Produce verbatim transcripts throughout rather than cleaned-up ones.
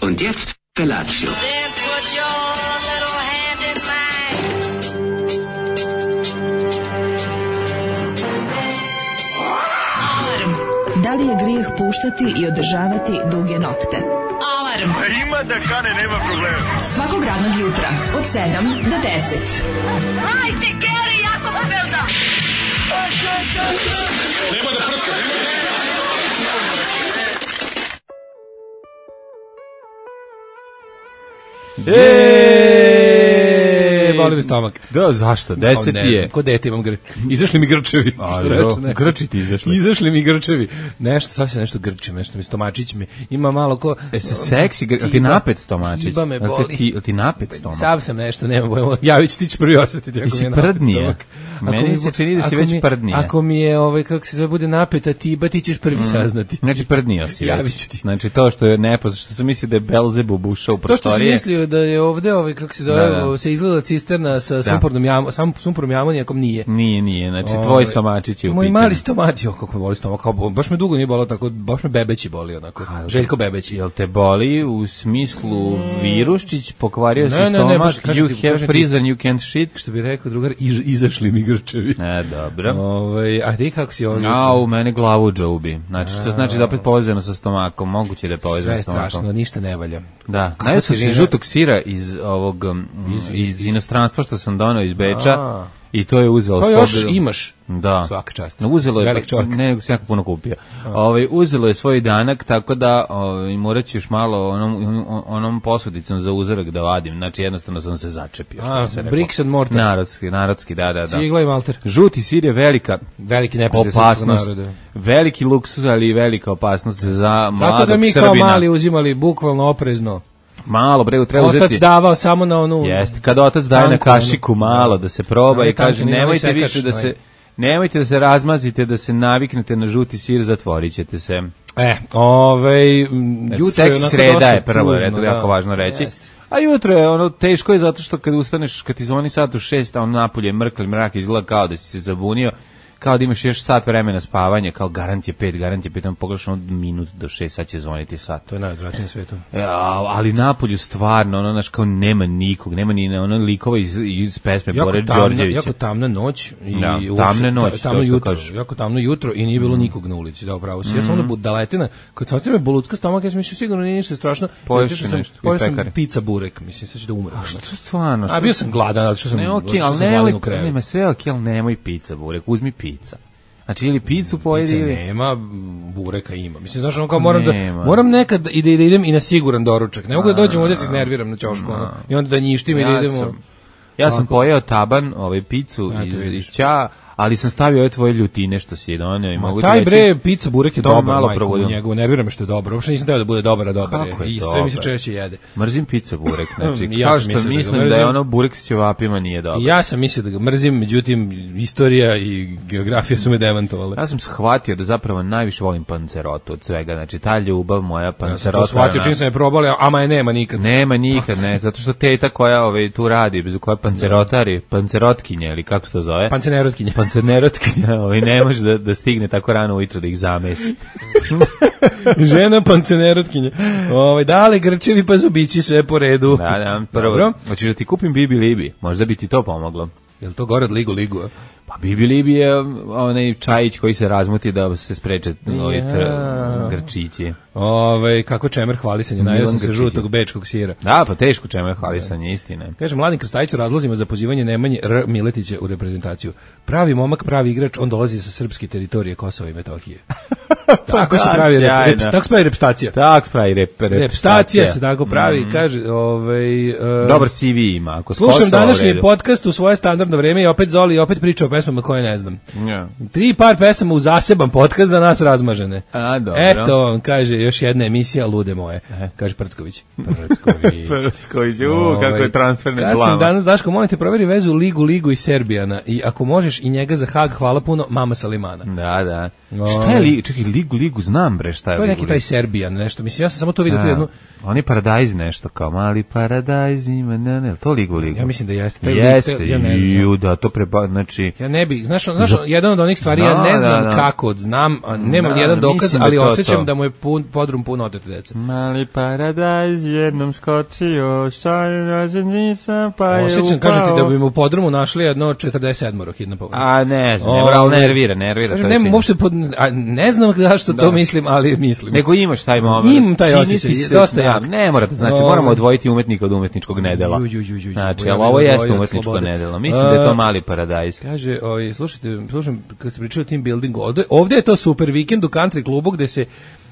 Und jetzt Felatio. Then put your little hand in mine. Alarm. Da li je grijeh puštati i održavati duge nokte? Alarm. Ima da kane, nema problema. Svakog radnog jutra od sedam do deset. Hajde, Geri, jako se velda. Nema da prska, nema da prska. Eee, boli mi stomak. Da, zašto? Deset je. Ko dete imam grč. Izašli mi grčevi. A, jo, grči ti izašli. Izašli mi grčevi. Nešto, sad se nešto grčim, nešto mi stomačić mi ima malo ko... E se seksi, gr... ti napet stomačić? Kiba me boli. Ti, ti napet stomak? Sam sam nešto, nema bojmo. Javit ti ćeš prvi osjetiti. Ti si prdnije. Meni se čini da si već prdnije. Ako mi je, ovaj, kako se zove, bude napeta tiba, ti ćeš prvi saznati. Znači prdnije si Javit ću već. ti. Znači to što je nepoznato, što sam mislio da je Belzebub ušao u prostorije. To što sam mislio da je ovde, ovaj, kako se zove, Da, da. se izgleda cisterna sa sumpornom jam, sam sumpornom jamonijakom, nije. Nije, nije, znači Ovaj, tvoj stomačić je u Moj pitanju. mali stomačić, jo, kako me boli stomak, kao, baš me dugo nije bolio tako, baš me bebeći boli onako. Željko Bebeći. Jel te boli u smislu viruščić, pokvario si Ne, ne, ne, stomak, baš kažem you ti, have kažem ti. prison, you can't shit. Što bi rekao drugar, iz, izašli mi grčevi. E, dobro. Ovaj, a ti kako si ovdje? A, u mene glavu džubi. Znači, što znači da opet povezano sa stomakom, moguće da je povezano Sve sa stomakom. strašno, ništa ne valja. Da, Kako najao si sam se vina- žutog sira iz ovog, um, iz inostranstva što sam donao iz Beča A. i to je uzelo To s još pobedom. imaš. Da. Svaka čast. No, uzelo je, Velik čovjek. ne, nego sam jako puno kupio. Ovaj, uzelo je svoj danak, tako da ovaj, morat ću još malo onom, onom posudicom za uzorak da vadim. Znači, jednostavno sam se začepio. što A, bi se reklo. bricks and mortar. Narodski, narodski, da, da, da. Cigla i malter. Žuti sir je velika Veliki neprijatelj srpskog opasnost, naroda. veliki luksuz, ali i velika opasnost za mladog Zato ga mi kao Srbina. mali uzimali bukvalno oprezno. Malo, bre, treba Otac uzeti. davao samo na onu... Jeste, kada otac daje na tanku, kašiku onu- malo da se proba Ali i kaže tanku, nije nemojte onaj više sekač, da se onaj. nemojte da se razmazite, da se naviknete na žuti sir, zatvorit ćete se. E, ovaj, m, jutro je Seksi onako sreda dosta je prvo, tužno, je to da. jako važno reći. Jeste. A jutro je ono teško je zato što kad ustaneš, kad ti zvoni sat u šest, a on napolje mrkli mrak, izgleda kao da si se zabunio, kao da imaš još sat vremena spavanja, kao garant je pet, garant je pet, on pogledaš ono minut do šest, sad će zvoniti sat. To je najodvratnije na svetu. Ja, ali napolju stvarno, ono, znaš, kao nema nikog, nema ni ono likova iz, iz pesme Jako Bore tamna, Đorđevića. jako tamna noć i Da, uopšte tamna noć, ta- tamno to što jutro, kažeš. jako tamno jutro i nije bilo nikog na ulici, da, upravo si. Ja sam onda budaletina, kad sam ostavio bolutka stomak, ja sam mislio sigurno nije ništa strašno. Poješ Zato što si sam- nešto, i pojeo sam pekare. pizza burek, mislim, sad ću da umrem. Što stvarno? A bio sam gladan, zato što sam, Ne, zato okej, što ali sam nemoj, gladan u krevetu. nema sve okej, ali nemoj pizza, burek, uzmi pizza. Znači, ili pizzu pojedi Pizza ili... nema, bureka ima. Mislim, znaš, ono kao moram da, Nema. moram nekad i da, i da idem i na siguran doručak. Ne mogu da dođem ovdje da se iznerviram na ćošku, ono, i onda da njištim i da Ja idemo... sam, ja sam Ovako. pojeo taban, ovaj picu Ja, to iz, vidiš. iz Ćaa, ali sam stavio ove tvoje ljutine što si je donio i Ma, mogu ti taj reći... bre pizza burek je to dobar, malo majko, probudim. u njegovu nervira me što je dobar. Uopšte nisam teo da bude dobar, a dobar Kako je. je I sve mi se dobar? češće jede. Mrzim pizza burek, znači, I ja kao sam što mislio da ga mislim da, mrzim. je ono burek s ćevapima nije dobro. I ja sam mislio da ga mrzim, međutim istorija i geografija su me demantovale. Ja sam shvatio da zapravo najviše volim pancerotu od svega, znači ta ljubav moja Ja sam pancerota. to shvatio ona- čim sam je probali, ama je nema nikad. Nema nikad, ne, zato što teta koja ovaj, tu radi, bez koja pancerotari, pancerotkinja ili kako se to zove? Pancenerotkinja. Pancerotkinja, ovaj, ne može da, da stigne tako rano ujutro da ih zamesi. Žena pancenerotkinja. Ovaj dale grčevi pa zubići sve po redu. Da, da, prvo, Dobro. hoćeš da ti kupim Bibi Libi, možda bi ti to pomoglo. Jel to gore od ligu ligu? a? Pa Bibi Libi je onaj čajić koji se razmuti da se spreče ovi Ja. tr- grčići. Ovaj kako čemer hvalisanje, najeo sam se Grčići. žutog bečkog sira. Da, pa teško čemu hvalisanje, istine. Kaže Mladen Krstajić u razlozima za pozivanje Nemanje R. Miletića u reprezentaciju. Pravi momak, pravi igrač, on dolazi sa srpske teritorije Kosova i Metohije. Tako se da, pravi rep, sjajno. rep, tako se pravi repstacija. Tak pravi rep, rep, Repstacija se tako pravi, kaže, ovaj e, Dobar C V ima, ako s slušam Kosova u današnji redu. podcast u svoje standardno vreme i opet Zoli opet priča o pesmama koje ne znam. Ja. Tri par pesama u zaseban podcast za nas razmažene. A, dobro. Eto, on kaže, još jedna emisija lude moje. Kaže Prcković. Prcković. Prsković, u, kako je transferna Kasnim glava. danas, Daško, molim te, proveri vezu Ligu, Ligu i Serbijana. I ako možeš i njega za Hag, hvala puno, mama Salimana. Da, da. O. Šta je li, čekaj, Ligu, Ligu, znam bre šta je. To je Ligu, neki taj Serbijan, nešto. Mislim, ja sam samo to vidio tu jednu... On je paradajz nešto, kao mali paradajz ima, ne, ne, to Ligu, Ligu. Ja mislim da jeste. Taj Jeste, lik, ja ne znam. ju, da, to preba, znači... Ja ne bih, znaš, znaš, jedan od onih stvari, ja ne znam da, da. kako, znam, a nemam Da, jedan dokaz, mislim da ali to osjećam to. da mu je pun, podrum pun otete deca. Mali paradajz jednom skočio, šalj rođen nisam, pa je Osjećam, upao. kažem ti da bi mu u podrumu našli jedno četrdeset sedam hitna pomoć. A ne znam, ne, moral nervira, nervira. Kažem, to ne, čini. uopšte pod, a, ne znam zašto to mislim, ali mislim. Nego imaš taj moment. Imam taj Čini osjećaj, ti se- dosta da, jak. Ne mora da znači, Ovaj. moramo odvojiti umetnika od umetničkog nedela. Ju, ju, ju, ju, ju. Znači, Ja ali bih ovo odvojio jeste od umetničko slobode. nedelo. Mislim da je to A, mali paradajz. Kaže, ovaj, slušajte, slušam, kad ste pričali o team buildingu, ovde, ovde je to super vikend u country klubu gde se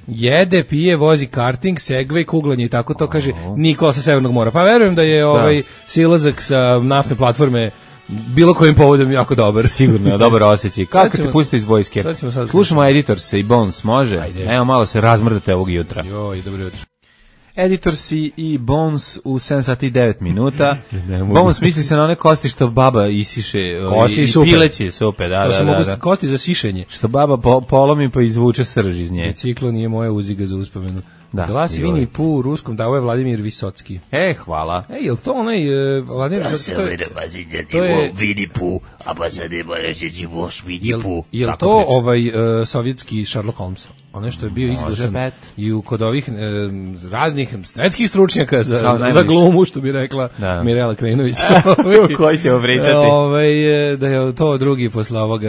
jede, pije, vozi karting, segway, kuglanje i tako to, kaže Nikola sa Severnog mora. Pa verujem da je ovaj silazak sa naftne platforme bilo kojim povodom jako dobar. Sigurno, dobar osjećaj. Kako ćemo- te puste iz vojske? sad ćemo sad Slušamo Editors i Bones, može? Ajde. Evo malo se razmrdate ovog jutra. Joj, dobro jutro. Editors i Bones u sedam sati i devet minuta. Ne mogu. Bones misli se na one kosti što baba isiše. Kosti i super. pileće supe, da, To da, se da, mogu da. kosti za sišenje. Što baba po, polomi pa izvuče srž iz nje. Biciklo nije moja uziga za uspomenu. Da, Glas joj. Vini Pu u ruskom dao je Vladimir Visocki. E, hvala. Ej, jel to onaj uh, Vladimir Visocki? To je, to je, Vidi pu, a pa sad ima reći voš vidi jel, pu. jel Tako to priča. ovaj uh, sovjetski Sherlock Holmes? Ono što je bio izglasan bet. i u kod ovih uh, raznih svetskih stručnjaka za, Kao za, najviše. za glumu, što bi rekla Da. Mirela Krenović. Koji ćemo pričati? Ovaj, e, da je to drugi posle ovoga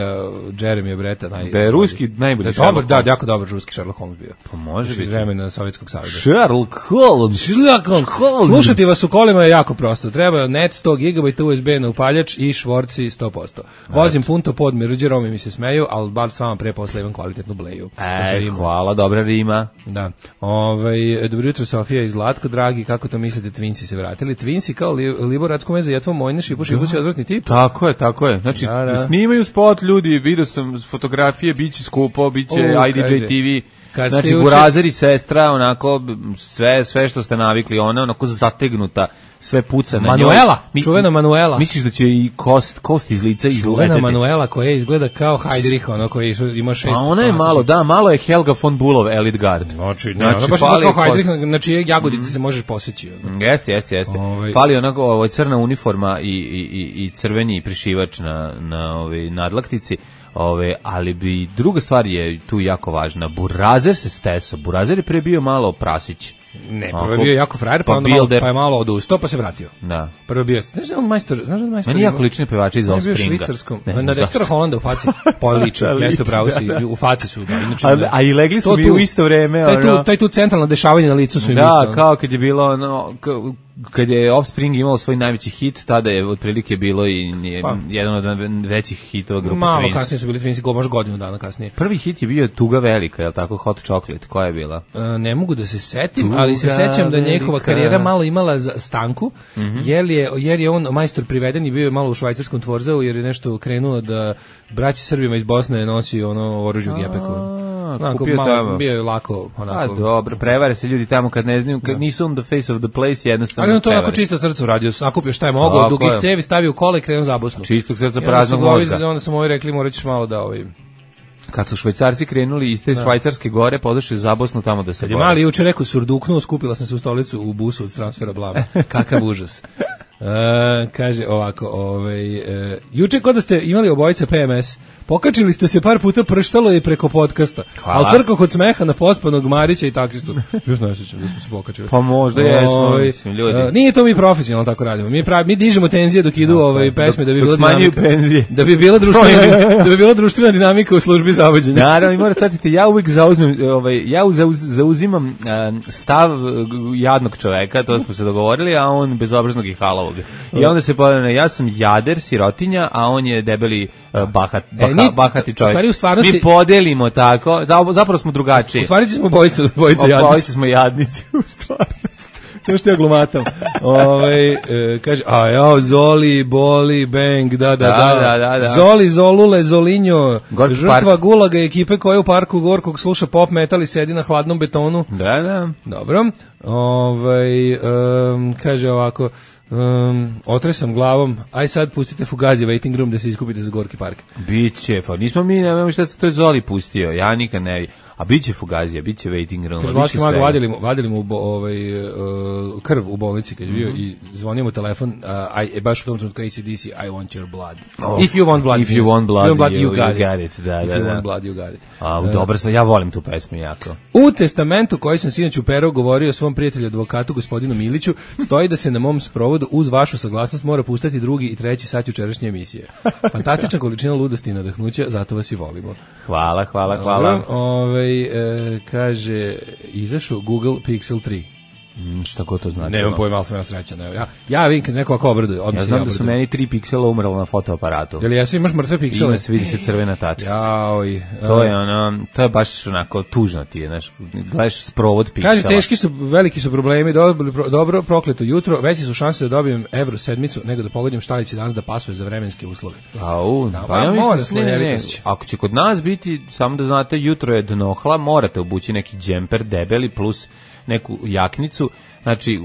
Jeremy Breta. Naj, Da je ruski najbolji da je Sherlock dobar, da, Holmes. jako dobar ruski Sherlock Holmes bio. Pa može Još iz biti. vremena Sovjetskog saveza. Sherlock Holmes. Sherlock Holmes. Slušati vas u kolima je jako prosto. Treba net sto gigabajta U S B na upaljač i švorci sto posto. Vozim punto pod Mirđe, Romi mi se smeju, ali bar s vama pre posle imam kvalitetnu bleju. To se E, rima. hvala, dobra rima. Da. Ovaj dobro jutro Sofija i Zlatko, dragi, kako to mislite, Twinsi se vratili? Twinsi kao li, Liboratsko meze, jetvo mojne, šipu, šipu, si odvratni tip. Tako je, tako je. Znači, Da, da. snimaju spot ljudi, vidio sam fotografije, biće skupo, biće U, I D J kaže. T V. Kad ste Znači, juče- Burazer i sestra, onako, b- sve, sve što ste navikli, ona onako zategnuta, sve puca na njoj. Manuela, Mi- čuvena Manuela. Misliš da će i kost, kost iz lica Čuvena izleteti? Manuela koja izgleda kao Heidrich, ono koji su- ima šest. A ona je malo, da, malo je Helga von Bulov, Elite Guard. Znači, ne, Znači, znači baš fali kao je Heidrich, na čije jagodice se možeš poseći. Ono. Jeste, jeste, jeste. Ovaj- Fali onako ovo crna uniforma i, i, i, i crveni prišivač na, na ove nadlaktici. Ove, ali bi druga stvar je tu jako važna. Burazer se steso. Burazer je pre bio malo prasić. Ne, prvo Ako- je bio jako frajer, pa, pa onda malo, builder. pa je malo odustao, pa se vratio. Da. Prvo je bio, znaš da je on majstor, znaš da je on majstor? Meni jako lične pevače iz On je bio Offspringa. švicarskom, Ne znam na zašto. Dextera Hollanda u faci, pa liči, Da, jeste liči, pravo si, da, da. u faci su, da, inače. A, da. a i legli su To mi tu- u isto vreme. Taj tu, ono. taj tu centralno dešavanje na licu su im isto. Da, kao kad je bilo ono, k- kad je Offspring imao svoj najveći hit, tada je otprilike bilo i nije- Pa. jedan od većih hitova grupe Malo Twins. kasnije su bili Twinsi, go, možda godinu dana kasnije. Prvi hit je bio Tuga velika, je li tako, Hot Chocolate, koja je bila? E, ne mogu da se setim, Tuga ali se sećam da je njihova velika. karijera malo imala za stanku, Mhm. jer, je, jer je on majstor priveden i bio je malo u švajcarskom tvorzeu, jer je nešto krenuo da braći Srbima iz Bosne nosi ono oružje u gepeku. Onako, kupio malo, tamo. bio je lako, A onako. dobro, prevare se ljudi tamo kad ne znaju, kad nisu on the face of the place, jednostavno Ali on to onako prevare. čista srca uradio, sakupio šta je mogao, Tako dugih je. cevi stavio u kola i krenuo za Bosnu. Čistog srca I onda praznog su ovi- mozga. Onda su moji rekli, morat ćeš malo da ovaj... Kad su Švajcarci krenuli iz te švajcarske gore, podošli za Bosnu tamo da se Kad je bore. mali juče rekao surduknuo, skupila sam se u stolicu u busu od transfera blama. Kakav užas. E, kaže ovako, ovaj, e, juče kod da ste imali obojice P M S, pokačili ste se par puta, prštalo je preko podcasta, Hvala. ali crko kod smeha na pospanog Marića i taksistu. Još ne sjećam da smo se pokačili. Pa možda jesmo, Ovaj, mislim, ljudi. e, nije to mi profesionalno tako radimo. Mi, pravi, mi dižemo tenzije dok idu ovaj, pesme da bi dok bila smanjuju dinamika. penzije. Da bi bila društvena, da bi bila društvena dinamika u službi zavođenja. Naravno, i morate shvatiti, ja uvijek zauzmem, ovaj, ja zauz, zauzimam eh, stav eh, jadnog čoveka, to smo se dogovorili, a on bezobraznog i halovog. I onda se pojavljeno, ja sam jader, sirotinja, a on je debeli eh, bahat, baha, ni- bahati čovjek. u stvari, u stvarnosti- Mi podelimo tako, za- zapravo smo drugačiji. U stvari smo bojice, bojice Obojice jadnici. smo jadnici, u stvarnosti. Samo što ja glumatam. Ovaj e, kaže, a ja, Zoli, Boli, Bang, da, da, da. Da, da, da, da. Zoli, Zolule, Zolinjo, Gorki žrtva park. Gulaga ekipe koja u parku Gorkog sluša pop metal i sedi na hladnom betonu. Da, da. Dobro. Ovaj um, kaže ovako, um, otresam glavom, aj sad pustite Fugazi Waiting Room da se iskupite za Gorki park. Biće, fa, nismo mi, nemamo šta se to je Zoli pustio, ja nikad ne, a biće Fugazija, biće Waiting Room. Kaže, Vlaški mag vadili mu, vadili mu bo, ovaj, uh, krv u bolnici kad je bio mm-hmm. i zvonio mu telefon, uh, I, baš u tom trenutku A C D C, I want your blood. Oh, if you want blood, if you want blood, you, blood, you, you, got, you it. got it. Da, if da, you da. want blood, you got it. A, uh, dobro, ja volim tu pesmu jako. U testamentu koji sam sinoć uperao govorio svom prijatelju advokatu gospodinu Miliću, stoji da se na mom sprovodu uz vašu saglasnost mora puštati drugi i treći sat jučerašnje emisije. Fantastična količina ludosti i nadahnuća, zato vas i volimo. Hvala, hvala, hvala. Ovaj e, kaže, izašao Google Pixel tri. Mm, šta ko to znači? Nemam pojma, ali sam ja srećan. Ja, ja vidim kad se neko ovako obraduje. Ja znam ja da su meni tri piksela umrlo na fotoaparatu. Jel jesu, imaš mrtve piksele? Ima se, vidi se crvena tačkica. Jaoj. To je ono, to je baš onako tužno ti je, znaš, gledaš sprovod piksela. Kaže, teški su, veliki su problemi, dobro, dobro prokleto jutro, veći su šanse da dobijem evro sedmicu, nego da pogodim šta li će danas da pasuje za vremenske uslove. Au, da, pa ja mislim, ne, ne, ne, ako će kod nas biti, samo da znate, jutro je dnohla, morate obući neki džemper debeli plus neku jaknicu. Znači,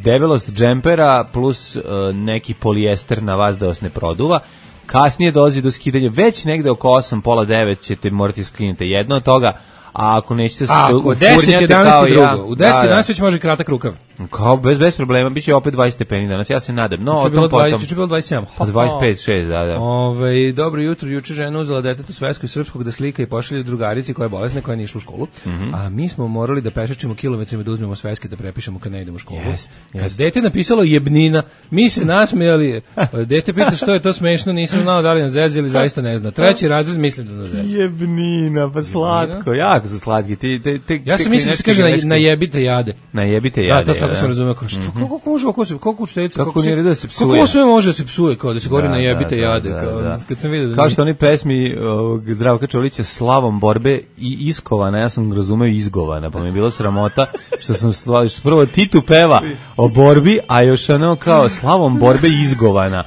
debelost džempera plus uh, neki polijester na vas da vas ne produva. Kasnije dolazi do skidanja, već negde oko osam, pola devet ćete morati skinite jedno od toga, a ako nećete se ufurnjati kao ja... U deset jedanaest već može kratak rukav. Kao, bez, bez problema, bit će opet dvadeset stepeni danas, ja se nadam. No, o tom potom... Juče bilo dvadeset sedam. Pa dvadeset pet šest, da, da. Ove, dobro jutro, juče žena uzela detetu svesku i srpskog da slika i pošalje drugarici koja je bolesna, koja nije išla u školu. Mm -hmm. A mi smo morali da pešačimo kilometrima da uzmemo sveske da prepišemo kad ne idemo u školu. Jest, kad jest. Dete napisalo jebnina, mi se nasmejali. Dete pita što je to smešno, nisam znao da li nas zezi ili zaista ne zna. Treći razred mislim da nas zezi. Jebnina, pa slatko, jako su slatki. Ti, te, te, ja sam mislim da se kaže na, najebite jade. Najebite jade. Da, to tako sam razumeo kao što. Mm-hmm. Kako može kako se kako učiteljica kako, kako, da se psuje. Kako sve može da se psuje kao da se govori da, najebite da, jade da, kao da. Kad sam video da kao što oni pesmi ovog Zdravka Čolića slavom borbe i iskovana, ja sam razumeo izgovana, pa mi je bilo sramota što sam stvari što prvo Titu peva o borbi, a još ono kao slavom borbe izgovana.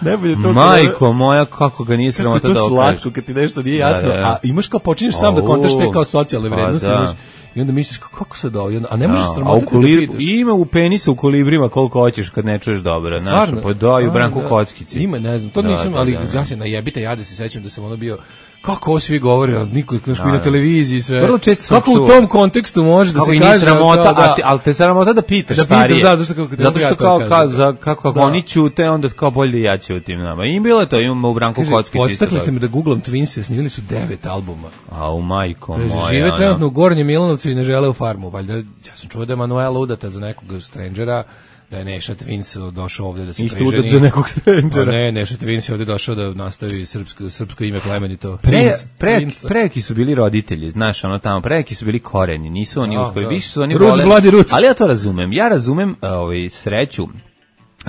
Majko moja, kako ga nije sramota da okaže. Slatko kad ti nešto nije jasno, da, da. A imaš kao počinješ sam da kontaš te kao socijalne vrednosti, da. I onda misliš kako se da, a ne možeš sramotati da pitaš. Ima u penisa u kolibrima koliko hoćeš kad ne čuješ dobro, znaš, pa daju Branku Kockici. Ima, ne znam, to da, nisam, da, ali da, ja se najebite jade se sećam da sam ono bio kako ovo svi govore, niko još na televiziji sve. Vrlo često sam kako čuo. U tom kontekstu može da se kaže sramota, to, da, ali te sramota da pitaš da starije. Pitaš, da, zato što, zato što kao, kao, za, kako da. Oni ćute, onda kao bolje da ja ćutim nama. I bilo je to, imamo u Branku Kockici. Podstakli ste me da googlam Twinse, snimili su devet albuma. A u majko kaže, moja. Žive trenutno u Gornjem Milanovcu i ne žele u farmu. Valjda, ja sam čuo da je Manuela udata za nekog strangera, da je Neša Twins došao ovde da se isto priženi. Isto za nekog strangera. Ne, Neša Twins je ovde došao da nastavi srpsko, srpsko ime plemenito. Pre, pre, preki su bili roditelji, znaš, ono tamo, preki su bili koreni, nisu oni uspeli, više su oni voleli. Ali ja to razumem, ja razumem ovaj, sreću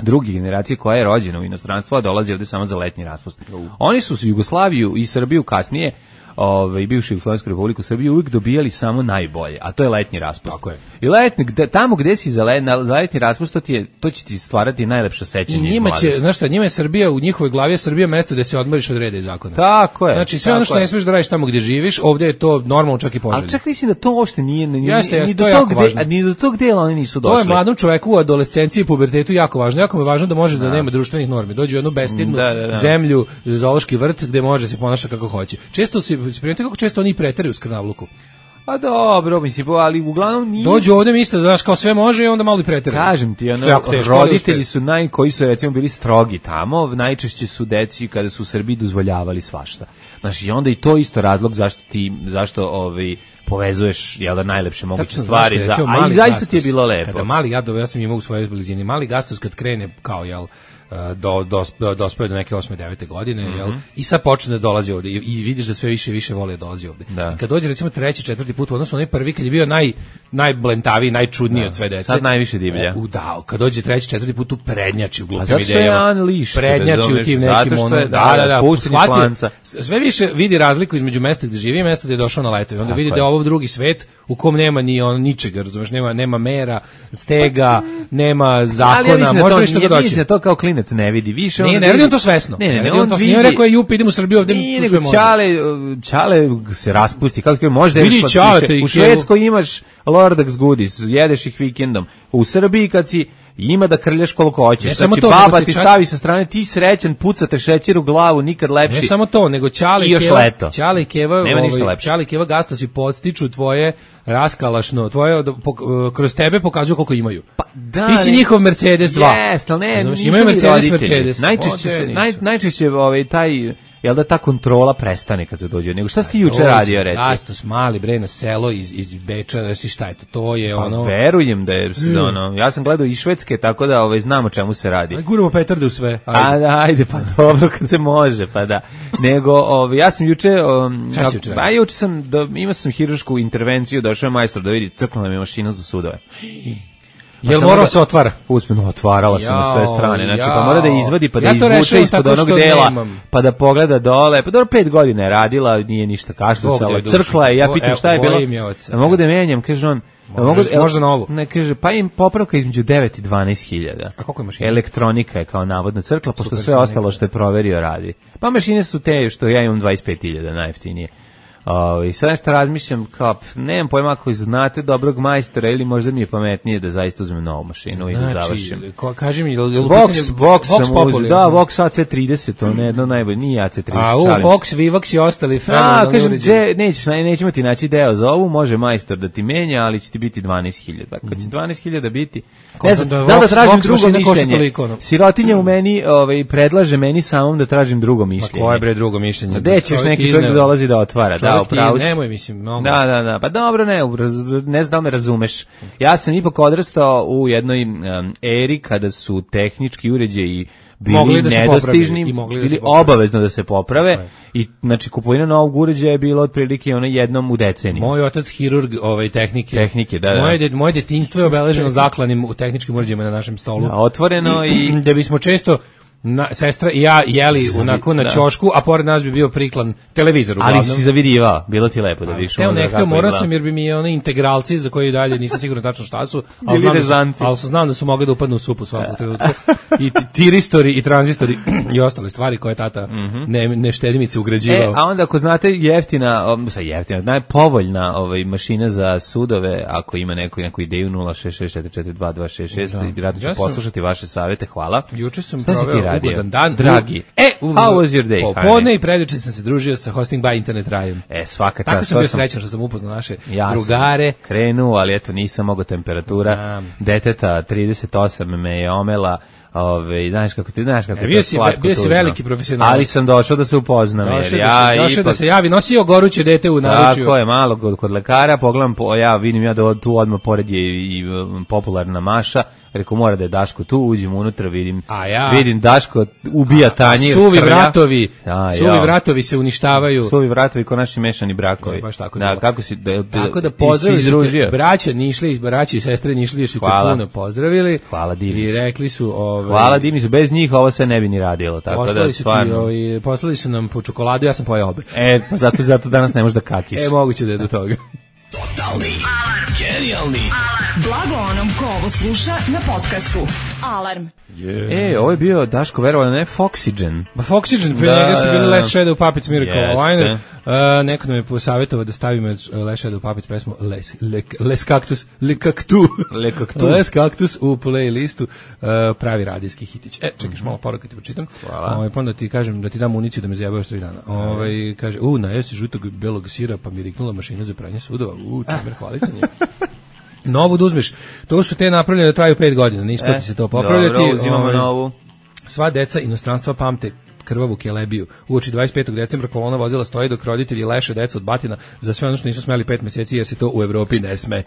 druge generacije koja je rođena u inostranstvu, a dolazi ovde samo za letnji raspust. Oni su Jugoslaviju i Srbiju kasnije, ovaj bivšu Jugoslavensku republiku Srbiju uvijek dobijali samo najbolje, a to je letnji raspust. Tako je. I letnji, gde, tamo gde si za, let, za letnji raspust, to, ti je, to će ti stvarati najlepša sećanja. I njima će, znaš šta, njima je Srbija, u njihovoj glavi je Srbija mesto gde se odmoriš od reda i zakona. Tako je. Znači sve ono što je. Ne smiješ da radiš tamo gde živiš, ovdje je to normalno čak i poželjno. Ali čak mislim da to uopšte nije, ni, jeste, jeste, ni, to do je tog jako gde, ni do tog dela oni nisu došli. To je mladom čoveku u adolescenciji i pubertetu jako važno. Jako mu je važno da može da, da nema društvenih normi. Dođe u jednu bestidnu da, da, da. zemlju, zoološki vrt gde može se ponaša kako hoće. Često se primetite kako često oni preteraju s krnavluku. A dobro, mislim, ali uglavnom nije... Dođu ovde misle da znaš kao sve može i onda malo i preteraju. Kažem ti, ono, roditelji su naj, koji su recimo bili strogi tamo, najčešće su deci kada su u Srbiji dozvoljavali svašta. Znaš, i onda i to isto razlog zašto ti, zašto ovaj, povezuješ, jel da, najlepše moguće tačno, stvari, znaš, za, a i zaista ti je bilo lepo. Kada mali Gado, ja sam imao u svojoj blizini, mali Gastos kad krene kao, jel, do do dospeo do neke osme devete godine, mm-hmm. jel? I sad počne da dolazi ovde i, i vidiš da sve više i više voli da dolazi ovde. Da. I kad dođe recimo treći, četvrti put, odnosno onaj prvi kad je bio naj najblentaviji, najčudniji da. Od sve dece. Sad najviše divlja. U da, kad dođe treći, četvrti put tu prednjači u glupim idejama. A zato je unleashed. Prednjači u tim nekim ono. Da, da, da. Shvatio, sve više vidi razliku između mesta gde živi i mesta gde je došao na leto. I onda vidi da je ovo drugi svet u kom nema ni on ničega, razumeš, nema nema mera, stega, nema zakona, može ništa da doći. To kao klinac klinac ne vidi više. Nije, on ne radi on to svesno. Ne, ne, ne, ne on to, vidi. Nije rekao je jup, idemo u Srbiju, ovde nije, tu sve nego može. Ćale, Ćale se raspusti, kako kaže, možda Vidi ješ Ćale, slatkiše. te i U Švedskoj imaš Lordax goodies, jedeš ih vikendom. U Srbiji kad si ima da krljaš koliko hoćeš. Ne samo znači, to, baba nego ti ti čak- stavi sa strane, ti srećan, pucate šećer u glavu, nikad lepši. Ne samo to, nego Ćale I i još Keva, leto. Ćale i Keva, Nema ništa ovaj, lepše. Ćale i Keva gastosi podstiču tvoje raskalašno, tvoje pok- kroz tebe pokazuju koliko imaju. Pa da, Ti si ne- njihov Mercedes dva. Jeste, ali ne, Razumeš, nisu imaju ni Mercedes, roditelji. Mercedes. Najčešće, Ovde se, nisu. naj, najčešće ovaj, taj, jel da ta kontrola prestane kad se dođe. Nego šta si ti juče Dođe, radio, reci? Gastos, mali bre na selo iz, iz Beča, znaš ti šta je to, to je Pa ono... verujem da je, ono, ja sam gledao i Švedske, tako da ovaj, znam o čemu se radi. Aj, guramo petarde u sve. A Ajde. da, ajde, pa dobro kad se može, pa da. Nego, ovaj, ja sam juče, um, Šta si juče radio? a juče sam, do, imao sam hirušku intervenciju, došao je majstor da vidi, crkla nam je mašina za sudove. Pa Jel samo morao da- se otvara? Uspjeno, otvarala se na sve Jao, strane. Znači, jao. pa mora da je izvadi, pa da Ja je to izvuče rešavam ispod tako onog što dela, nemam. pa da pogleda dole. Pa dobro, pet godina je radila, nije ništa kašljucala, Bog da je crkla je, ja duši. pitam Evo, šta je bilo. bojim je oca. Da mogu da menjam, kaže on. da mogu, Možda- možda na ovu. Ne, kaže, pa im popravka između devet i dvanaest hiljada. A koliko je mašina? Elektronika je kao navodno crkla, pošto Super sve su ostalo neke. što je proverio radi. Pa mašine su te što ja imam dvadeset pet hiljada, najjeftinije. O, I sad nešto razmišljam, kao, pf, nemam pojma ako znate dobrog majstora ili možda mi je pametnije da zaista uzmem novu mašinu i da završim. Znači, ko, kaži mi, jel, jel u Vox, pitanju- Vox sam Populi, uzeo, da, jel? Vox A C trideset, to ne jedno najbolje, nije A C trideset, A u šalim se. Vox, Vivox i ostali A, fenomenalni kažem, uređaji. dže, nećeš, ne, nećemo ti naći deo za ovu, može majstor da ti menja, ali će ti biti dvanaest hiljada. Ako će dvanaest hiljada biti, ne znam, da da, je da, da Vox- tražim Vox drugo mašina košta mišljenje. toliko, ono. Sirotinja u meni ovaj, predlaže meni samom da tražim drugo Pa mišljenje. koje bre drugo mišljenje? Da gde ćeš Čovjek neki izneo- čovjek da dolazi da otvara, da, Čovjek ti upravo si. nemoj, mislim, mnogo. Da, da, da, pa dobro, ne, raz- ne znam da li me razumeš. Ja sam ipak odrastao u jednoj um, eri kada su tehnički uređaji bili Mogli da se nedostižni, poprave i mogli da bili se poprave. obavezno da se poprave Tako je. i znači kupovina novog uređaja je bila otprilike ono jednom u deceniji. Moj otac hirurg ovaj tehnike. Tehnike, da, da. Moje, de, moje detinjstvo je obeleženo zaklanim u tehničkim uređajima na našem stolu. Da, otvoreno i Da bismo često na, sestra i ja jeli onako na da. ćošku, a pored nas bi bio priklan televizor uglavnom. ali si zavirivao, bilo ti lepo da vidiš. Teo ono ne kako hteo, morao izgleda. sam jer bi mi one integralci za koje dalje nisam siguran tačno šta su, ali Bili znam, da su, rezanci. ali su znam da su mogli da upadnu u supu svakog trenutka. I ti- tiristori i tranzistori i ostale stvari koje tata ne, ne štedimice E, ugrađivao. a onda ako znate jeftina, um, sa jeftina, najpovoljna ovaj, mašina za sudove, ako ima neku, neku ideju nula šest šest četiri četiri dva dva šest šest, Da. rado ću Ja sam- poslušati vaše savete, hvala. Juče sam Šta si ti proveo radio? ugodan dan. Dragi. E, How was your day, Popodne honey? i preduče sam se družio sa Hosting by Internet Rajem. E, svaka Tako čast. sam to bio srećan što sam upoznao naše Ja drugare. sam krenuo, ali eto nisam mogao temperatura. Znam. Deteta trideset osam me je omela. Ove, znaš kako ti, znaš kako E, je bio to si- slatko bio si tužno. veliki profesionalac. Ali sam došao da se upoznam. Došao jer da, ja se, došao da ipak- se javi, nosio goruće dete u naručju. Tako je, malo kod, kod lekara, pogledam, po, ja vidim ja da od- tu odmah pored je i, i um, popularna Maša, rekao mora da je Daško tu, uđem unutra, vidim, A ja- vidim Daško ubija tanjir. Suvi krlja. vratovi, Ja, suvi ja. vratovi se uništavaju. Suvi vratovi ko naši mešani brakovi. E, baš tako je da, bilo. kako si, da, da, Tako da si pozdravili su izružio? te, braća Nišli, braća i sestre Nišli su te Hvala. puno pozdravili. Hvala, divni I su. rekli su... Ovaj, Hvala Dimi su, bez njih ovo sve ne bi ni radilo, tako poslali da su ti, stvarno. ovaj, poslali su nam po čokoladu, ja sam pojeo obe. E, pa zato, zato danas ne možeš da kakiš. E, moguće da je do toga. Blago onom ko ovo sluša na podcastu. Alarm. E, ovo je bio Daško verovano, ne Foxygen. Pa Foxygen, pre Da, njega su bili da, da. Last Shadow Puppets Miracle Jeste. Liner. Uh, neko nam je posavjetovao da stavimo uh, Last Shadow Puppets pesmu Les, Le, Les Cactus, Le Cactu. Le Cactu. Les Cactus u playlistu, uh, pravi radijski hitić. E, čekaš malo poruka ti pročitam. Hvala. Ovaj, pa onda ti kažem da ti dam municiju da me zajebavaš tri dana. Ovaj, kaže, u, najeo si žutog belog sira, pa mi riknula mašina za pranje sudova. U, čemer, hvali se nje. Novu da uzmeš. To su te napravljene da traju pet godina, ne isplati E, se to popravljati. Dobro, uzimamo Ovaj, novu. Sva deca inostranstva pamte krvavu kelebiju. Uoči dvadeset petog decembra kolona vozila stoji dok roditelji leše decu od batina za sve ono što nisu smeli pet meseci jer se to u Evropi ne sme.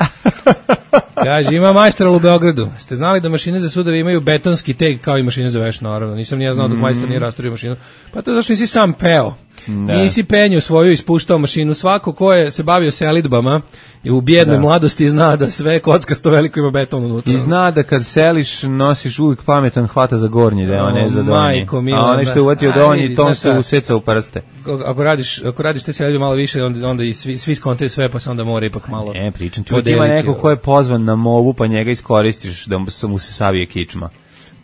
Kaže, ima majstoral u Beogradu. Ste znali da mašine za sudove imaju betonski teg kao i mašine za veš, naravno. Nisam ni ja znao dok majstor nije rasturio mašinu. Pa to je zašto nisi sam peo. Da. Nisi penju svoju ispuštao mašinu. Svako ko je se bavio selidbama i u bijednoj Da. mladosti zna da sve kockasto veliko ima beton unutra. I zna da kad seliš nosiš uvijek pametan hvata za gornji deo, a ne za donji. majko mila, A onaj što je uvatio a, donji, vidi, tom znaš se šta? useca u prste. Ako radiš, ako radiš te selidbe malo više, onda, onda i svi, svi skontaju sve, pa se onda mora ipak malo... E, pričam ti, uvijek ima podeliti, neko ko je pozvan na movu, pa njega iskoristiš da mu se, mu se savije kičma.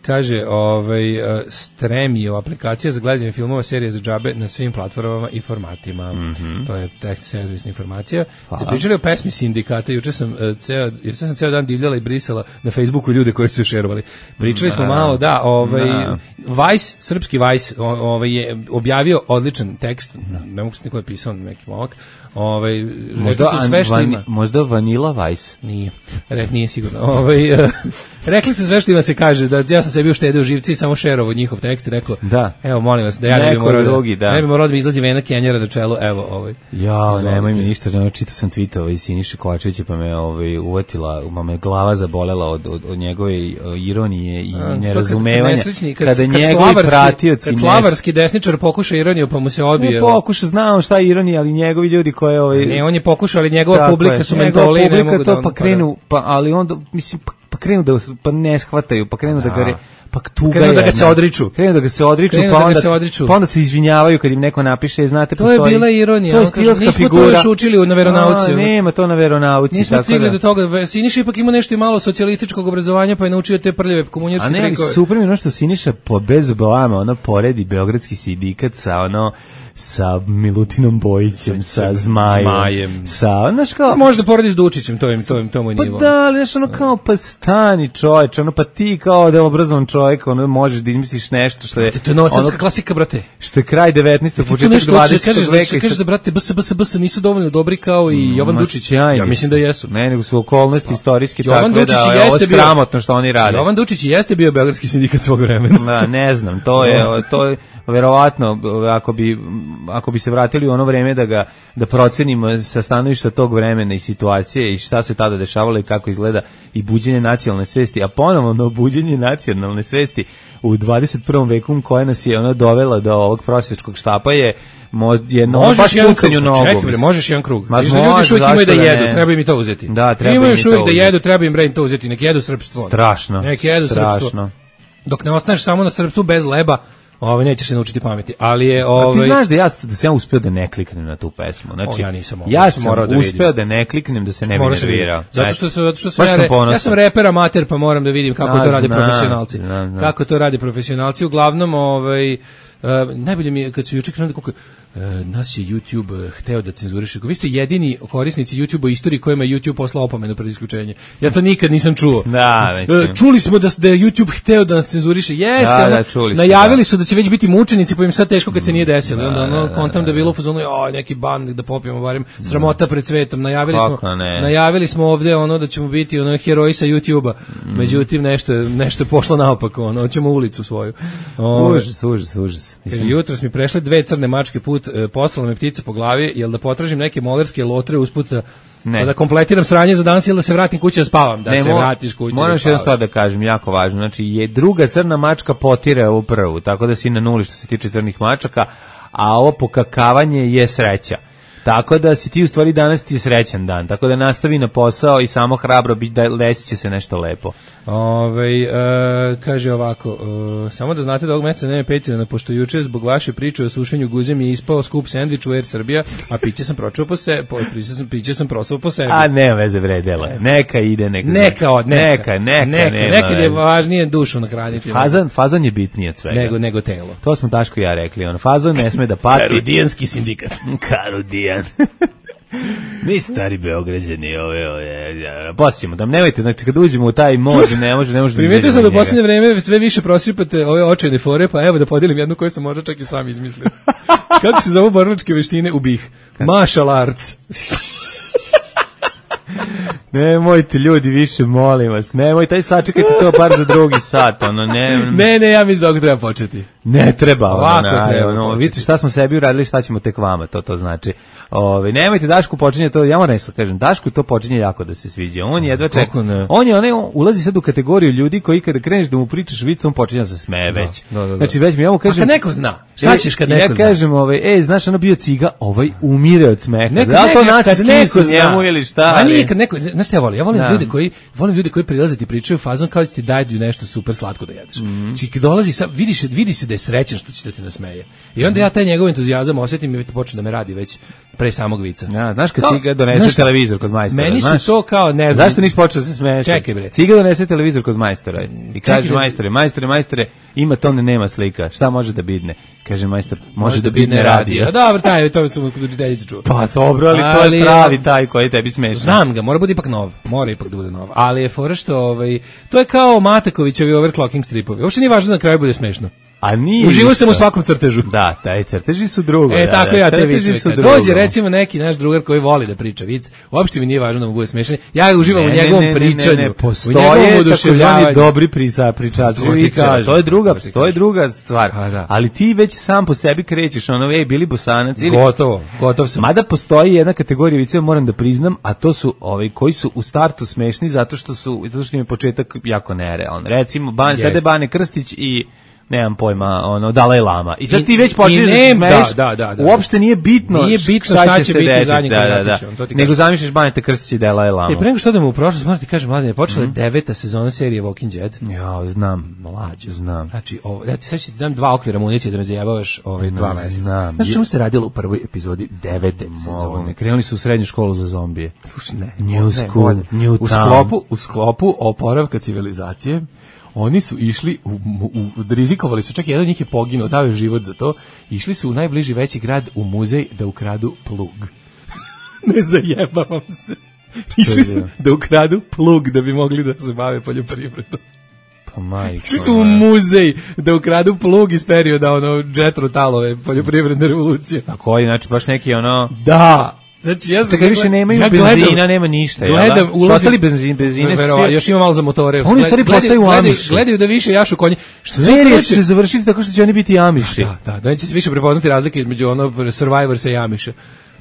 Kaže, ovaj, uh, Stremio, aplikacija za gledanje filmova, serije za džabe na svim platformama i formatima. Mm-hmm. To je tekst servisna informacija. Ste pričali o pesmi Sindikata, juče sam, uh, ceo, juče sam ceo dan divljala i brisala na Facebooku ljude koji su šerovali. Pričali smo malo, da, ovaj, da. Vice, srpski Vice, ovaj, je objavio odličan tekst, ne mogu se niko je pisao neki momak, ovaj, možda, su sve što van, ima. Možda Vanilla Vice? Nije, Re, nije sigurno. Ovaj, uh, rekli su sve što ima se kaže, da ja sam sebi uštedeo živci i samo šerovo njihov tekst i rekao, da. Evo, molim vas, da ja ne bi morao drugi, da, da, ne bi morao da mi izlazi vena Kenjera na čelu, evo, ovaj. Ja, nemoj mi ništa, no, čitao sam tweetova iz Siniše Kovačevića, pa me ovaj, uvatila, pa me glava zabolela od, od, od njegove ironije i A, nerazumevanja. Kad, kad, kada kad njegovi pratioci... Kad slavarski desničar pokuša ironiju, pa mu se odbije. Ne pokuša, znao šta je ironija, ali njegovi ljudi koje... Ovaj, ne, on je pokušao, ali njegova publika je, su mentoli. Njegova publika to, pa krenu, pa, ali onda, mislim, pa, pa krenu da, pa ne shvataju, pa krenu da, da ga... Pa tuga krenu da ga se odriču. Krenu da ga se odriču, krenu pa da onda, se odriču. Pa onda se izvinjavaju kad im neko napiše, znate, to postoji... To je bila ironija. To je stilska figura. Nismo to još učili na veronauci. A, nema to na veronauci. Nismo stigli da... do toga. Siniša ipak ima nešto i malo socijalističkog obrazovanja, pa je naučio te prljave komunjarske trikove. A ne, ali super mi ono što Siniša po bez blama, ono poredi Beogradski sindikat sa ono sa Milutinom Bojićem, sa Zmajem, Zmajem. sa, znaš kao... Možda poredi s Dučićem, to je, to je, to moj nivo. Pa da, ali znaš ono kao, pa stani čoveč, ono pa ti kao da je obrazovan čovjek, ono možeš da izmisliš nešto što je... To je nova srpska klasika, brate. Što je kraj devetnaestog početak dvadesetog veka. Kažeš da, brate, bs, bs, bs nisu dovoljno dobri kao i Jovan Dučić. Ja mislim da jesu. Ne, nego su okolnosti istorijske takve da je ovo sramotno što oni rade. Jovan Dučić jeste bio Beogradski sindikat svog vremena. Da, ne znam, to je, to je verovatno, ako bi, ako bi se vratili u ono vreme da ga da procenimo sa stanovišta tog vremena i situacije i šta se tada dešavalo i kako izgleda i buđenje nacionalne svesti, a ponovno buđenje nacionalne svesti u dvadeset prvom veku koja nas je ona dovela do ovog prosjačkog štapa je je no, baš pucanju nogom. Čekaj bre, možeš jedan krug. Viš da ljudi još uvijek imaju da jedu, ne? Treba im i to uzeti. Da, treba imaju im još uvijek da jedu, treba im bre im to uzeti, nek jedu srpstvo. Strašno. Nek jedu srpstvo. Dok ne ostaneš samo na srpstvu bez leba, ovaj nećeš se naučiti pameti, ali je ovaj. A ti znaš da ja da sam ja uspeo da ne kliknem na tu pesmu. Znači o, ja nisam. Ja sam da uspeo da ne kliknem da se ne bi nervirao. Zato što se zato što sam ja, re, ja sam reper amater pa moram da vidim kako da, to rade zna, profesionalci. Da, da. Kako to rade profesionalci uglavnom ovaj Uh, najbolje mi je kad su juče krenuli kako uh, nas je YouTube uh, hteo da cenzuriše. Vi ste jedini korisnici YouTube u istoriji kojima je YouTube poslao opomenu pred isključenje. Ja to nikad nisam čuo. Da, uh, čuli smo da, da je YouTube hteo da nas cenzuriše. Jeste, da, ono, da, čuli najavili da. su da će već biti mučenici, pa im sad teško kad se nije desilo. Da, onda ono da, kontam da, da, da bilo u fazonu, oj, neki ban da popijemo barem sramota pred svetom. Najavili kako smo ne. najavili smo ovde ono da ćemo biti ono heroji sa YouTubea. Mm. Međutim nešto nešto je pošlo naopako, ono hoćemo ulicu svoju. O, užas, užas, užas. Jutros mi prešle dve crne mačke put, e, poslala me ptica po glavi, jel da potražim neke molerske lotre usput ne. Da kompletiram sranje za danas ili da se vratim kući da spavam, da ne, se mo, vratiš kući. Moram još jednu stvar da kažem, jako važno, znači je druga crna mačka potire ovu prvu, tako da si na nuli što se tiče crnih mačaka, a ovo pokakavanje je sreća. Tako da si ti u stvari danas ti je srećan dan, tako da nastavi na posao i samo hrabro bi da desit će se nešto lepo. Ove, e, kaže ovako, e, samo da znate da ovog meseca nema Patreona, pošto juče zbog vaše priče o sušenju guze mi je ispao skup sendvič u Air Srbija, a piće sam pročuo po se, po, sam, piće sam prosao po sebi. A nema veze vredela, neka ide, neka. Neka od, neka, neka, neka, neka nema nekad je važnije dušu nahraniti. Fazan, fazan je bitniji od svega. Nego, nego telo. To smo Daško i ja rekli, on fazan ne sme da pati. Karudijanski sindikat. Karudijan. Mi stari Beograđani ove, ove, posjećemo da nemojte, znači kad uđemo u taj mod ne može, ne može da primetio sam da u posljednje vreme sve više prosipate ove očajne fore, pa evo da podijelim jednu koju sam možda čak i sam izmislio. Kako se zovu borilačke veštine u B I H? Martial arts. Nemojte ljudi više, molim vas. Nemojte, aj sačekajte to bar za drugi sat, ono ne. Ne, ne, ja mislim da ovdje treba početi. Ne treba, ovako ono, treba. Ono, vidite šta smo sebi uradili, šta ćemo tek vama, to to znači. Ove, nemojte, Dašku počinje to, ja moram nešto kažem, Dašku to počinje jako da se sviđa. On jedva čeka. On je onaj ulazi sad u kategoriju ljudi koji kada kreneš da mu pričaš vic, on počinje da se smeje već. Da, da, da. Znači već mi ja mu kažem. A kad neko zna. Šta ćeš kad neko ja zna? Ja kažem, ovaj, ej, znaš, ono bio ciga, ovaj umire od smeha. Neka, da li to neka, naci neko njemu ili šta? A nije kad neko, znaš šta ja volim? Ja volim da. ljude koji, volim ljude koji prilaze ti pričaju fazon kao da ti daju nešto super slatko da jedeš. Mm. Či kad dolazi, sa, vidiš, vidi se da je srećan što će da te nasmeje. I onda ja taj njegov entuzijazam osetim i počne da me radi već pre samog vica. Ja, znaš kad Kao, Ciga donese znaš šta? televizor kod majstora, Meni su znaš? to kao, ne znam. Zašto nisi počeo da se smeješ? Čekaj, bre. Ciga donese televizor kod majstora i kaže Čekaj, majstore, majstore, majstore, ima to ne nema slika. Šta može da bidne? Kaže majstor, može da bidne radio. A dobro, taj, to sam kod učiteljice čuo. Pa dobro, ali, to Ali, je pravi taj koji tebi smešan. Znam ga, mora bude ipak nov. Mora ipak da bude nov. Ali je fora što, ovaj, to je kao Matakovićevi overclocking stripovi. Uopšte nije važno da na kraju bude smešno. A nije. Uživo sam ništa. u svakom crtežu. Da, taj crteži su drugo. E, da, tako da, ja te crteži vice. su Kad drugo. dođe recimo neki naš drugar koji voli da priča vic, uopšte mi nije važno da mu bude smešan. Ja uživam Ne, u ne, njegovom ne, ne, pričanju. Ne, ne, u postoje njegovom takozvani oduševljavanju. dobri prisa, pričači To ti vice, kažem, to je druga, to ti to je kažem. druga stvar. A, da. Ali ti već sam po sebi krećeš, ono, ej, bili Bosanac ili... Gotovo, gotov sam. Mada postoji jedna kategorija vice, moram da priznam, a to su ovaj koji su u startu smešni zato što su zato što im je početak jako nerealan. Recimo, Ban, Jest. sede Bane Krstić i nemam pojma, ono, Dalaj Lama. I sad I- ti već i počneš da se nem- smeješ. da, da, da, da. Uopšte nije bitno, Nije bitno šta, šta će će se biti desiti. zadnji da, da, da. kvadratić, on to ti Nego kaže. zamišljaš Baneta Krstić i Dalaj Lama. E, pre nego što odemo u prošlost, moram ti kažem, mladine, počela je deveta sezona serije Walking Dead. Ja, znam. Mlađo. Znam. Znači, ovo, ja ti sad ću ti dam dva okvira municije da me zajebavaš ove dva meseca. znam. Znaš čemu se radilo u prvoj epizodi devete Mogu. sezone? Krenuli su u srednju školu za zombije. Slušaj, ne, New ne, school, bolje. new u town. sklopu, u sklopu oporavka civilizacije, oni su išli, u, u, u, rizikovali su, čak i jedan od njih je poginuo, dao je život za to, išli su u najbliži veći grad u muzej da ukradu plug. Ne zajebavam se. Išli su da ukradu plug da bi mogli da se bave poljoprivredom. Pa majko. Išli su u muzej da ukradu plug iz perioda ono Jethro Tullove poljoprivredne revolucije. A koji, znači baš neki ono... Da. Znači ja sam Tako više nemaju ja benzina, gledam- nema ništa, jel da? Gledam, Su ulazim, ostali benzin, benzine, Verova, svi- još ima malo za motore. Oni u stvari Gledaju- postaju gledaju- Amiši. Gledaju da više jašu konje. Što Serija hoće- će se završiti tako što će oni biti Amiši. Da, da, da neće se više prepoznati razlike između ono Survivorsa i Amiša.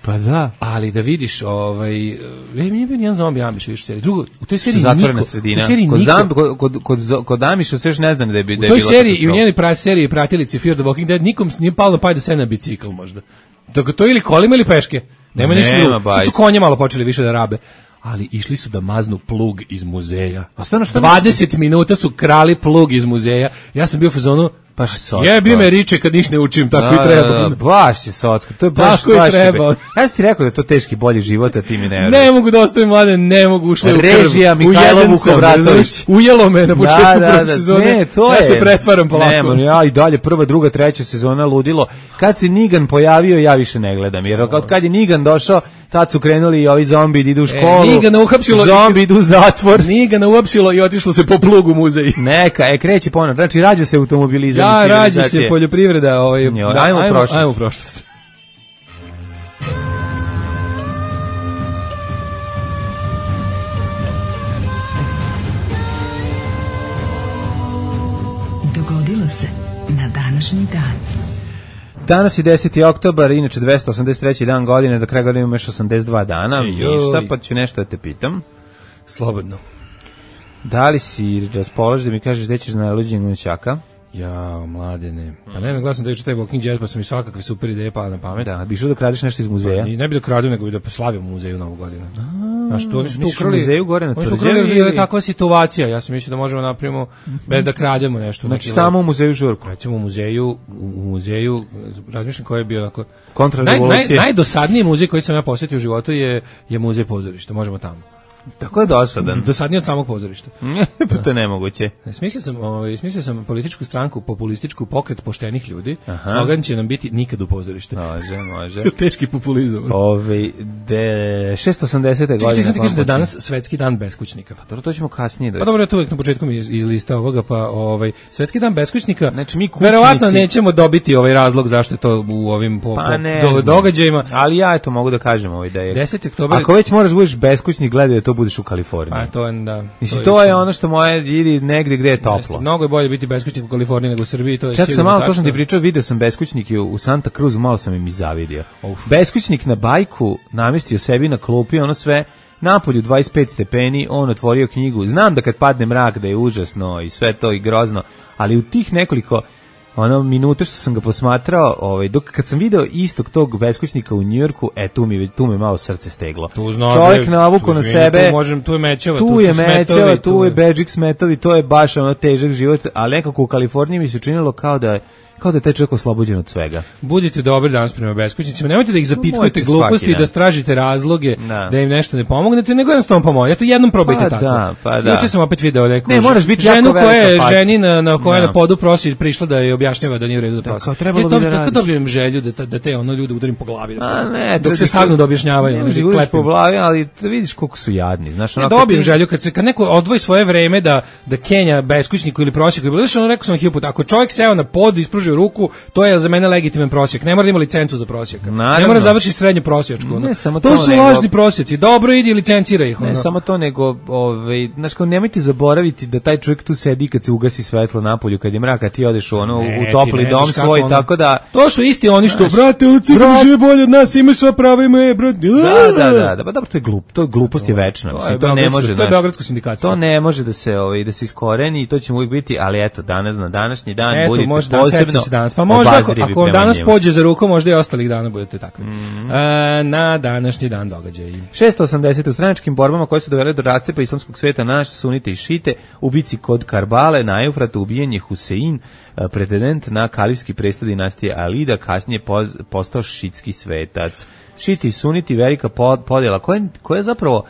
Pa da. Ali da vidiš, ovaj, e, nije bio nijedan zombi Amiš više u seriji. Drugo, u toj seriji Zatvorena niko, sredina. u toj seriji Kod, niko, zamb, kod, kod, kod, zo- kod Amiša se još ne znam da je, bi- da u je toj bilo seriji i u katastrofa. njenoj pra, seriji pratilici Fear the Walking Dead nikom nije palo na pamet da se na bicikl možda. Dok to ili kolima ili peške. Nema ništa Nema, drugo. Sad su bajs. konje malo počeli više da rabe. Ali išli su da maznu plug iz muzeja. A stvarno, šta dvadeset minuta su krali plug iz muzeja. Ja sam bio u fazonu, Baš socko. jebi me riče kad niš ne učim, tako Da, i treba. da, da, baš je socko. To je baš, Tako i baš je treba. be- Ja sam ti rekao da je to teški bolji život, a ti mi ne Ne veruješ. mogu da ostavim mlade, ne mogu, ušle u krv. Režija Mihajlo Ujeden sam, Vukovratović. razumeš? Ujelo me na početku Da, da, prve da, sezone. ne, to ja je. se pretvaram polako. Ne, ja i dalje prva, druga, treća sezona ludilo. Kad se Nigan pojavio, ja više ne gledam. Jer od kad je Nigan došao, tad su krenuli i ovi zombi da idu u školu. Nigana uhapsilo- Zombi idu u zatvor. Nije ga nauopsilo i otišlo se po plugu u muzej. Neka, e, kreće ponovno. Znači, rađa se automobilizam. Ja, i rađa se civilizacije. poljoprivreda. Ovaj, Jo, da, ajmo u prošlost. Ajmo u prošlost. Dogodilo se na današnji dan. Danas je deseti oktobar, inače dvesta osamdeset treći dan godine, do kraja godine imamo još osamdeset dva dana. Ej, joj. Ništa, pa ću nešto da te pitam. Slobodno. Da li si raspoložen da mi kažeš gde ćeš na luđenju Gunčaka? Ja, mladene. Pa ne, glasam da je taj Walking Dead, pa su mi svakakve super ideje pala na pamet. Da, bi išao da kradeš nešto iz muzeja. I ne bi da kradu, nego bi da slavimo u muzeju Novu godinu. Znaš, to oni su tu misliš u ukrali. muzeju gore na Oni su tvrđavi ukrali jer je ili- takva situacija. Ja sam mislio da možemo napravimo bez da krademo nešto. Znači, samo u muzeju Žurku. recimo u muzeju, u muzeju, razmišljam koji je bio onako... Naj, naj, Kontrarevolucije. najdosadniji muzej koji sam ja posjetio u životu je, je muzej pozorišta. Možemo tamo. Tako je dosadan. Dosadniji od samog pozorišta. Pa to je nemoguće. Smislio sam, ovaj, smislio sam političku stranku, populističku pokret poštenih ljudi. Slogan će nam biti nikad u pozorište. Može, može. Teški populizam. Ove, de, šesto osamdesete Čekaj, godine. čekaj, ti kažeš da je počinje. danas svetski dan beskućnika. Dobro, to ćemo kasnije da... Pa dobro, ja to uvek na početku mi iz, iz lista ovoga, pa ovaj, svetski dan beskućnika, Znači, mi kućnici- verovatno nećemo dobiti ovaj razlog zašto je to u ovim po, Pa po ne do- znam. događajima. Ali ja eto mogu da kažem ovaj da je... deseti oktobar Ako već moraš budeš beskućnik, gledaj da to budeš u Kaliforniji. A to je, da. Mislim, to je isto. ono što moje ili negde gde je Jeste, toplo. Mnogo je bolje biti beskućnik u Kaliforniji nego u Srbiji, to je Čak sam sigurno malo, to tačno. sam ti pričao, video sam beskućnike u Santa Cruz, malo sam im i zavidio. Uf. Beskućnik na bajku namestio sebi na klupi, ono sve, napolju dvadeset pet stepeni, on otvorio knjigu. Znam da kad padne mrak da je užasno i sve to i grozno, ali u tih nekoliko ono minuta što sam ga posmatrao, ovaj dok kad sam video istog tog beskućnika u Njujorku, e tu mi tu me malo srce steglo. Tu zna, Čovjek bre, navuko tu na izvini, sebe. Tu, možem, tu je mečeva, Tu, tu, je su mečeva, smetovi, tu je Bedžik smetovi, to je baš ono težak život, ali nekako u Kaliforniji mi se učinilo kao da kao da je taj čovjek oslobođen od svega. Budite dobri danas prema beskućnicima, nemojte da ih zapitkujete Nemojte gluposti svaki i da dan. stražite razloge Da. da im nešto ne pomognete, nego jednostavno pomognete. Eto jednom probajte Pa tako. da, pa da. Juče sam opet video neku Ne, moraš biti ženu jako koja je velika faca. ženi na, na koja je Da. na podu prosi prišla da je objašnjava da nije u redu da prosi. kao trebalo Ja to- bi da tako radiš. dobijem želju da, ta- da te ono ljude udarim po glavi. Da, A ne, dok se da- sagnu da objašnjavaju. Ne ono, možeš da da uđeš po klepim. glavi, ali da vidiš koliko su jadni. Znaš, Ne ono, kad dobijem ti- želju kad se kad neko odvoji svoje vreme da da Kenja beskućniku ili prosjeku ili ono rekao sam hiljadu puta, ako čovjek seo na pod i ispružio ruku, to je za mene legitiman prosjek. Ne mora da ima licencu za prosjeka. Naravno. Ne mora da završi srednju prosječku. ono. Ne samo to to, su nego- lažni prosjeci. Dobro idi licencira ih. Ne ono. samo to, nego, ovaj, znaš, kao nemojte zaboraviti da taj čovjek tu sedi kad se ugasi svetlo napolju, kad je mrak, a ti odeš u ono, Ne, u ti topli ne dom znaš kako svoj, ono- tako da... To su isti oni što, Znaš, brate, oni cigani žive bolje od nas, imaju sva prava, imaju, brate. Da, da, da, da, pa dobro, to je glup, to je glupost je večna, To je mislim, to ne beogradsko- može, to je znaš, beogradsko sindikatstvo. to ne može da se, ovaj, da se iskoreni i to će mu uvijek biti, ali eto, danas na današnji dan Eto, budite može danas, posebno setite se danas. Pa možda ako, obazrivi ako vam prema danas njemu. pođe za rukom, možda i ostalih dana budete takvi. E, na današnji dan događaj. šesto osamdeset u stranačkim borbama koje su dovele do rascepa islamskog sveta naš sunite i šite u bici kod Karbale na Eufratu ubijen je Husein, eh, pretendent na kalifski presto dinastije Alida, kasnije poz- postao šitski svetac. Šiti i suniti velika pod- podjela koja, koja je zapravo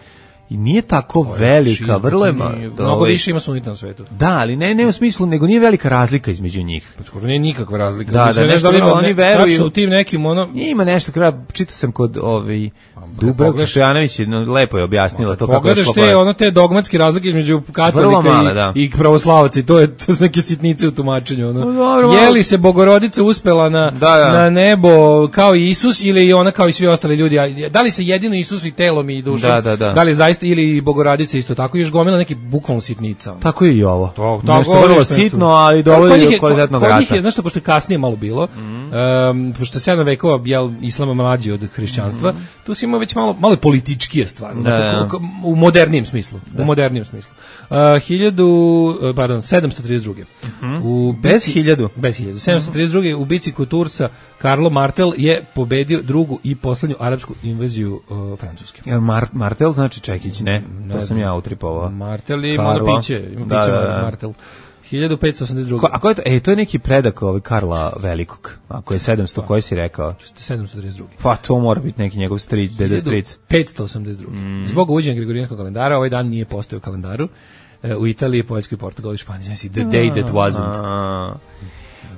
i nije tako velika, vrlo je ma- Nije- ovaj- Mnogo više ima sunita na svetu. Da, ali ne, ne u smislu, nego nije velika razlika između njih. Pa skoro nije nikakva razlika. Da, Mislim, da, ne nešto znam da li vrlo, ima- oni ne- veruju- tačno u tim nekim ono Ima nešto, kada čitao sam kod ovaj, Dubravka pogledaš- Stojanović, no, lepo je objasnila to kako je pogledaš šlo te pored. ono te dogmatske razlike između Vrlo katolika male, i, da. i pravoslavaca i to je to su neke sitnice u tumačenju ono. No, dobro, malo. Je li se Bogorodica uspela na Da, da. na nebo kao i Isus ili je ona kao i svi ostali ljudi? A da li se jedino Isus i telom i dušom? Da, da, da. li je zaista ili i Bogorodica isto tako još gomila neki bukvalno sitnica. ono. Tako je i ovo. To, Nešto ovo je vrlo nešto. sitno, ali Kod njih dovodi je- do kvalitetnog kod njih rata. je, znaš što, pošto je kasnije malo bilo, em, pošto je sedam vekova jel, islama mlađi od hrišćanstva, tu si imao već malo, malo političkije stvari, Da, onako, da. kako- u modernijem smislu. U modernijem smislu. Uh, hiljadu, uh, pardon, sedamsto trideset druge U Bez bici- hiljadu? Bez hiljadu. sedamsto trideset druge u bici kod Tursa Karlo Martel je pobedio drugu i poslednju arapsku invaziju uh, Francuske. Jel Mar Martel znači Čekić, ne? Ne To sam znam. ja utripovao. Martel je Karlo. malo piće, ima Da, piće da, da. Martel. hiljadu petsto osamdeset druge Ko, a ko je to? E, to je neki predak ovaj Karla Velikog. Ako je sedamsto, koji si rekao? sedamsto trideset druge Pa to mora biti neki njegov stric, deda stric. petsto osamdeset druge Mm. Zbog uvođenja Gregorijanskog kalendara ovaj dan nije postojao u kalendaru. E, u Italiji, Poljskoj, Portugalu i Španiji. Znači, the day that wasn't. A,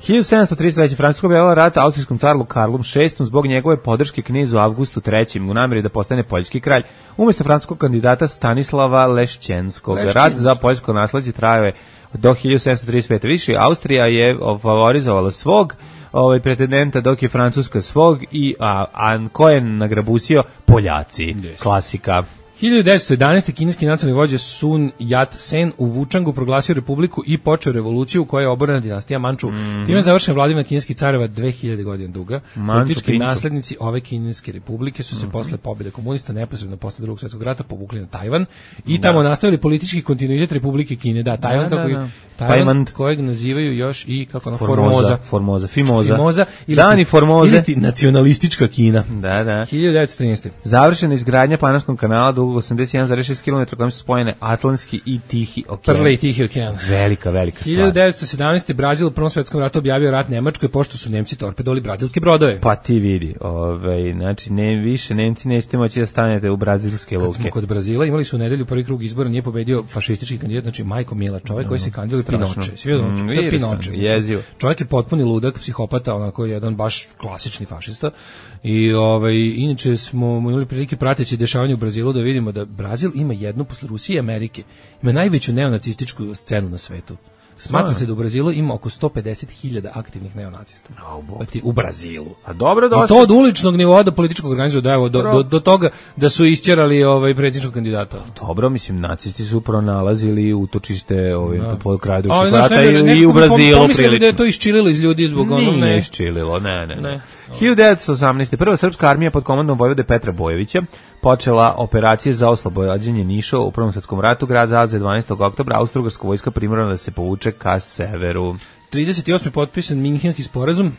hiljadu sedamsto trideset treće Francuska objavila rat austrijskom carlu Karlom šestom zbog njegove podrške knezu Avgustu trećem u namjeri da postane poljski kralj. Umjesto francuskog kandidata Stanislava Lešćenskog. Rat Lešćenskog. za poljsko nasleđe trajao je do hiljadu sedamsto trideset pete Više Austrija je favorizovala svog ovaj pretendenta, dok je Francuska svog i a, a ko je nagrabusio? Poljaci. Yes. Klasika. hiljadu devetsto jedanaeste kineski nacionalni vođa Sun Yat-sen u Vučangu proglasio republiku i počeo revoluciju u kojoj je oborena dinastija Manču. Time je završena vladavina kineskih careva dve hiljade godina duga. Manču Politički Pinču. naslednici ove kineske republike su se posle pobjede komunista neposredno posle drugog svjetskog rata povukli na Tajvan i tamo nastavili politički kontinuitet Republike Kine. Da, Tajvan, Da, da, kako da. Tajvan, Tajvan. kojeg nazivaju još i kako ono, Formoza. Formoza. Formoza. Fimoza. Fimoza ili Dani Formoze. ili ti nacionalistička Kina. Da, da. hiljadu devetsto trinaeste Završena izgradnja Panamskog kanala dugog osamdeset jedan zarez šest kilometara kojim su spojene Atlantski i Tihi okean. Prvi i Tihi okean. Velika, velika stvar. hiljadu devetsto sedamnaeste Brazil u Prvom svjetskom ratu objavio rat Nemačkoj pošto su Nemci torpedovali brazilske brodove. Pa ti vidi, ovaj, znači ne više Nemci nećete moći da stanete u brazilske Kad smo luke. kod Brazila, imali su u nedelju prvi krug izbora, nije pobedio fašistički kandidat, znači Majko Mila, čovjek koji se kandiduje strašno. Pinoče. Svi vidio, Mm, to je vidio sam, Pinoče. mislim. jezivo. Čovjek je potpuni ludak, psihopata, onako jedan baš klasični fašista. I ovaj inače smo imali prilike prateći dešavanje u Brazilu da vidimo da Brazil ima jednu posle Rusije i Amerike. Ima najveću neonacističku scenu na svetu. Smatra se da u Brazilu ima oko sto pedeset hiljada aktivnih neonacista. Znači, u Brazilu. A dobro, A dosta. to od uličnog nivoa do političkog organizacija, da evo, do, do, do toga da su isćerali ovaj predsjedničkog kandidata. Dobro, mislim, nacisti su pronalazili utočište ovaj, Da. po kraju Ali, drugog znaš, rata ne, ne, i, nekako i u mi pom- Brazilu pomislili da je prilično. to iščililo iz ljudi zbog onog, Nije ne. iščililo, ne, ne. Ne. ne. hiljadu devetsto osamnaeste Prva srpska armija pod komandom vojvode Petra Bojovića počela operacije za oslobađanje Niša u Prvom svjetskom ratu. Grad zauzeo dvanaestog oktobra, austrougarska vojska primorana da se povuče ka severu. trideset osmi potpisan Minhenski sporazum.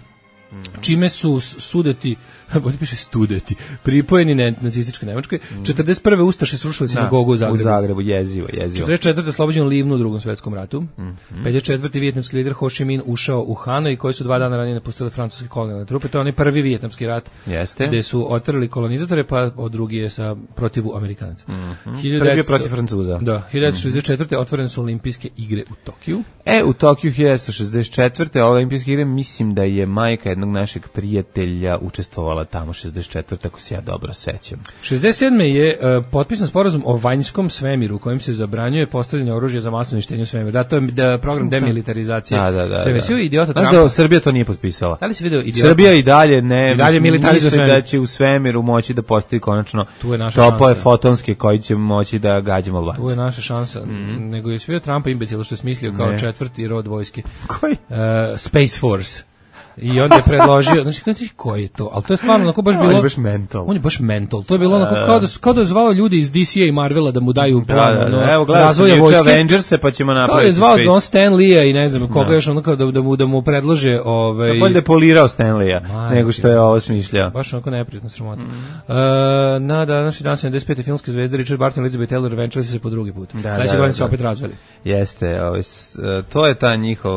čime su sudeti, bolje piše studeti, pripojeni ne, nacističkoj Nemačkoj. četrdeset prve Ustaše srušili sinagogu u Zagrebu. U Zagrebu, jezivo, jezivo. četrdeset četvrte oslobođen Livnu u Drugom svetskom ratu. Mm-hmm. pedeset četvrte vijetnamski lider Ho Chi Minh ušao u Hanoj, koji su dva dana ranije napustili francuske kolonijalne trupe. To je onaj prvi vijetnamski rat. Jeste. Gde su otvorili kolonizatore, pa od drugi je sa protivu Amerikanaca. Mm-hmm. Prvi je protiv Francuza. Da, hiljadu devetsto šezdeset četvrte otvorene su olimpijske igre u Tokiju. E, u Tokiju hiljadu devetsto šezdeset četvrte olimpijske igre, mislim da je majka jednog našeg prijatelja učestvovala tamo šezdeset četvrte ako se ja dobro sećam. šezdeset sedme je uh, potpisan sporazum o vanjskom svemiru kojim se zabranjuje postavljanje oružja za masovno uništenje u svemiru. Da, to je da, program demilitarizacije. Da, da, da. Sve vesio idiota Trumpa. Znaš da Srbija to nije potpisala? Da li si video idiota? Srbija i dalje ne, I dalje militarizuje misli da će u svemiru moći da postavi konačno tu je naša topove šansa. Fotonske koji će moći da gađamo Albance. Tu je naša šansa. Mm. Nego je sve Trumpa imbecil što je smislio kao ne. četvrti rod vojske. Koji? Uh, Space Force. I onda je predložio, znači kako ti koji je to? Al to je stvarno onako baš bilo. On je baš mental. On je baš mental. To je bilo onako kao da kao da je zvao ljudi iz D C A i Marvela da mu daju plan da, da, no, evo razvoja vojske. Avengers pa ćemo napraviti. Kao je zvao Don Stan Lee i ne znam koga da. još onako da, da mu da mu predlože ovaj. Bolje da polirao Stan Lee nego što je ovo smišljao. Baš onako neprijatno sramota. Mm. Uh, na današnji dan sedamdeset pete filmske zvezde Richard Burton i Elizabeth Taylor venčali su se po drugi put. Da, Sledeće godine se opet razveli. Jeste, ovaj to je ta njihov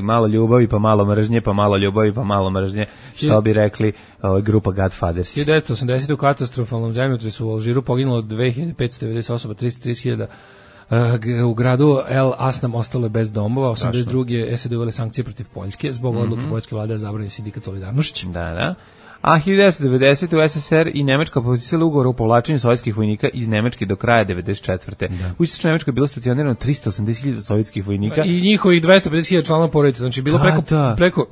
malo ljubavi pa malo mržnje, pa malo ljubavi pa malo mržnje. Što bi rekli uh, grupa Godfathers. hiljadu devetsto osamdesete u katastrofalnom zemljotresu u Alžiru poginulo dve hiljade petsto devedeset osoba, tristo trideset hiljada. Uh, u gradu El Asnam ostalo je bez domova. osamdeset druge je S A D uvele sankcije protiv Poljske zbog mm-hmm. odluke poljske vlade da zabrani sindikat Solidarnošć. Da, da. A hiljadu devetsto devedesete u S S R i Nemačka potpisala ugovor o povlačenju sovjetskih vojnika iz Nemačke do kraja devedeset četvrte. Da. U Istočnoj Nemačkoj je bilo stacionirano tristo osamdeset hiljada sovjetskih vojnika i njihovih dvesta pedeset hiljada članova porodice. Znači bilo preko da. preko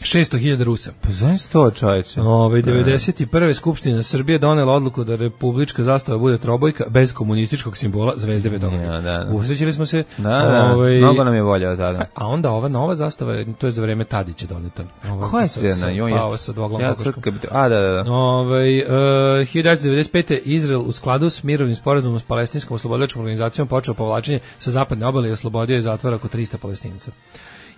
šesto hiljada Rusa. Pa znaš to, čoveče? Ove, devedeset prve Skupština Srbije donela odluku da republička zastava bude trobojka bez komunističkog simbola zvezde Beethovene. Ja, da, da. Usrećili smo se. Da, da, ove, mnogo nam je volja od tada. A onda ova nova zastava, to je za vreme Tadića doneta. Koja je sredna? Pa ova sa dvoglom ja kokoškom. A, da, da, da. Ove, uh, hiljadu devetsto devedeset pete Izrael u skladu s mirovnim sporazumom s palestinskom oslobodilačkom organizacijom počeo povlačenje sa zapadne obale i oslobodio je zatvora oko trista Palestinaca.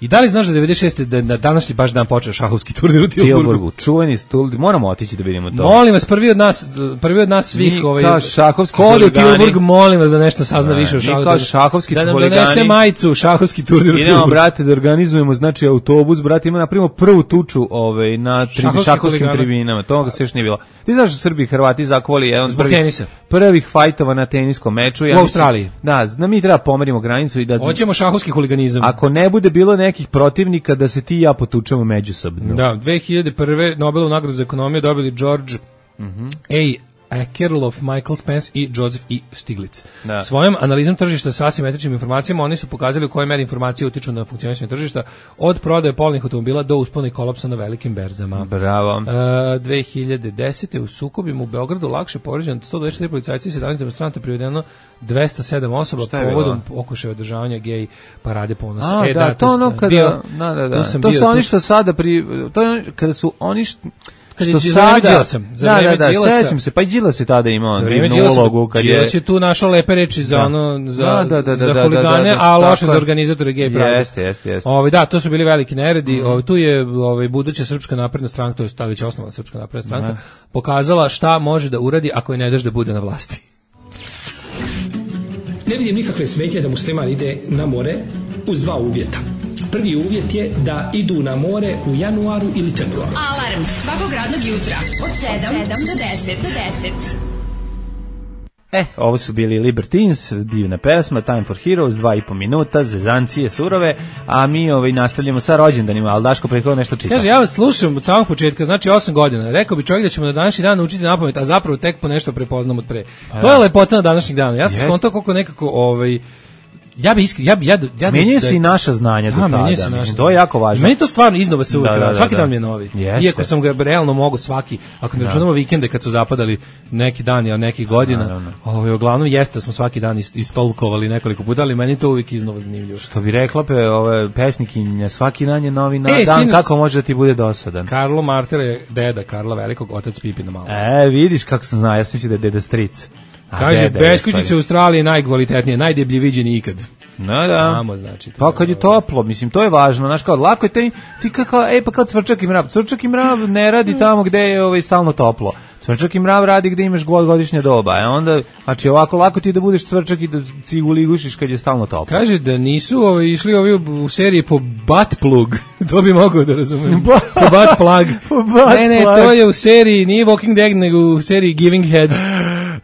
I da li znaš da devedeset šeste da na današnji baš dan počeo šahovski turnir u Tilburgu? Čuveni stul, moramo otići da vidimo to. Molim vas, prvi od nas, prvi od nas svih, mi ovaj kao šahovski huligani. Kod u Tilburg, molim vas da nešto sazna ne, više o šahovskom. Mi kao šahovski da nam huligani. donese majicu šahovski turnir u Tilburgu. Idemo, brate, da organizujemo, znači autobus, brate, ima napravimo prvu tuču, ovaj na tri, šahovskim tribinama. To se još nije bilo. Ti znaš da Srbi i Hrvati zakvali jedan od prvih, prvih fajtova na teniskom meču. Ja u Australiji. Da, da mi treba pomerimo granicu i da hoćemo šahovski huliganizam. Ako ne bude bilo nekih protivnika da se ti i ja potučemo međusobno. Da, dve hiljade prve Nobelovu nagradu za ekonomiju dobili George mm-hmm. A. Akerlof, Michael Spence i Joseph E. Stiglitz. Da. Svojom analizom tržišta sa asimetričnim informacijama oni su pokazali u kojoj meri informacije utiču na funkcionisanje tržišta od prodaje polovnih automobila do uspona i kolapsa na velikim berzama. Bravo. Uh, dve hiljade desete u sukobima u Beogradu lakše povređeno sto dvadeset četiri policajci i sedamnaest demonstranata, privedeno dvesta sedam osoba povodom pokušaja održavanja gej parade ponosa. A, e, da, da, to ono kada, bio, da, da, da. To bio, su oni što sada pri, to je kada su oni što kad što je sada, sam, za da, da, da, sećam se, pa i Đilas se tada imao divnu ulogu. Đilas je tu našao lepe reči za da. ono, za, da, da, da, za da, huligane, da, da, da, a loše za organizatore gej parade. Jeste, jeste, jeste. Ovi, da, to su bili veliki neredi. Mm. Ovi, tu je ovi, buduća Srpska napredna stranka, to je tada već osnovna Srpska napredna stranka, mm. pokazala šta može da uradi ako je ne daš da bude na vlasti. Ne vidim nikakve smetnje da musliman ide na more uz dva uvjeta. Prvi uvjet je da idu na more u januaru ili februaru. Alarm svakog radnog jutra od sedam do deset. E, ovo su bili Libertines, divna pesma, Time for Heroes, dva i po minuta, zezancije surove, a mi ovaj, nastavljamo sa rođendanima, ali Daško prethodno nešto čita. Kaže, ja vas slušam od samog početka, znači osam godina, rekao bi čovjek da ćemo na današnji dan naučiti napamet, a zapravo tek po nešto prepoznam od pre. A to je lepota na današnjih dana, ja sam yes. skontao koliko nekako, ovaj, ja bi iskren, ja bi ja ja menjaju se i naša znanja do tada, mislim, to je jako važno. Meni to stvarno iznova se uvek, da, da, da, svaki da. dan mi je novi. Jeste. Iako sam ga realno mogu svaki, ako ne računamo vikende kad su zapadali neki dani od nekih godina, ovaj uglavnom jeste smo svaki dan istolkovali nekoliko puta, ali meni to uvek iznova zanimljivo. Što bi rekla pe ove pesnikinja, svaki dan je novi na e, dan, sinac, kako može da ti bude dosadan. Karlo Martel je deda Karla Velikog, otac Pipina Malog. E, vidiš kako sam znao, ja sam mislio da je deda stric. A kaže, beskućice u Australiji najkvalitetnije, najdeblje viđeni ikad. No da. Tamo, znači. Pa kad je toplo, mislim, to je važno, znaš, kao, lako je te, ti kao, e, pa kao cvrčak i mrav, cvrčak i mrav ne radi tamo gde je ovaj, stalno toplo, cvrčak i mrav radi gde imaš god godišnje doba, e onda, znači, ovako lako ti da budeš cvrčak i da ciguligušiš kad je stalno toplo. Kaže da nisu ovi, išli ovi u, u seriji po butt plug, to bi mogao da razumijem, po butt plug, po butt ne, ne, plug. to je u seriji, nije Walking Dead, nego u seriji Giving Head.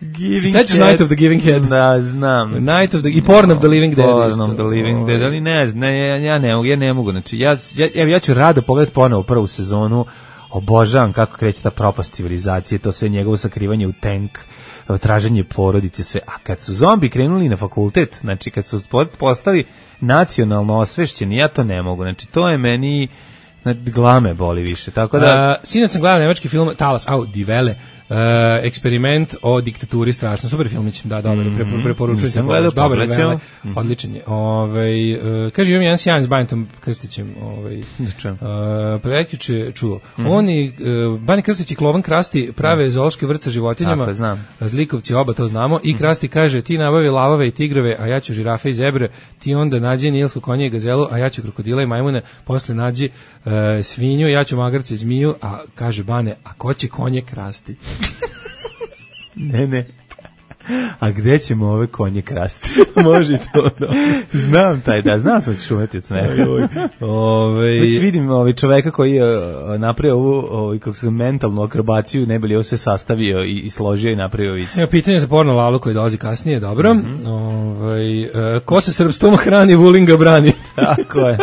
Giving Sećaš Night of the Giving Head? Da, znam. Night of the, i Porn of the Living Dead. Porn of the Living Dead, ali ne, ne ja, ja ne mogu, ja ne mogu, znači, ja, ja, ja ću rado pogledati ponovo prvu sezonu, obožavam kako kreće ta propast civilizacije, to sve njegovo sakrivanje u tank, traženje porodice, sve, a kad su zombi krenuli na fakultet, znači kad su postali nacionalno osvešćeni, ja to ne mogu, znači, to je meni, glame boli više, tako da... Uh, sinoć sam gledao nemački film Talas, au, Die Welle, uh, eksperiment o diktaturi, strašno, super filmić, da, dobro, mm -hmm. preporučujem se, dobar, Welle, mm. odličan je. Ovaj, uh, kaže, imam jedan sjajan s Bantom Krstićem, ovaj, uh, prekjuče čuo. Mm -hmm. Oni, uh, Bani Krstić i Klovan Krasti prave mm. zoološki vrt sa životinjama, tako, znam. Zlikovci oba to znamo, i Krasti kaže, ti nabavi lavove i tigrove, a ja ću žirafe i zebre, ti onda nađi nilsko konje i gazelu, a ja ću krokodila i majmune, posle nađi uh, svinju, ja ću magarce i zmiju, a kaže Bane, a ko će konje krasti? Ne, ne. A gde ćemo ove konje krasti? Može to, da. Znam taj, da, znam sam ću umeti od smeha. Ove... Već vidim ovaj čoveka koji je napravio ovu, ovaj, kako se mentalnu akrobaciju, ne bi li ovo sve sastavio i, i složio i napravio vic. Evo, pitanje za porno Lalu koji dolazi kasnije, dobro. Mm -hmm. Ovaj, e, ko se srpstom hrani, Vulinga brani. Tako je.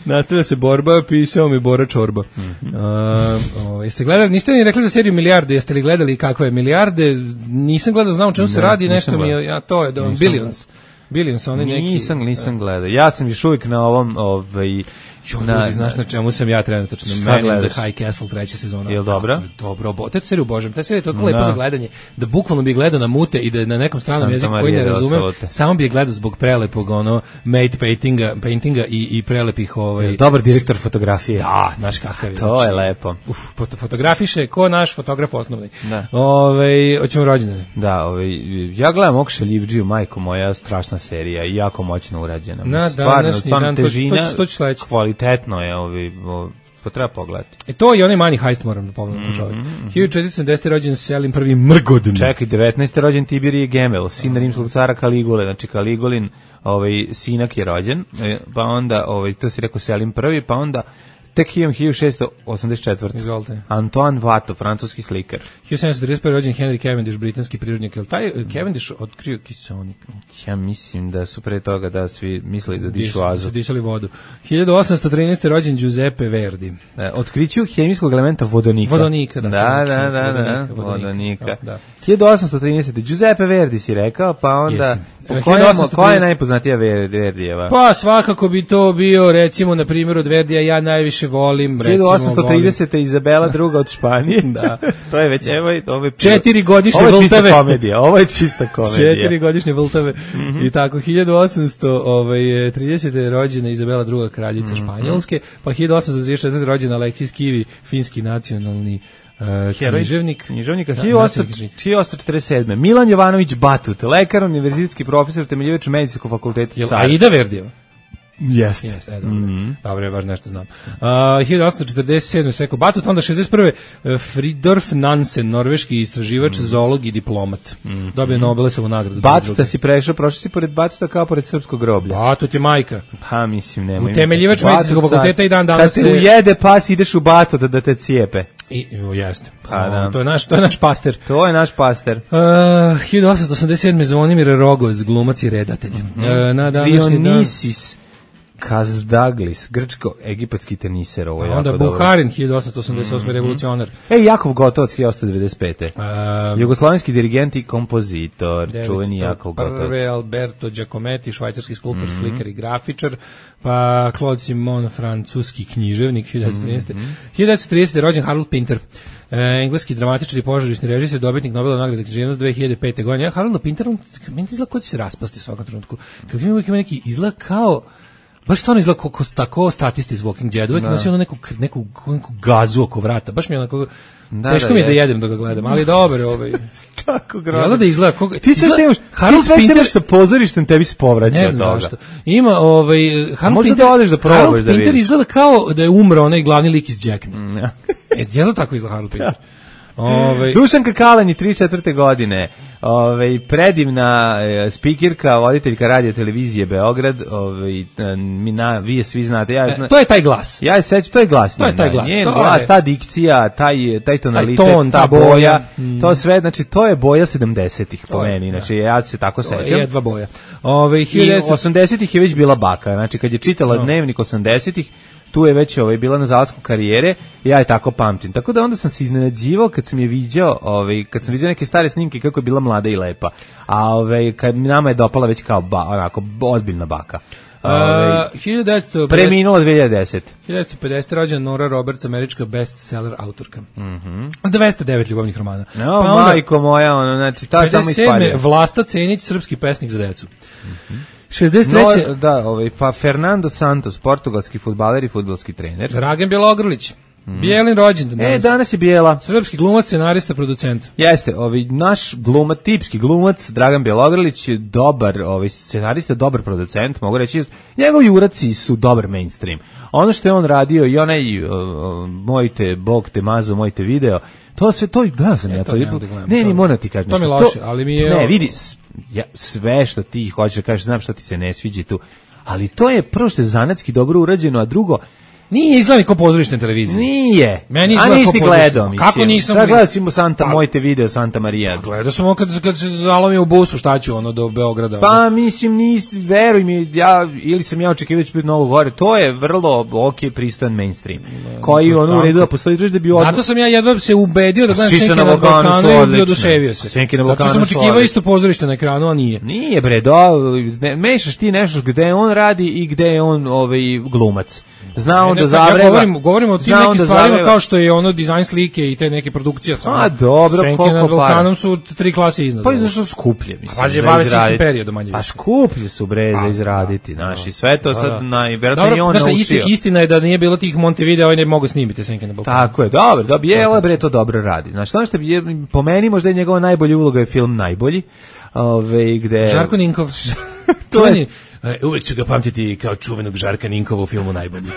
Nastavlja se borba, pisao mi Bora Čorba. Mm -hmm. uh, uh, jeste gledali, niste ni rekli za seriju Milijarde, jeste li gledali kakva je Milijarde? Nisam gledao, znam o čemu ne, se radi, nešto mi je, ja, to je, da, Billions. Billions, oni neki... Nisam, nisam gledao. Ja sam još uvijek na ovom, ovaj... Jo, na, ljudi, znaš na čemu sam ja trenutno? Man in the High Castle, treća sezona. Je li dobro? Dobro, bo, te seriju božem. Te seriju je toliko lepo za gledanje, da bukvalno bi gledao na mute i da na nekom stranom jeziku koji ne razumem, samo bi je gledao zbog prelepog, ono, mate paintinga, paintinga i, i prelepih, ovaj... Je dobar direktor fotografije. Da, znaš kakav je. To je lepo. Uf, fotografiše, ko naš fotograf osnovni. Da. Ove, hoćemo rođendane. Da, ove, ja gledam Okša Livđiju, majko moja, strašna serija i jako moćno urađena. Na današnji dan, težina, to ću sledeći. Kvalitetno je, ovi, ovi, to treba pogledati. E to je onaj Money Heist, moram da pogledam mm, čovjek. Mm, hiljadu četiristo sedamdesete rođen Selim prvi Mrgodin. Čekaj, devetnaeste rođen Tiberije Gemel, sin rimskog cara Kaligule, znači Kaligulin, ovaj, sinak je rođen, pa onda, ovaj, to si rekao Selim prvi, pa onda tek hiljadu šeststo osamdeset četvrte. Izvolite. Antoine Watteau, francuski slikar. hiljadu sedamsto trideset prve. rođen Henry Cavendish, britanski prirodnjak. Jel taj Cavendish otkrio kiseonik? Ja mislim da su pre toga da svi mislili da dišu azot. Su disali vodu. hiljadu osamsto trinaeste. rođen Giuseppe Verdi. E, otkriću hemijskog elementa vodonika. Vodonika, da. Da, da, da, da, vodonika. Da. hiljadu osamsto trinaeste. Giuseppe Verdi si rekao, pa onda... Koja je najpoznatija Verdijeva? Pa svakako bi to bio, recimo, na primjer od Verdija ja najviše volim, recimo, hiljadu osamsto tridesete. Izabela druga od Španije. Da. To je već, evo, ovo je... Četiri godišnje Ovo je Vltave. čista komedija, ovo je čista komedija. Četiri godišnje Vltave. Mm -hmm. I tako, hiljadu osamsto tridesete. rođena Izabela druga kraljica mm -hmm. Španjolske, pa hiljadu osamsto trideset četvrte. rođena Aleksis Kivi, finski nacionalni Uh, književnik. Književnika. Da, hiljadu osamsto četrdeset sedme. Milan Jovanović Batut, lekar, univerzitetski profesor, temeljivač medicinskog fakulteta. Aida Verdijeva? Jeste. Yes, e, dobro. Mm -hmm. Dobro, baš nešto znam. Uh, hiljadu osamsto četrdeset sedme. Sveko Batut, onda šezdeset prve. Fridorf Nansen, norveški istraživač, mm -hmm. zoolog i diplomat. Mm -hmm. Dobio Nobelovu nagradu. Batuta si prešao, prošao si pored Batuta kao pored srpskog groblja. Batut je majka. Pa, mislim, nema. Utemeljivač medicinskog fakulteta i dan danas kad te ujede pas, ideš u Batut da te cijepe. I, o, jeste. Pa, da. To je naš, to je naš paster. To je naš paster. Uh, hiljadu osamsto osamdeset sedme. Zvonimir Rogoz, glumac i redatelj. Mm -hmm. uh, na današnji Dionisis Kazdaglis, grčko-egipatski teniser, ovo je onda jako dobro. Onda Buharin, hiljadu osamsto osamdeset osme. Mm -hmm. revolucionar. E, Jakov Gotovac, hiljadu osamsto devedeset pete. Um, Jugoslovenski dirigent i kompozitor, čuveni Jakov Gotovac. Prve Alberto Giacometti, švajcarski skulptor, mm -hmm. slikar i grafičar, pa Claude Simon, francuski književnik, hiljadu devetsto trinaeste. Mm -hmm. hiljadu devetsto tridesete. rođen Harold Pinter, e, engleski dramatičar i pozorišni režiser, dobitnik Nobelove nagrade za književnost dve hiljade pete. godine. Harold Pinter, on meni izgleda ko će se raspasti u svakom trenutku. Kad ima uvijek ima neki izgled kao baš stvarno izgleda kako tako statisti iz Walking Dead, uvijek nosi ono neku, neku, neku gazu oko vrata, baš mi je onako, da, teško da, mi je da jedem dok ga gledam, ali dobro, ovaj. Tako grozno. Jel da izgleda koga, ti sve što imaš, ti sve što imaš sa pozorištem tebi se povraća od toga. Zašto. Ima ovaj Harold Pinter, da odeš da probaš Harold da vidiš. Pinter izgleda kao da je umro onaj glavni lik iz Jackna. Mm, ja. E, jel da tako izgleda Harold Pinter? Ove... Dušanka Kalanji, trideset četvrte godine, ove, predivna e, spikirka, voditeljka radio televizije Beograd, ove, mi na, vi je svi znate. Ja, zna, e, to je taj glas. Ja se sećam, to je glas. To je taj glas. Njen to glas, je... ta dikcija, taj, taj tonalitet, taj ton, ta, ta boja, boja mm. to sve, znači to je boja sedamdesetih po meni, znači ja se tako to sećam. Je dva boja. Ove, I osamdesetih je već bila baka, znači kad je čitala no. Dnevnik osamdesetih, tu je već ovaj bila na zalasku karijere, ja je tako pamtim. Tako da onda sam se iznenađivao kad sam je viđao, ovaj kad sam viđao neke stare snimke kako je bila mlada i lepa. A ovaj kad nama je dopala već kao ba, onako ozbiljna baka. Ovaj uh, hiljadu devetsto pedeset preminula dve hiljade desete. hiljadu devetsto pedeset rođena Nora Roberts, američka bestseller autorka. Mhm. Mm dvesta devet ljubavnih romana. No, pa onda, majko moja, ono znači ta samo isparila. Vlasta Cenić, srpski pesnik za decu. Mhm. Mm šezdeset treće No, da, ovaj pa Fernando Santos, portugalski fudbaler i fudbalski trener. Dragan Bjelogrlić, mm. Bijelin rođendan danas. E, danas je Bijela. Srpski glumac, scenarista, producent. Jeste, ovaj naš glumac, tipski glumac Dragan Bjelogrlić je dobar, ovaj scenarista, dobar producent, mogu reći. Njegovi uraci su dobar mainstream. Ono što je on radio i onaj uh, mojte Bog te mazo, mojte video, to sve to gledao sam e, ja to. to. Ne, ne, ni moram ti kažem. To mi loše, ali mi je ne, vidi, ja, sve što ti hoćeš da kažeš, znam što ti se ne sviđa tu, ali to je prvo što je zanatski dobro urađeno, a drugo, nije izgleda ko pozorište na televiziji. Nije. Meni izgleda kao gledao, mislim. Kako nisam? Da gledao si mu Santa, mojte video Santa Maria. Gledao sam on kad, kad se zalomio u busu, šta ću ono do Beograda. Pa ono. Mislim, nisi, veruj mi, ja, ili sam ja očekivao da će biti mnogo gore, to je vrlo ok, pristojan mainstream. Ne, koji ono u redu da postoji da bi odmah. Zato sam ja jedva se ubedio da gledam Senke na Balkanu i oduševio se. Senke na Balkanu. Zato sam očekivao isto pozorište na ekranu, a nije. Nije bre, do, ne, mešaš ti nešto gde on radi i gde je on ovaj glumac. Zna on da zavreba. Ja govorim, govorim o tim nekim stvarima kao što je ono dizajn slike i te neke produkcije. A dobro, Senke koliko na Balkanu su tri klase iznad. Pa i zašto skuplje, mislim. Pa je bave se istim periodom manje više. A skuplje su bre za izraditi, znaš, i sve to sad najverovatnije on naučio. Isti, istina je da nije bilo tih Montevideo, ovaj ne mogu snimiti Senke na Balkanu. Tako je, dobro, da Bijela bre to dobro radi. Znaš, šta što je po meni možda je njegova najbolja uloga je film Najbolji. Ove gde Žarko Ninkov. To je uvek ću ga pamtiti kao čuvenog Žarka Ninkova u filmu Najbolji.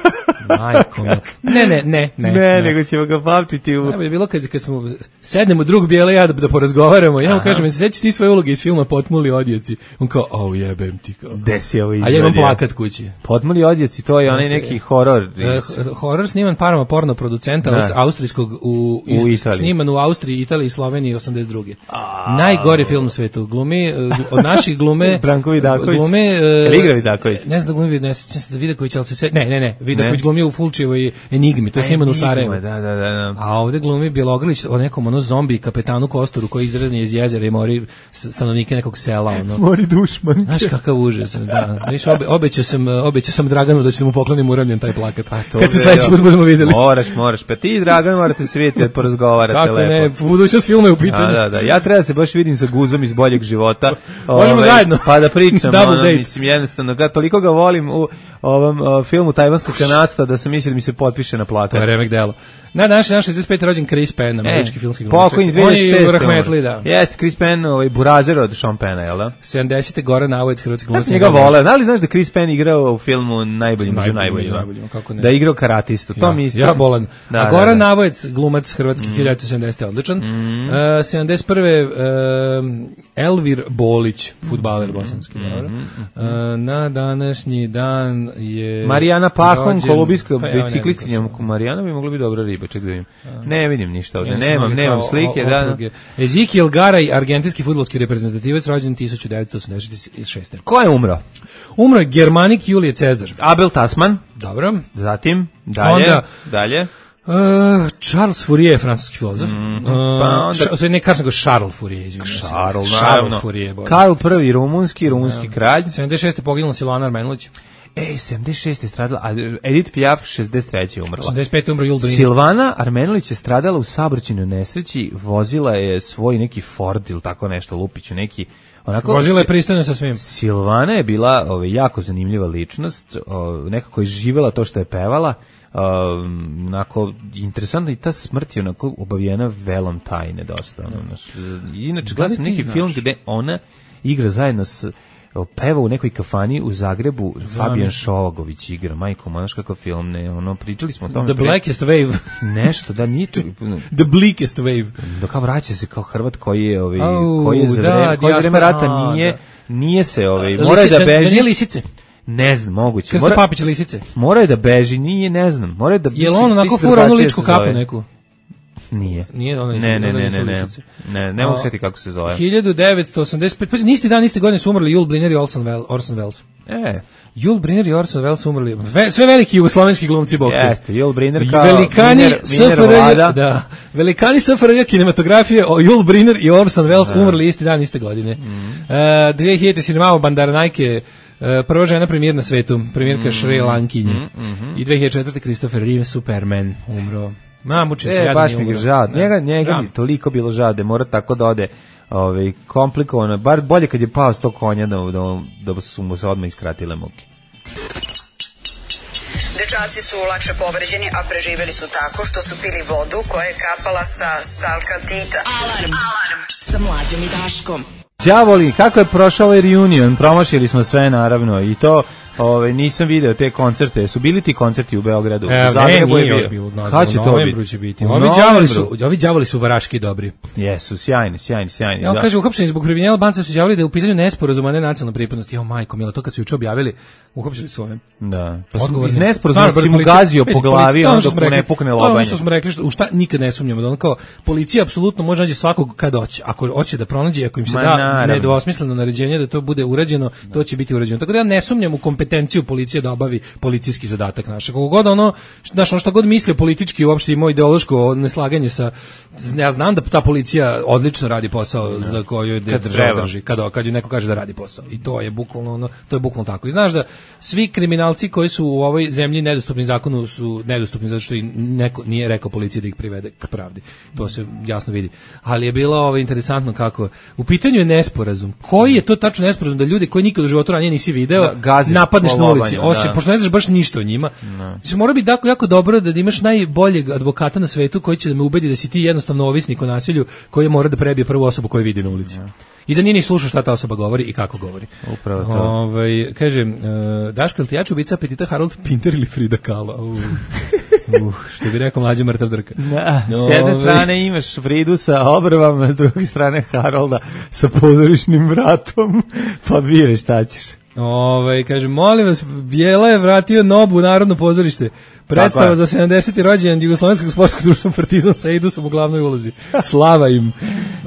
Majko, ne, ne, ne, ne, ne, ne, nego ćemo ga pamtiti u... Najbolje je bilo kad, kad smo sednemo drug Bijela ja da, da porazgovaramo, ja mu kažem, se sećaš ti svoje uloge iz filma Potmuli odjeci? On kao, au jebem ti kao. Gde si ovo izvadio? A ja imam plakat kući. Potmuli odjeci, to je onaj neki horor. Iz... Uh, horor sniman parama porno producenta Aust, austrijskog u, iz, u Italiji. Sniman u Austriji, Italiji i Sloveniji osamdeset druge. A... Najgori film u svetu. Glumi, uh, od naših glume... Branko Vidaković. Glume... Uh, Igra Vidaković. Ne znam da glumi, ne sjećam se da Vidaković, ali se se... Ne, ne, ne, Vidaković glumi u Fulčevoj Enigmi, to je snimano u Sarajevu. Da, da, da, da. A ovde glumi Bjelogrlić o nekom ono zombi kapetanu Kostoru koji izradi iz jezera i mori stanovnike nekog sela, ono. Mori dušmanke. Znaš kakav užas, da. Viš, obe, obećao sam, obećao sam Draganu da ću mu poklonim uramljen taj plakat. Pa to kad se sledeći put budemo videli. Moraš, moraš. Pa ti i Dragan morate se vidjeti da porazgovarate kako lepo. Kako ne, budućnost filma je u pitanju. Da, da, da. Ja treba da se baš vidim sa Guzom iz Boljeg života. Možemo ove, zajedno. Pa da pričam, ono, mislim, jednostavno, ga, toliko ga volim u ovom uh, filmu Tajvanskog kanasta da sam mislio da mi se potpiše na plakat. To je remek delo. Na današnji dan šezdeset peti rođen Chris Penn, američki e, filmski glumac. Pokojni dve hiljade šeste. On je rahmetli, da. Jeste, Chris Penn, ovaj burazer od Sean Penna, jel da? sedamdesete Goran Avojac, hrvatski glumac. Ja sam njega voleo. Da li znaš da Chris Penn igrao u filmu Najbolji među najboljima? Da je igrao karatistu. To ja, mi isto. Ja bolan. Da, a Goran da, da. Avojac, glumac hrvatski, mm. hiljadu devetsto sedamdesete odličan. Mm. Uh, sedamdeset prve Uh, Elvir Bolić, fudbaler bosanski. Mm. Uh, na današnji dan je Marijana Pahon, kolubijska pa, biciklistkinja. Marijana bi mogla biti dobra riba, ček da vidim. Ne vidim ništa ovdje, nemam, nemam slike. O, da, da. Ezekiel Garay, argentinski fudbalski reprezentativac, rođen tisuću devetsto osamdeset šeste. Ko je umro? Umro je Germanik Julije Cezar. Abel Tasman. Dobro. Zatim, dalje, onda, dalje. Uh, Charles Fourier, francuski filozof. Mm, uh, pa onda... ša, ne kažem go Charles Fourier, izvinjam se. Charles, Charles Fourier. Karl prvi, rumunski, rumunski kralj. sedamdeset šeste poginuo Silvana Armenulić. E, sedamdeset šeste je stradala, a Edith Piaf šezdeset treće je umrla. osamdeset pete umro Yul Brynner. Silvana Armenulić je stradala u saobraćajnoj nesreći, vozila je svoj neki Ford ili tako nešto, Lupiću, neki... Onako, vozila je pristojno sa svim. Silvana je bila ovaj, jako zanimljiva ličnost, ovaj, nekako je živela to što je pevala, um, onako, interesantno i ta smrt je onako obavijena velom tajne dosta. Ono, naš, inače, gledam sam neki film gde ona igra zajedno s peva u nekoj kafani u Zagrebu, Fabijan Šovagović igra, majko, znaš kakav film, ne, ono, pričali smo o tome. The pre... Blackest Wave. Nešto, da, ničeg. The Bleakest Wave. Da, kao vraća se kao Hrvat koji je, ovaj, oh, koji je za da, vreme, koji je za vreme rata nije, da. nije se, ovaj, mora je da beži. Da nije lisice. Ne znam, moguće. Krsta Papić lisice. Mora je da beži, nije, ne znam. Mora je da... Je li on onako fura onu ličku kapu neku? Nije. Nije ona ne, ne, ne, ne, ne, ne, ne mogu sjeti kako se zove. hiljadu devetsto osamdeset pete. Pa nisti dan, isti godine su umrli Yul Brynner i Orson Welles. Orson Welles. E. Yul Brynner i Orson Welles su umrli. Ve, sve veliki jugoslovenski glumci bok. Jeste, Yul Brynner kao velikani Miner, S F R J, da. Velikani S F R J kinematografije, Yul Brynner i Orson Welles da. Umrli isti dan, iste godine. Mm. Uh, dve hiljade Sinemao Bandaranaike, uh, prva žena premijer na svetu, premijerka mm. Šri Lankinje. Mm, mm, mm. I dve hiljade četvrte Christopher Reeve, Superman, umro. Ma, muče se, e, jadan baš je mi umro. ga žao. Njega, njega mi toliko bilo žao da mora tako da ode ovaj, komplikovano. Bar bolje kad je pao s tog konja da, da, da su mu se odmah iskratile muke. Dečaci su lakše povređeni, a preživeli su tako što su pili vodu koja je kapala sa stalkatita. Alarm. Alarm. Sa Mlađom i Daškom. Đavoli, kako je prošao ovaj reunion? Promašili smo sve, naravno, i to... Ove, nisam video te koncerte. Su bili ti koncerti u Beogradu? E, u Zagrebu ne, nije je još bilo. Kad će to biti? Će biti. Ovi đavoli su, ovi đavoli su varaški dobri. Jesu, sjajni, sjajni, sjajni. Ja kaže, uhapšeni zbog kriminala banca su izjavili da je u pitanju nesporazuma, a ne nacionalna pripadnost. Jo, majko, mila, to kad su juče objavili, uhapšili su ove. Da. Pa su iz nesporazuma si mu gazio po glavi, on dok mu ne pukne lobanje. To ono što smo rekli, što, u šta nikad ne sumnjamo, da ono kao, policija apsolutno može naći svakog kad hoće. Ako hoće da pronađe, ako im se Ma, da naravno. nedvosmisleno naređenje da to bude urađeno, to će biti urađeno. Tako da ja ne sumnjam u kompetenciju policije da obavi policijski zadatak naše. Kako god ono, znaš, ono šta god mislio politički, uopšte ima ideološko neslaganje sa, ja znam da ta policija odlično radi posao ne. za koju je država drži, kad, kad ju neko kaže da radi posao. I to je bukvalno ono, to je bukvalno tako. I znaš da svi kriminalci koji su u ovoj zemlji nedostupni zakonu su nedostupni zato što i neko nije rekao policiji da ih privede k pravdi. To se jasno vidi. Ali je bilo ovo interesantno kako u pitanju je nesporazum. Koji je to tačno nesporazum da ljudi koji nikad u životu ranije nisi video da, napadneš na ulici? Osim, pošto ne znaš baš ništa o njima. No. Mora biti jako, jako dobro da imaš najboljeg advokata na svetu koji će da me ubedi da si ti jednostavno ovisnik o nasilju koji mora da prebije prvu osobu koju vidi na ulici. No. I da nije ni slušao šta ta osoba govori i kako govori. Upravo to. Ovaj, kažem, uh, Daško, ili ti jače ubica apetita Harold Pinter ili Frida Kahlo? Uh. Uh, što bi rekao mlađa mrtav drka. Da, no, s jedne strane imaš Fridu sa obrvama, s druge strane Harolda sa pozorišnim vratom, pa bire šta ćeš. Ove, kažem, molim vas, Bijela je vratio Nobu u Narodno pozorište. Predstava za sedamdeseti rođendan Jugoslovenskog sportskog društva Partizan sa Eidusom u glavnoj ulozi. Slava im.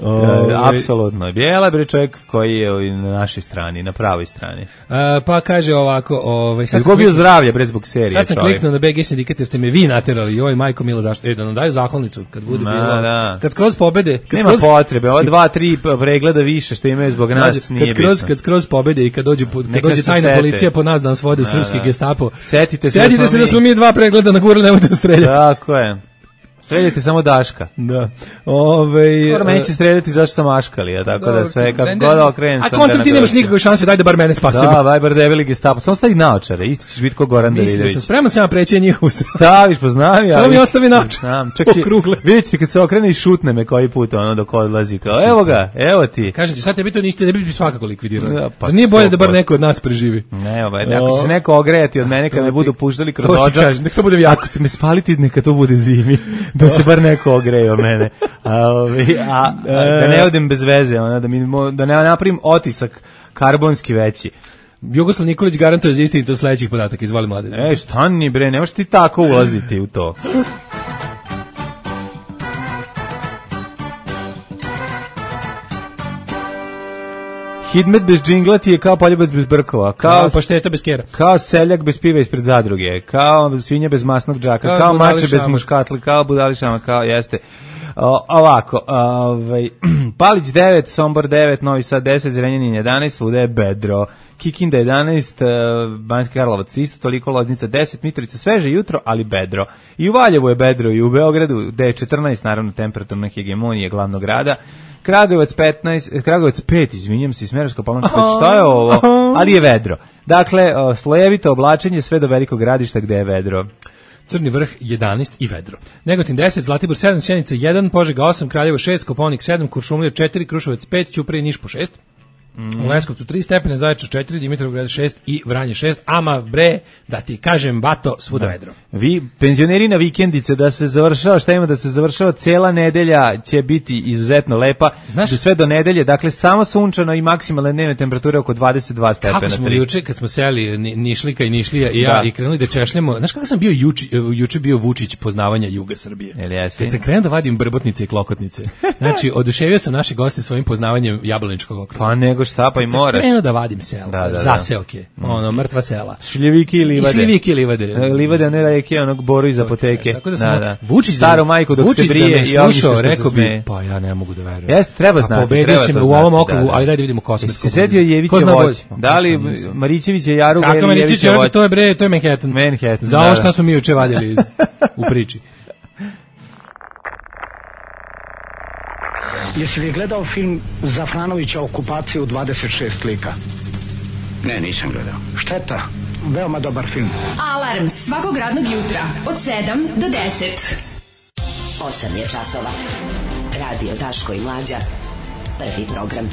Ove, apsolutno. Bijela je čovjek koji je na našoj strani, na pravoj strani. A, pa kaže ovako... Ovaj, sad Izgubio kliknu, zdravlje, bre, zbog serije. Sad sam čovjek. kliknuo na B G sindikat jer ste me vi naterali. Oj, majko milo, zašto? E, da nam daju zahvalnicu kad bude Ma, bilo. Da. Kad skroz pobede... Kad Nema skroz, potrebe, ova dva, tri pregleda više što imaju zbog nas kad nije skroz, bitno. Kad skroz pobede i kad dođe, kad dođe tajna sete. policija po nas da nas vode u srpski da. gestapo. Setite se, Setite se da smo mi dva pregleda nagurali, nemojte da streljati. Tako je. Streljate samo Daška. Da. Ove, Skoro meni će streljati zašto sam aškali, a tako da sve kako god okrenem sam. A kontra ti nemaš nikakve šanse, daj da bar mene spasimo. Da, daj bar debeli gestapo. Samo stavi naočare, isti ćeš biti ko Goran Davidović. Mislim da sam spreman sam preći njihovu. Staviš, poznavi. Samo mi ostavi naočare. Vidjet ćete kad se okrene i šutne me koji put ono dok odlazi. Kao, evo ga, evo ti. Kažem ti, sad tebi to ništa, ne bi svakako likvidirali. Da, pa nije bolje da bar neko od nas preživi. Ne, ovaj, ako će se neko ogrejati od mene kad me budu puštali kroz odžak. Nek to bude jako. Me spaliti, neka to bude zimi. Da se bar neko ogreje o mene. A, a, a da ne odem bez veze, ona, da, mi, da ne napravim otisak karbonski veći. Jugoslav Nikolić garantuje za istinitost sledećih podataka, izvoli Mladen. Ej, stani bre, nemaš ti tako ulaziti u to. Hidmet bez džingla ti je kao poljubac bez brkova, kao pašteta bez kera, kao seljak bez piva ispred zadruge, kao svinja bez masnog džaka, kao, kao mače bez muškatli, kao budališama, kao jeste. O, ovako, ovaj, Palić devet, Sombor devet, Novi Sad deset, Zrenjanin jedanaest, svuda je bedro. Kikinda jedanaest, Banjski Karlovac isto toliko, Loznica deset, Mitrovica sveže jutro, ali bedro. I u Valjevu je bedro, i u Beogradu, gde je četrnaest, naravno, temperaturna hegemonija glavnog grada. Kragujevac petnaest, Kragujevac pet, izvinjam se, Smederevska Palanka pet, šta je ovo? Ali je vedro. Dakle, slojevito oblačenje sve do velikog gradišta gde je vedro. Crni Vrh jedanaest i vedro. Negotin deset, Zlatibor sedam, Sjenica jedan, Požega osam, Kraljevo šest, Kopaonik sedam, Kuršumlija četiri, Kruševac pet, Ćuprija i Niš po šest. Mm. U Leskovcu tri stepene, Zaječar četiri, Dimitrovgrad šest i Vranje šest. Ama bre, da ti kažem, bato, svuda da. Vedro. Vi, penzioneri na vikendice, da se završava, šta ima da se završava, cela nedelja će biti izuzetno lepa. Znaš, do sve do nedelje, dakle samo sunčano i maksimalne dnevne temperature oko dvadeset dva stepena. Kako smo juče, kad smo seli Nišlika i Nišlija i ja da. I krenuli da češljamo, znaš kako sam bio juče, juče bio Vučić poznavanja juga Srbije. Kad sam krenuo da vadim brbotnice i klokotnice, znači oduševio sam naše goste svojim poznavanjem jablaničkog okruga. Pa nego šta, pa i moraš. Krenuo da vadim selo, da, da, zaseoke, da. Ono, mrtva sela. Šljiviki i livade. I šljiviki i livade. Livade, ne reke, onog boru iz apoteke. Tako da sam, da, da. Vučić staru majku dok Vučić se brije da i slušao, rekao bi, pa ja ne mogu da verujem. Jeste, treba znati. A pobedio si me u ovom okrugu, ali daj da vidimo kosmetsko. Se setio Jevića voć. Da li Marićević je Jaruga ili Jević je voć? To je bre, to je Manhattan. Manhattan. Za ovo šta smo mi juče vadili u priči. Jesi li gledao film Zafranovića Okupacija u dvadeset šest lika? Ne, nisam gledao. Šteta, veoma dobar film. Alarm svakog radnog jutra od sedam do deset. osam je časova. Radio Daško i Mlađa. Prvi program.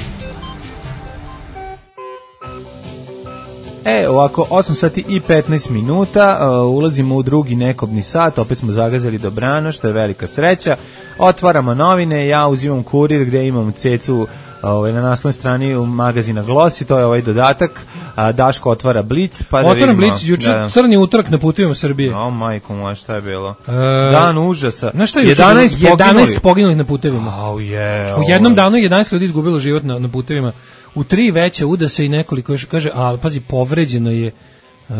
E, ovako, osam sati i petnaest minuta, uh, ulazimo u drugi nekobni sat, opet smo zagazali dobrano, što je velika sreća. Otvaramo novine, ja uzimam Kurir gde imam cecu ovaj, na naslovnoj strani u magazina Glosi, to je ovaj dodatak, a Daško otvara Blic. Pa da Otvaram Blic, juče da. Crni utorak na putevima Srbije. O, majko moja, šta je bilo? E, Dan užasa. Znaš šta je juče? jedanaest poginulih na putevima. Oh, yeah, u jednom danu jedanaest ljudi izgubilo život na, na putevima. U tri veće udase i nekoliko još kaže, ali pazi, povređeno je uh,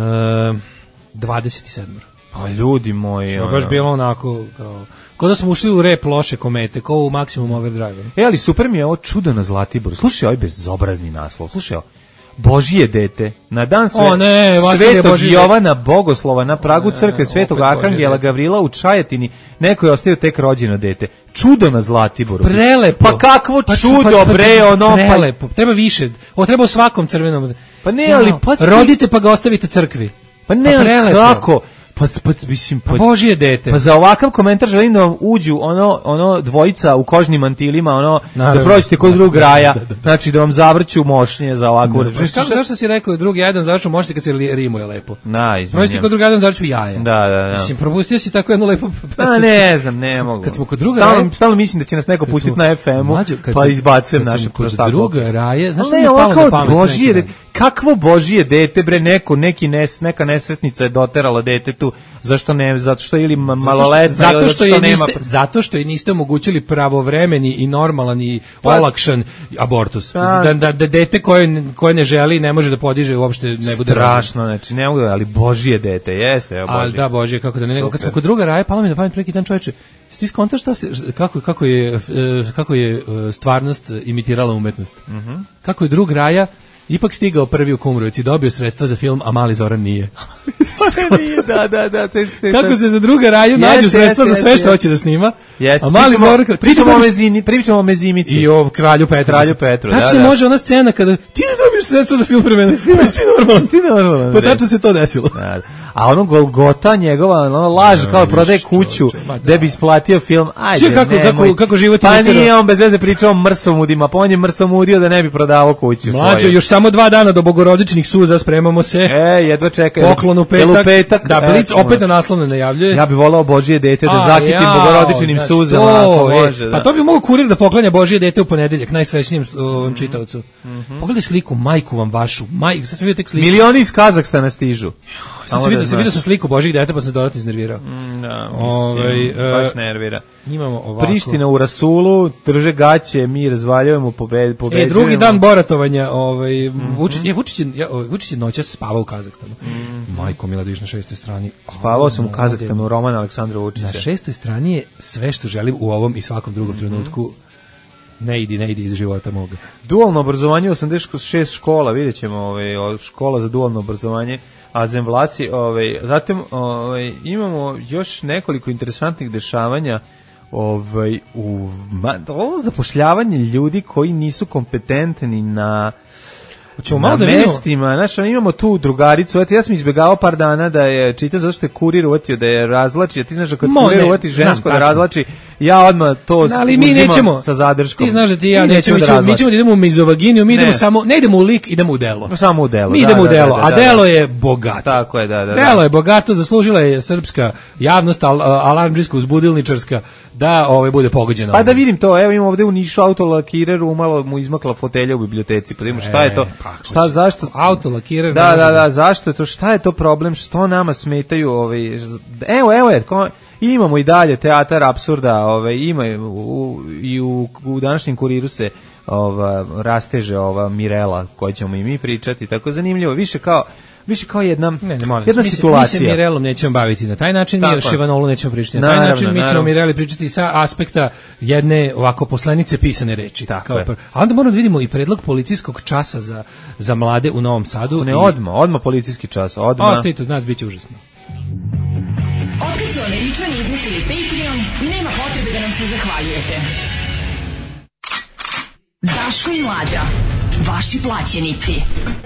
dvadeset sedam. Pa ljudi moji. Što je baš bilo onako, kao, kao da smo ušli u rep loše komete, kao u Maximum Overdrive. E, ali super mi je ovo čudo na Zlatiboru. Slušaj ovaj bezobrazni naslov, slušaj ovo. Božije dete, na dan sve, o, ne, Svetog Jovana Bogoslova na pragu crkve Svetog Arhangela Gavrila u Čajetini, neko je ostavio tek rođeno dete. Čudo na Zlatiboru. Prelepo. Pa kakvo pa, čudo, pa, pa, bre, ono. Prelepo, pa, treba više, ovo treba u svakom crvenom. Pa ne, ali pa... Rodite pa ga ostavite crkvi. Pa ne, pa ali kako? Pa, pa, mislim, pa, pa Božije dete. Pa za ovakav komentar želim da vam uđu ono, ono dvojica u kožnim mantilima, ono, naravno, da prođete kod drugog raja, da, da, da. Znači da vam zavrću mošnje za ovakvu reč. Pa kako, zašto si rekao drugi jedan zavrću mošnje kad se rimuje lepo? Na, izvinjam. Prođete kod drugi jedan zavrću jaja. Da, da, da. Mislim, propustio si tako jedno lepo... Pa ne znam, ne mogu. Kad smo kod druga stalno, raja... Stalno mislim da će nas neko pustiti na ef emu, pa izbacujem naše prostaklo. Kod druga raja, znaš što mi je palo na pamet? Božije dete, kakvo Božije dete, bre, neko, neki nes, neka nesretnica je doterala detetu, zašto ne, zato što ili maloletna, zato što, ili zato što je niste, nema... Zato što je niste omogućili pravovremeni i normalan i olakšan abortus. Da, da, da dete koje, koje ne želi ne može da podiže uopšte ne bude strašno, znači ne mogu, ali Božije dete, jeste, evo Božije. Ali da, Božije, kako da ne, nego kad smo kod druga raja, palo mi na pamet neki dan, čoveče, ti skontaš šta se, kako, kako je, kako je stvarnost imitirala umetnost. Mm-hmm. Kako je drug raja ipak stigao prvi u Kumrovec i dobio sredstva za film, a Mali Zoran nije. Zoran nije, da, da, da. Te, te, kako se za druga raju yes, nađu sredstva yes, za sve yes, što yes. hoće da snima. Yes. A Mali Zoran... Pričamo o mezini, pričamo o mezimici. I o Kralju Petru. Kralju Petru, znači, da, da. može ona scena kada ti ne dobiješ sredstva za film premena, snimaš ti normalno. Ti normalno. Pa tačno se to desilo. Da. A ono Golgota njegova, ono laž kao prodaje kuću da bi isplatio film. Ajde, kako, ne, kako, kako život pa nije on bez veze pričao o mrsomudima, pa on je mrsomudio da ne bi prodavao kuću. Mlađo, još samo dva dana do bogorodičnih suza, spremamo se. E, jedva čekaj. Poklon u petak. petak. Da, Blic opet na naslovno najavljuje. Ja bih volao Božije dete da zakitim ja, bogorodičnim znači, suzama, to, ako e, može. Da. Pa to bi mogao Kurir da poklanja Božije dete u ponedeljak, najsrećnijem ovom čitaocu. Mm-hmm. Pogledaj sliku, majku vam vašu. Majku, sad sam vidio tek sliku. Milioni iz Kazahstana stižu. Sad se vidio, se vidio sam sliku Božijeg dete, pa sam dodatno iznervirao. Mm, Da, Ovaj, mislim, e, baš nervira. Imamo ovako. Priština u rasulu, drže gaće, mi razvaljujemo, pobed, pobeđujemo. E, drugi dan boratovanja, ovaj, mm-hmm. Vučić, je, Vučić, je, Vučić je noćas spavao u Kazahstanu. Mm-hmm. Majko Mila, vidiš na šestoj strani. Spavao sam u Kazahstanu, roman Aleksandra Vučića. Na šestoj strani je sve što želim u ovom i svakom drugom mm-hmm. trenutku. Ne idi, ne idi iz života moga. Dualno obrazovanje, osamdeset šest škola, vidjet ćemo, ovaj, škola za dualno obrazovanje, a zemvlaci, ovaj, zatim ovaj, imamo još nekoliko interesantnih dešavanja ovaj, u ma, ovo zapošljavanje ljudi koji nisu kompetentni na Hoćemo na malo da mestima, znači imamo tu drugaricu, eto ja sam izbegavao par dana da je čita zato što je kurir uvatio da je razlači, a ti znaš da kad Mo, kurir ne, uvati žensko znam, da razlači, ja odmah to no, ali mi nećemo sa zadrškom. Ti znaš da ti ja mi nećemo, nećemo da mi ćemo da idemo u mizovaginiju, mi ne. idemo samo, ne idemo u lik, idemo u delo. No, samo u delo. Mi da, idemo da, u delo, da, da, a da, delo da. je bogato. Tako je, da, da. Delo da. je bogato, zaslužila je srpska javnost, al, alarmdžijska, uzbudilničarska, da ovaj bude pogođena. Pa da vidim to, evo imamo ovde u Nišu autolakirer, umalo mu izmakla fotelja u biblioteci, pa vidimo šta je to, šta, zašto? Autolakirer. Da, da, da, zašto je to, šta je to problem, što nama smetaju, ovaj, evo, evo je, ko, imamo i dalje teatar apsurda, ovaj, ima u, i u, u današnjem kuriru se ova, rasteže ova Mirela, koju ćemo i mi pričati, tako zanimljivo, više kao, više kao jedna, ne, ne, molim, jedna mi situacija. Mi se Mirelom nećemo baviti na taj način, mi o Ševanolu nećemo pričati na taj naravno, način, mi ćemo naravno. Mireli pričati sa aspekta jedne ovako poslanice pisane reči. Tako kao je. Pr... A onda moramo da vidimo i predlog policijskog časa za, za mlade u Novom Sadu. Ne, i... odmah, odmah policijski čas, odmah. Ostavite, znaš, bit će užasno. Otkad su Američani izmislili Patreon, nema potrebe da nam se zahvaljujete. Daško i Mlađa, vaši plaćenici.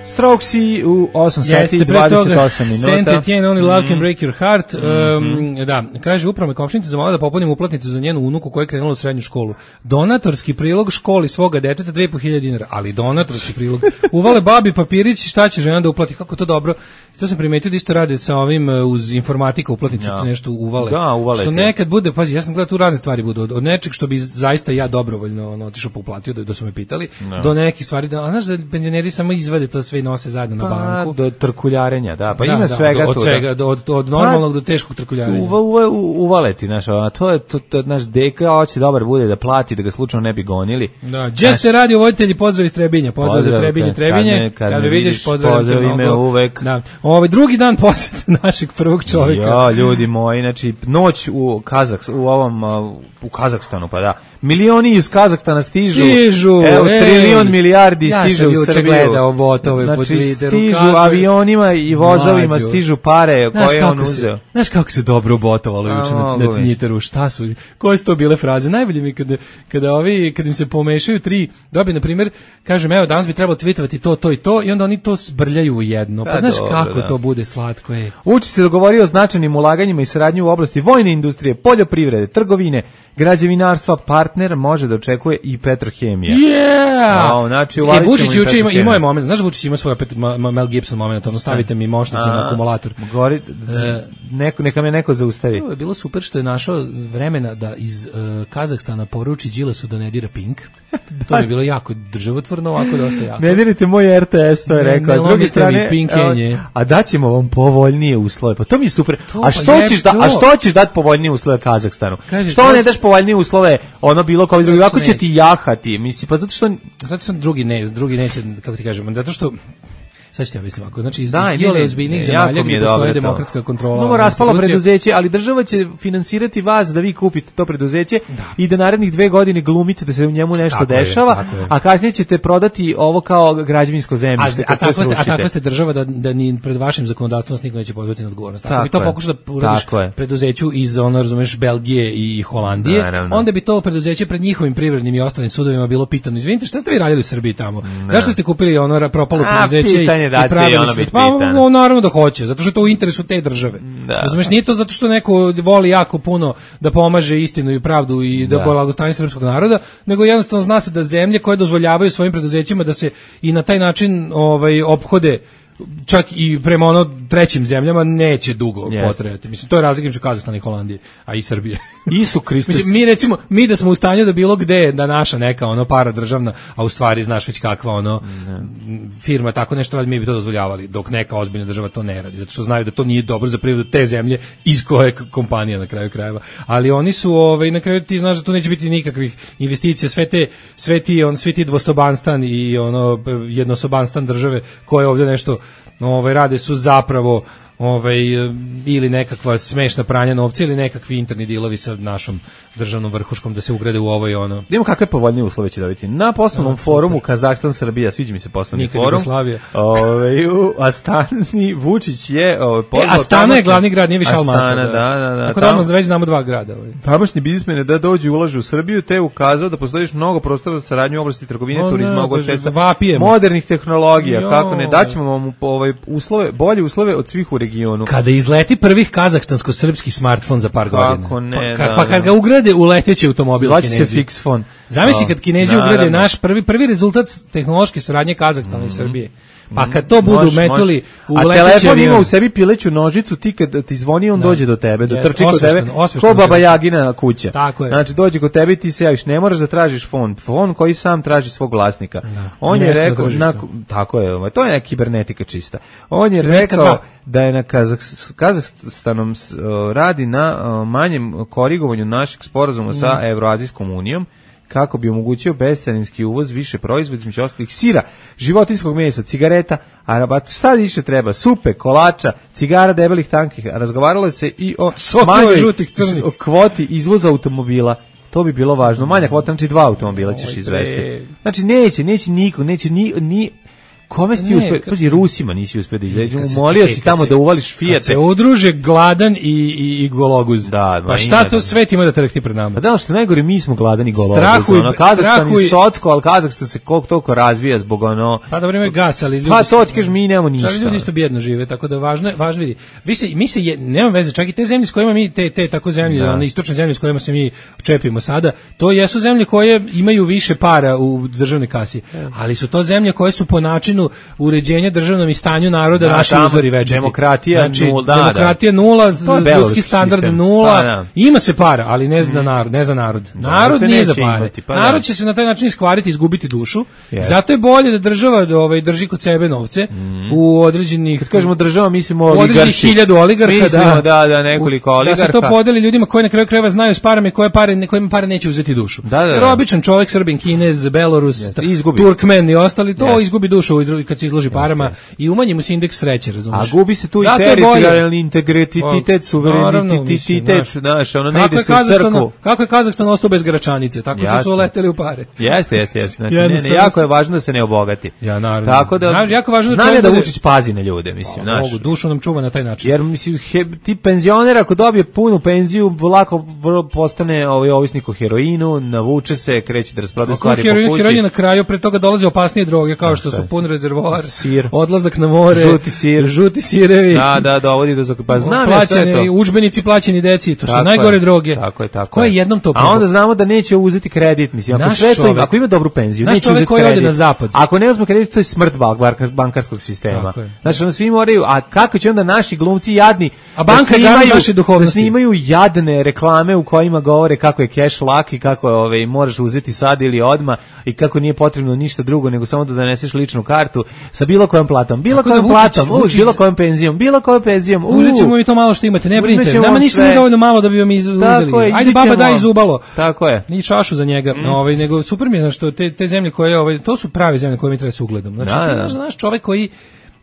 Strokesi u osam sati i dvadeset osam minuta. Saint-Étienne, Only Love Can Break Your Heart. Mm-hmm. Um, da, kaže, upravo me komšinica zamolila da popunim uplatnicu za njenu unuku koja je krenula u srednju školu. Donatorski prilog školi svoga deteta dve i po hiljade dinara, ali donatorski prilog. Uvale babi papirić, šta će žena da uplati, kako to dobro. To sam primetio da isto rade sa ovim uz informatika uplatnicu, ja. nešto uvale. Da, uvale. Što nekad bude, pazi, ja sam gledao tu razne stvari budu, od, od nečeg što bi zaista ja dobrovoljno ono, otišao pa uplatio, da, da su me pitali, no. do nekih stvari, da, a znaš da penzioneri samo izvade to sve i nose zajedno na banku. Pa, do trkuljarenja, da, pa da, ima da, svega od, tu. Od svega, do, od, od normalnog pa, do teškog trkuljarenja. Uva, uva, uvaleti, znaš, a to je, to, to, naš deka hoće dobar bude da plati, da ga slučajno ne bi gonili. Da, gdje ste radio voditelji, pozdrav iz Trebinja, pozdrav, pozdrav za Trebinje, Trebinje, kad, kad me vidiš, pozdrav, pozdrav me uvek. Da. Ovaj drugi dan posete našeg prvog čovjeka. Ja, ljudi moji, znači, noć u Kazahs, u ovom, u Kazahstanu, pa da, milioni iz Kazahstana stižu, stižu evo, ej, trilion milijardi ja stiže u Srbiju. Ja sam gledao botove znači, po Twitteru. Stižu kako avionima i vozovima, Mađu. stižu pare znaš koje on se, uzeo. Znaš kako se dobro botovalo juče na, na Twitteru, šta su, koje su to bile fraze? Najbolje mi kada, kada, ovi, kada im se pomešaju tri, dobi, na primjer, kažem, evo, danas bi trebalo tweetovati to, to i to, i onda oni to zbrljaju u jedno. Pa, pa znaš dobro, kako da. to bude slatko je. Uči se dogovorio o značajnim ulaganjima i saradnju u oblasti vojne industrije, poljoprivrede, trgovine, građevinarstva, partner može da očekuje i Petrohemija. Yeah! O, znači, e, Vučić juče ima, ima je moment, znaš da Vučić ima svoj opet Mel Gibson moment, ono stavite mi mošnice na akumulator. Gori, neko, neka me neko zaustavi. To je bilo super što je našao vremena da iz uh, Kazahstana poruči Đilasu da ne dira Pink. To je bilo jako državotvorno, ovako dosta jako. Ne dirite moj R T S, to je ne, rekao. Ne, s druge strane, pinkenje. a daćemo vam povoljnije uslove. Pa to mi je super. To, a što pa ćeš da, a što ćeš dati povoljnije uslove Kazahstanu? Kaže, što ne daš povoljnije uslove ono bilo kao drugi? Kako će ti jahati? Misli, pa zato što zato što drugi ne, drugi neće, kako ti kažemo, zato što sad ću ja mislim ovako, znači iz da, iole ozbiljnih zemalja gdje postoje demokratska kontrola. Mnogo raspalo preduzeće, ali država će finansirati vas da vi kupite to preduzeće da. i da narednih dve godine glumite da se u njemu nešto tako dešava, je, je. a kasnije ćete prodati ovo kao građevinsko zemljište. A, a, tako ste, a tako ste država da, da ni pred vašim zakonodavstvom niko neće pozvati na odgovornost. Ako tako bi to je. pokušao da uradiš preduzeću iz, ono, razumeš, Belgije i Holandije, naravno. onda bi to preduzeće pred njihovim privrednim i ostalim sudovima bilo pitano, izvinite, šta ste vi radili u Srbiji tamo? Zašto ste kupili ono propalo preduzeće i pravili pa, no, naravno da hoće, zato što je to u interesu te države. Da. Razumeš, nije to zato što neko voli jako puno da pomaže istinu i pravdu i da, da. blagostanje srpskog naroda, nego jednostavno zna se da zemlje koje dozvoljavaju svojim preduzećima da se i na taj način ovaj ophode čak i prema ono trećim zemljama neće dugo Yes. potrajati. Mislim, to je razlika između Kazahstana i Holandije, a i Srbije. Isu Kristus. Mislim, mi recimo, mi da smo u stanju da bilo gde da naša neka ono para državna, a u stvari znaš već kakva ono ne. firma tako nešto radi, mi bi to dozvoljavali, dok neka ozbiljna država to ne radi, zato što znaju da to nije dobro za privredu te zemlje iz koje kompanija na kraju krajeva. Ali oni su, ovaj, na kraju ti znaš da tu neće biti nikakvih investicija, sve te, sve ti, on, svi ti dvostobanstan i ono jednosobanstan države koje ovdje nešto ovaj, rade su zapravo ovaj, ili nekakva smešna pranja novca ili nekakvi interni dilovi sa našom državnom vrhuškom da se ugrade u ovo i ono. Idemo kakve povoljnije uslove će dobiti. Na poslovnom no, forumu Kazahstan Srbija, sviđa mi se poslovni Nikad forum. Jugoslavija. Ovaj u Astani Vučić je ovaj e, Astana je glavni grad, nije više Almata. Astana, da, da, da. Tako da odmah već znamo dva grada. Ovaj. Tamošnji biznismeni da dođu i ulažu u Srbiju, te ukazao da postoji mnogo prostora za saradnju u oblasti trgovine, no, turizma, no, ugostiteljstva, modernih tehnologija, jo. Kako ne, daćemo vam ovaj uslove, bolje uslove od svih u regionu. Kada izleti prvih kazahstansko-srpski smartfon za par godina. Kako ne, pa, da, pa kad ga ugrade u leteći automobil Kinezi. Se fix phone. Zamisli kad Kinezi no, ugrade naš prvi prvi rezultat tehnološke saradnje Kazahstana mm-hmm. i Srbije. Pa kad to budu mož, metuli mož. U leteći avion. A telefon ima u sebi pileću nožicu, ti kad ti zvoni on da. Dođe do tebe, da trči kod tebe, ko Baba Jagina kuća. Tako je. Znači dođe kod tebe i ti se javiš, ne moraš da tražiš fon, fon koji sam traži svog vlasnika. Da. On je rekao, na, tako je, to je kibernetika čista. On je rekao da je na Kazah, Kazahstanom uh, radi na uh, manjem korigovanju našeg sporazuma mm. sa Evroazijskom unijom, kako bi omogućio bescarinski uvoz više proizvoda, između ostalih sira, životinjskog mesa, cigareta, a šta više treba, supe, kolača, cigara debelih tankih. Razgovaralo se i o manjoj kvoti izvoza automobila. To bi bilo važno. Manja kvota, znači dva automobila ćeš izvesti. Znači neće, neće niko, neće ni... ni kome si ti uspio, pazi, Rusima nisi uspio da izveđu, umolio si tamo se, da uvališ Fijate. Kad se udruže gladan i, i, i gologuz, da, pa šta to sve ti ima da trekti pred nama? Pa da, što najgore, mi smo gladani i gologuz. Strahuj, ono, Kazahstan i Socko, ali Kazahstan se koliko toliko razvija zbog ono... Pa da vreme gas, ali ljudi... Pa to ti kažeš, mi nemamo ništa. Čak ljudi isto bjedno žive, tako da važno je, važno vidi. Vi se, mi se, je, nema veze, čak i te zemlje s kojima mi, te, te tako zemlje, da. One istočne zemlje s kojima se mi čepimo sada, to jesu zemlje koje imaju više para u državnoj kasi, ali su to zemlje koje su po načinu uređenja državnom i stanju naroda da, naši uzori veđeti. Demokratija znači, nula, da, demokratija da. nula, ljudski standard sistem. Nula, pa, da. Ima se para, ali ne za narod, ne za narod. Narod da, nije za pare. Imati, pa, narod da. Će se na taj način iskvariti, izgubiti dušu. Yes. Zato je bolje da država ovaj, drži kod sebe novce mm. u određenih... Kad kažemo država, mislimo oligarsi. U određenih hiljadu oligarka, mislimo, da, da, da, nekoliko oligarka. Da se to podeli ljudima koji na kraju krajeva znaju s parama i koje pare, kojima pare neće uzeti dušu. Da, da, da. Jer običan čovjek, Srbin, Kinez, Belorus, yes. Turkmen i ostali, to yes. izgubi dušu kad se izloži parama. I umanji mu se indeks sreće, razumiješ? A gubi se tu i teritorijalni integritet, suverenitet, znaš, ono ne ide se u crkvu. Kako je Kazahstan ostao bez Gračanice? Tako što su leteli u pare. Jeste, jeste, jeste. Znači, ne, ne, jako je važno da se ne obogati. Ja, naravno. Tako da, naravno, jako važno znam je da Vučić pazi na ljude, mislim, znaš. Mogu, dušu nam čuva na taj način. Jer, mislim, he, ti penzioner ako dobije punu penziju, lako postane ovaj ovisnik o heroinu, navuče se, kreće da rasprodaje stvari po kući. Heroin je na kraju, pre toga dolaze opasnije droge, kao što su pun rezervoar, odlazak na more, žuti sir, žuti sirevi. Da, da, dovodi do pa znam ja sve to. Udžbenici plaćeni deci, to tako su najgore je, droge. Tako je, tako. Ko je jednom to probao? A onda znamo da neće uzeti kredit, mislim, ako sve to ima, ako ima dobru penziju, neće uzeti koji kredit. Ode na zapad. Ako ne uzme kredit, to je smrt bankarskog sistema. Znači, onda svi moraju, a kako će onda naši glumci jadni, a banka da naše duhovnosti, da snimaju jadne reklame u kojima govore kako je cash lak i kako je, ovaj, možeš uzeti sad ili odma i kako nije potrebno ništa drugo nego samo da doneseš ličnu kartu sa bilo kojom platom, bilo kojom platom, uz bilo kojom penzijom, bilo kojom penzijom. Uzet ćemo mi to malo što imate, ne brinite. Nama ništa nije dovoljno malo da bi vam uzeli. Ajde baba daj zubalo. Tako je. Ni čašu za njega. Mm. Ovaj nego super mi je što te te zemlje koje ovaj to su prave zemlje koje mi treba se ugledom. Znači, da, da. Znaš, čovjek koji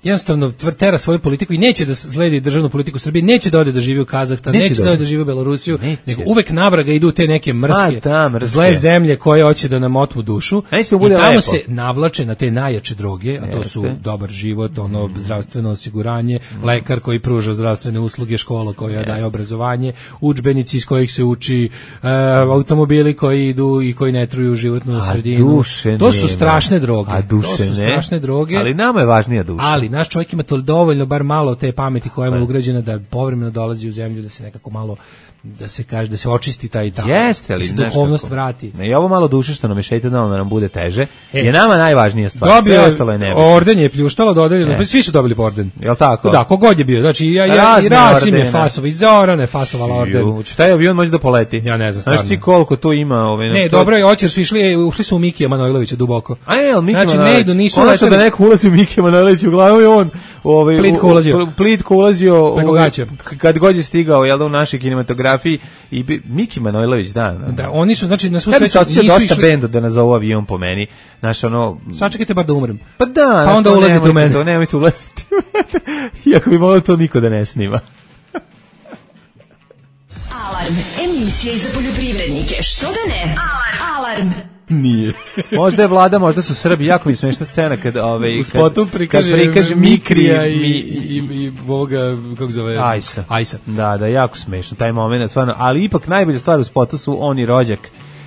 jednostavno tera svoju politiku i neće da sledi državnu politiku Srbije, neće da ode da živi u Kazahstan, neće, neće da ode da živi u Belorusiju, neće. Nego uvek navraga idu te neke mrske, A, mrske, zle zemlje koje hoće da nam otmu dušu i tamo lepo. Se navlače na te najjače droge, a to Jeste. Su dobar život, ono mm. zdravstveno osiguranje, mm. lekar koji pruža zdravstvene usluge, škola koja Jeste. Daje obrazovanje, udžbenici iz kojih se uči, uh, automobili koji idu i koji ne truju životnu a sredinu. To su nema. strašne droge. A duše to su strašne ne. droge. Ali nama je važnija duša. Ali naš čovjek ima to dovoljno, bar malo te pameti koja mu je ugrađena da povremeno dolazi u zemlju, da se nekako malo, da se kaže, da se očisti taj tamo. Jeste li, da se duhovnost vrati. I ovo malo duše što nam je šeitanalno da nam bude teže, e, je nama najvažnija stvar. Dobio sve ostalo je nebitno. Orden je pljuštalo, dodeljeno, pa svi su dobili orden. Jel tako? Da, kogod je bio. Znači, ja, ja, i Rasim je fasova, i Zorana je fasovala orden. Juč, taj avion može da poleti. Ja ne znam, stvarno. Znaš ti koliko tu ima? Ove, ne, to... dobro je, očer su išli, ušli su u Mikija Manojlovića duboko. A je, ali Mikija znači, Manojlović? ne idu, nisu leteli. Da neko ulazi u Mikija Manojlovića, uglavnom je on ovaj, plitko ulazio. Plitko ulazio preko gaća. Kad god je stigao, jel da, u našoj kinematografiji i Miki Manojlović, da, da. Da, oni su, znači, na svu sreću nisu dosta išli... benda da nazovu avion po meni. Znaš, ono... Sačekajte bar da umrem. Pa da, pa onda ulazite u mene. To, nemojte ulaziti u mene. Iako bi moglo to niko da ne snima. Alarm, emisija za poljoprivrednike. Što da ne? Alarm. Alarm. Nije. Možda je vlada, možda su Srbi, jako mi smešna scena kad ovaj u spotu prikaže, kad prikaže Mikrija i, i, i, i ovoga, kako zove? Ajsa. Ajsa. Da, da, jako smešno taj moment, stvarno, ali ipak najbolja stvar u spotu su oni rođak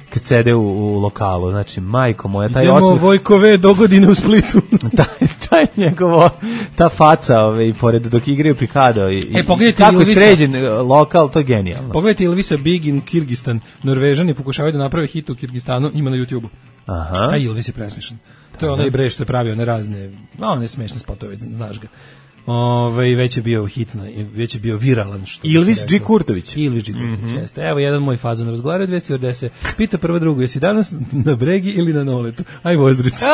kad sede u, u lokalu, znači majko moja, taj idemo osmeh, Vojkove do godine u Splitu. taj, taj njegovo, ta faca ove, i pored dok igraju Pikado i, e, i kako je sređen lokal, to je genijalno. Pogledajte Ilvisa Big in Kirgistan, Norvežani pokušavaju da naprave hit u Kirgistanu, ima na YouTubeu. Aha. Taj Ilvis je presmešan. To je onaj bre što je pravio one razne, no, one smešne spotove, znaš ga. Ove, već je bio hitno, već je bio viralan. Što Ilvis G. Kurtović. Ilvis G. Kurtović, mm-hmm. jeste. Evo jedan moj fazon razgovara, dve stewardese. Pita prva drugu, jesi danas na bregi ili na noletu? Aj vozdrica.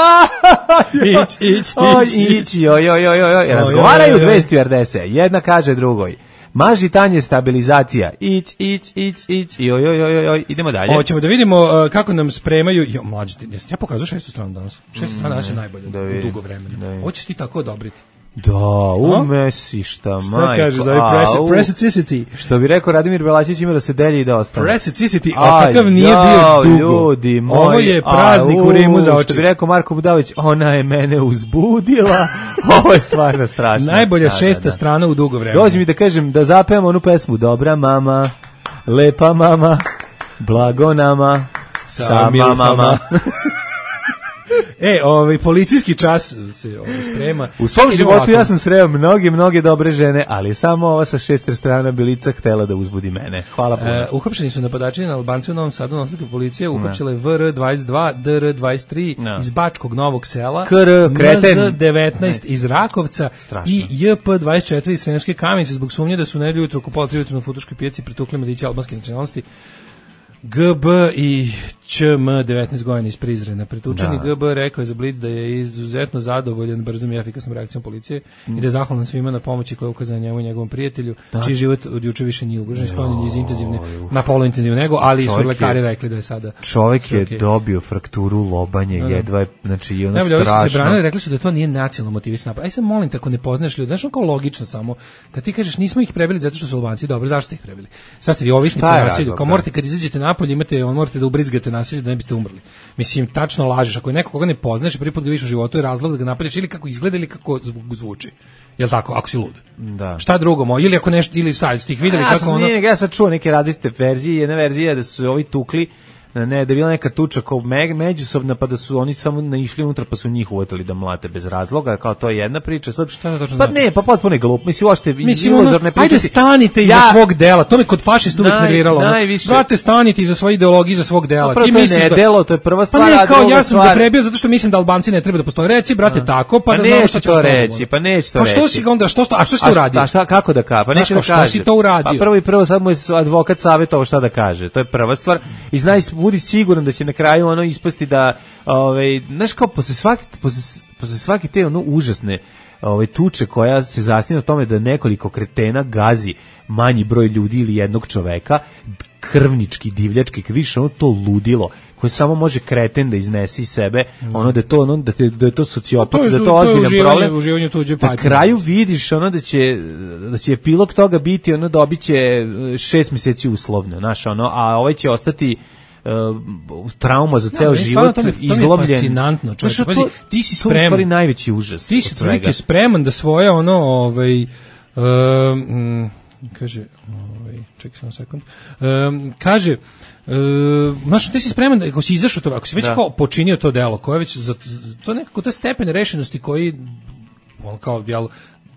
ić, ić, ić, ić. Joj, joj, joj, joj. Razgovaraju dve stewardese. Jedna kaže drugoj. Maži tanje stabilizacija. Ić, ić, ić, ić. Joj, joj, joj, joj. Idemo dalje. Hoćemo da vidimo uh, kako nam spremaju. Jo, mlađi, ja pokazao šestu stranu danas. Šestu strana danas je najbolja u dugo vremena. Hoćeš ti tako odobriti? Da, umesi šta, majko. Šta kaže za ovaj preciosity? Što bi rekao Radimir Belačić, ima da se delji i da ostane. Preciosity, a kakav nije bio dugo. Ljudi moji, ovo je praznik u Rimu za oči. Što bi rekao Marko Budalić, ona je mene uzbudila. Ovo je stvarno strašno. Najbolja šesta strana u dugo vremena. Dođi mi da kažem, da zapevamo onu pesmu. Dobra mama, lepa mama, blago nama, sa mamama. E, ovaj policijski čas se ovaj sprema. U svom životu ovako. Ja sam sreo mnoge, mnoge dobre žene, ali samo ova sa šest strana Bilica htela da uzbudi mene. Hvala puno. E, uhapšeni su napadači na Albanci u Novom Sadu, novosadska policija uhapšila je V R dvadeset dva, D R dvadeset tri no. iz Bačkog Novog Sela, K R, kreten. M Z devetnaest iz Rakovca strašno. I J P dvadeset četiri iz Sremske Kamenice zbog sumnje da su nedelju jutro oko pola tri ujutro na Futoškoj pijaci pretukli mladiće albanske nacionalnosti. G B i Č M devetnaest godina iz Prizrena. Pretučeni da. G B rekao je za Blitz da je izuzetno zadovoljan brzom i efikasnom reakcijom policije mm. i da je zahvalan svima na pomoći koja je ukazana njemu i njegovom prijatelju, da. Čiji život od juče više nije ugrožen, sklonjen iz intenzivne na poluintenzivnu nego, ali čovjek su lekari je, rekli da je sada čovjek je okay. dobio frakturu lobanje, da. jedva je, znači i ono strašno. Najbolje, se branili, rekli su da to nije nacionalno motivisan napad. Aj sad molim te, ako ne poznaš ljudi, znaš kao logično samo, kad ti kažeš nismo ih prebili zato što su Albanci, dobro, zašto ste ih prebili? Sad ste vi ovisnici o nasilju, kao morate kad izađete napolje, imate, on morate da ubrizgate nasilje da ne biste umrli. Mislim, tačno lažeš, ako je neko koga ne poznaš, prvi put ga vidiš u životu je razlog da ga napadaš ili kako izgleda ili kako zvuči. Jel tako, ako si lud? Da. Šta drugo, mo? Ili ako nešto, ili sad ste ih videli ja kako ono... Nije, ja sam čuo neke različite verzije, jedna verzija da su ovi tukli, ne, da je bila neka tuča kao me, međusobna, pa da su oni samo naišli unutra, pa su njih uvatili da mlate bez razloga, kao to je jedna priča. Sad, šta je to pa ne, pa potpuno je glup. Mislim, uopšte iluzorne priče. Ajde, stanite iza ja, svog dela. To me kod fašista uvijek nerviralo. Brate, stanite iza svoje ideologije, iza svog dela. Ti misliš to je ne da... delo, to je prva stvar. Pa ne, kao ja sam ga prebio zato što mislim da Albanci ne treba da postoje. Reci, brate, tako, pa da znamo šta će to reći. Pa neće to reći. Pa što si ga onda, što a što si to uradio? A šta, kako da ka? Pa neće da kaže. Što si to uradio? Pa prvo i prvo sad mu je advokat savjetovao šta da kaže. To je prva stvar. I znaj, budi siguran da će na kraju ono ispasti da, ovaj, znaš kao, posle svake, posle, posle svake te ono užasne ovaj, tuče koja se zasniva na tome da nekoliko kretena gazi manji broj ljudi ili jednog čoveka, krvnički, divljački, više ono to ludilo, koje samo može kreten da iznese iz sebe, mm. ono da je to, ono, da, te, da je to sociopat, da je to ozbiljan problem. Uživanje tuđe na kraju vidiš ono da će, da će epilog toga biti, ono dobit će šest mjeseci uslovno, znaš, ono, a ovaj će ostati Uh, trauma za ceo no, život, to mi, to izlobljen. To mi je fascinantno, čovječe. Pazi, ti si spreman. To je u stvari najveći užas. Ti si prilike spreman da svoje ono, ovaj, um, kaže, ovaj, čekaj samo sekund, um, kaže, Uh, znaš, ti si spreman da ako si izašao to, ako si već da. kao počinio to delo, koje već za, to nekako to stepen rešenosti koji on kao jel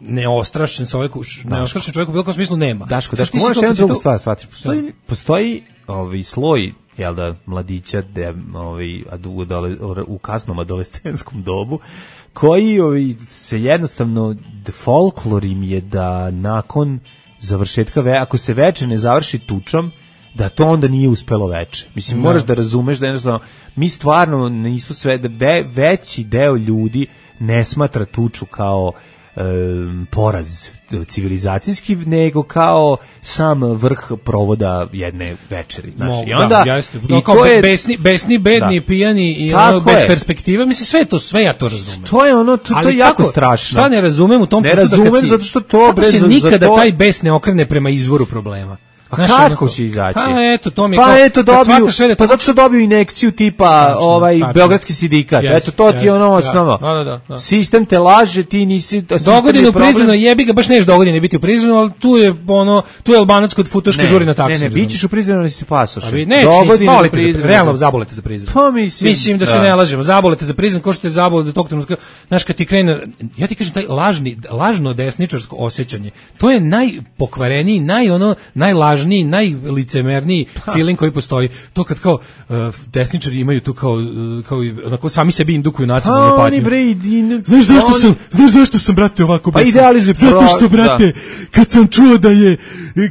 neostrašćen čovjek, neostrašćen čovjek u bilo kom smislu nema. Daško, Daško, možeš jednu drugu stvar shvatiti. Postoji, postoji ovaj sloj, jel da, mladića de, ovaj, u, u kasnom adolescentskom dobu, koji ovaj, se jednostavno, folklor im je da nakon završetka, ve, ako se veče ne završi tučom, da to onda nije uspelo veče. Mislim, no. moraš da razumeš da jednostavno, mi stvarno nismo sve, da ve, veći deo ljudi ne smatra tuču kao Um, poraz civilizacijski, nego kao sam vrh provoda jedne večeri. Znači, no, i onda, da, jeste. I kao to je, besni, besni, bedni, da. pijani i ono, bez je. perspektive. Mislim, sve to, sve ja to razumem. To je ono, to, to je jako kako, strašno. Šta ne razumem u tom ne razumem si, zato što to kako bre, se za, nikada za to... taj bes ne okrene prema izvoru problema. Pa znaš, kako će izaći? Pa eto, to mi pa kao, eto dobiju, da pa zato što dobiju injekciju tipa tačno, ovaj tačno. Beogradski sindikat. Yes, eto to yes, ti je ono osnovno. Da, da, da, da. Sistem te laže, ti nisi dogodine u Prizrenu, jebi ga, baš neš dogodine biti u Prizrenu, al tu je ono, tu je Albanac kod futoške žuri na taksi. Ne, ne, bićeš u Prizrenu, nisi pasoš. Ne, dogodine, realno zabolete za Prizren. To mislim. Mislim da se ne lažemo, zabolete za Prizren, ko što je zabole do tog trenutka. Znaš, kad ti krene, ja ti kažem taj lažni, lažno desničarsko osjećanje. To je najpokvareniji, naj ono, najlažniji, naj licemerniji ha. feeling koji postoji. To kad kao uh, desničari imaju tu kao uh, kao onako sami sebi indukuju nacionalnu patnju. Oni bre idin. Znaš zašto oni... sam, znaš zašto sam brate ovako pa idealizuj zato pro... što brate da. kad sam čuo da je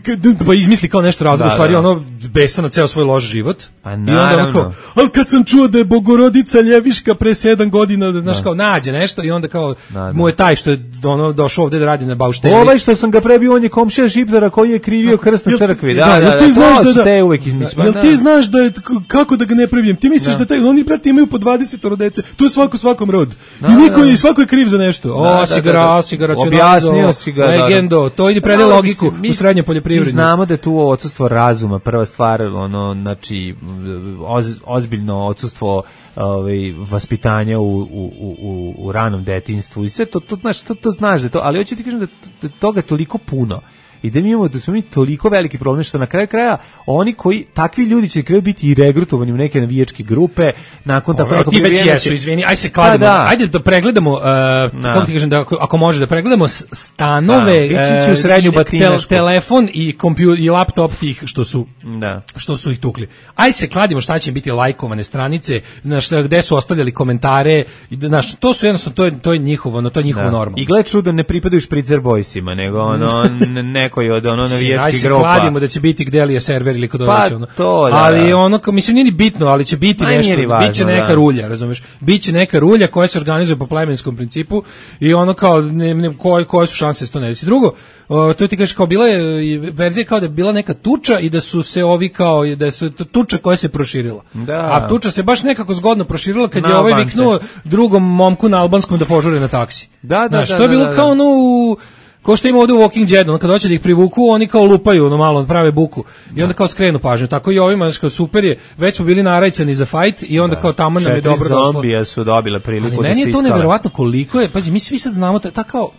kad, pa izmisli kao nešto razlog da, stvari da. ono besan na ceo svoj loš život. Pa i onda onako, al kad sam čuo da je Bogorodica Ljeviška pre sedam godina da znaš da. kao nađe nešto i onda kao da, da. mu je taj što je ono došao ovde da radi na baušteli. Ovaj što sam ga prebio on je komšija Šiptara koji je krivio krst na crkvi. Da, da, da, ti znaš da, da te uvek izmisli. Jel ti znaš da je kako da ga ne prebijem? Ti misliš da, da taj oni brate imaju po dvadeset dece. To je svako svakom rod. Da, I niko je svako je kriv za nešto. O, sigara, sigara, objasnio si ga. Legendo, to ide prede logiku u srednjoj poljoprivredi. Mi znamo da je tu odsustvo razuma, prva stvar, ono, znači oz, ozbiljno odsustvo ovaj vaspitanja u, u, u, u ranom detinjstvu i sve to to znaš to, to znaš da to, ali hoću ti kažem da, da toga toliko puno i da mi imamo da smo mi toliko veliki problem što na kraju kraja oni koji takvi ljudi će kraju biti i regrutovani u neke navijačke grupe nakon tako nekog ti već jesu, izvini, aj se kladimo, da. ajde da pregledamo, uh, da. kako ti kažem, da, ako može da pregledamo stanove, da, uh, u srednju tel, telefon i kompjuter i laptop tih što su, da. što su ih tukli. Aj se kladimo šta će biti lajkovane stranice, na šta, gde su ostavljali komentare, na što, to su jednostavno, to je, to je njihovo, no, to je njihovo da. normalno. I gled čudo, ne pripadaju Špricer Boysima, nego ono, ne koji od ono navijačkih grupa. Aj se kladimo da će biti gde li je server ili kod pa, ono. To, da, ali da. ono, mislim, nije ni bitno, ali će biti Ma, nešto, važno, biće neka da. rulja, razumeš? Biće neka rulja koja se organizuje po plemenskom principu i ono kao, ne, ne, koje, koje su šanse da se to ne desi. Drugo, o, to ti kažeš kao bila je verzija kao da je bila neka tuča i da su se ovi kao, da su tuča koja se proširila. Da. A tuča se baš nekako zgodno proširila kad na je ovaj Albance. Viknuo drugom momku na albanskom da požure na taksi. Da, da, znaš, da, to je bilo da, da, kao ono u ko što ima ovde u Walking Deadu, kad hoće da ih privuku, oni kao lupaju, ono malo, prave buku. I onda kao skrenu pažnju. Tako i ovima, znači kao super je, već smo bili narajcani za fight i onda da. kao tamo nam je dobro došlo. Četiri zombija su dobile priliku da se iskale. Ali meni je to neverovatno koliko je, pazi, mi svi sad znamo, ta kao,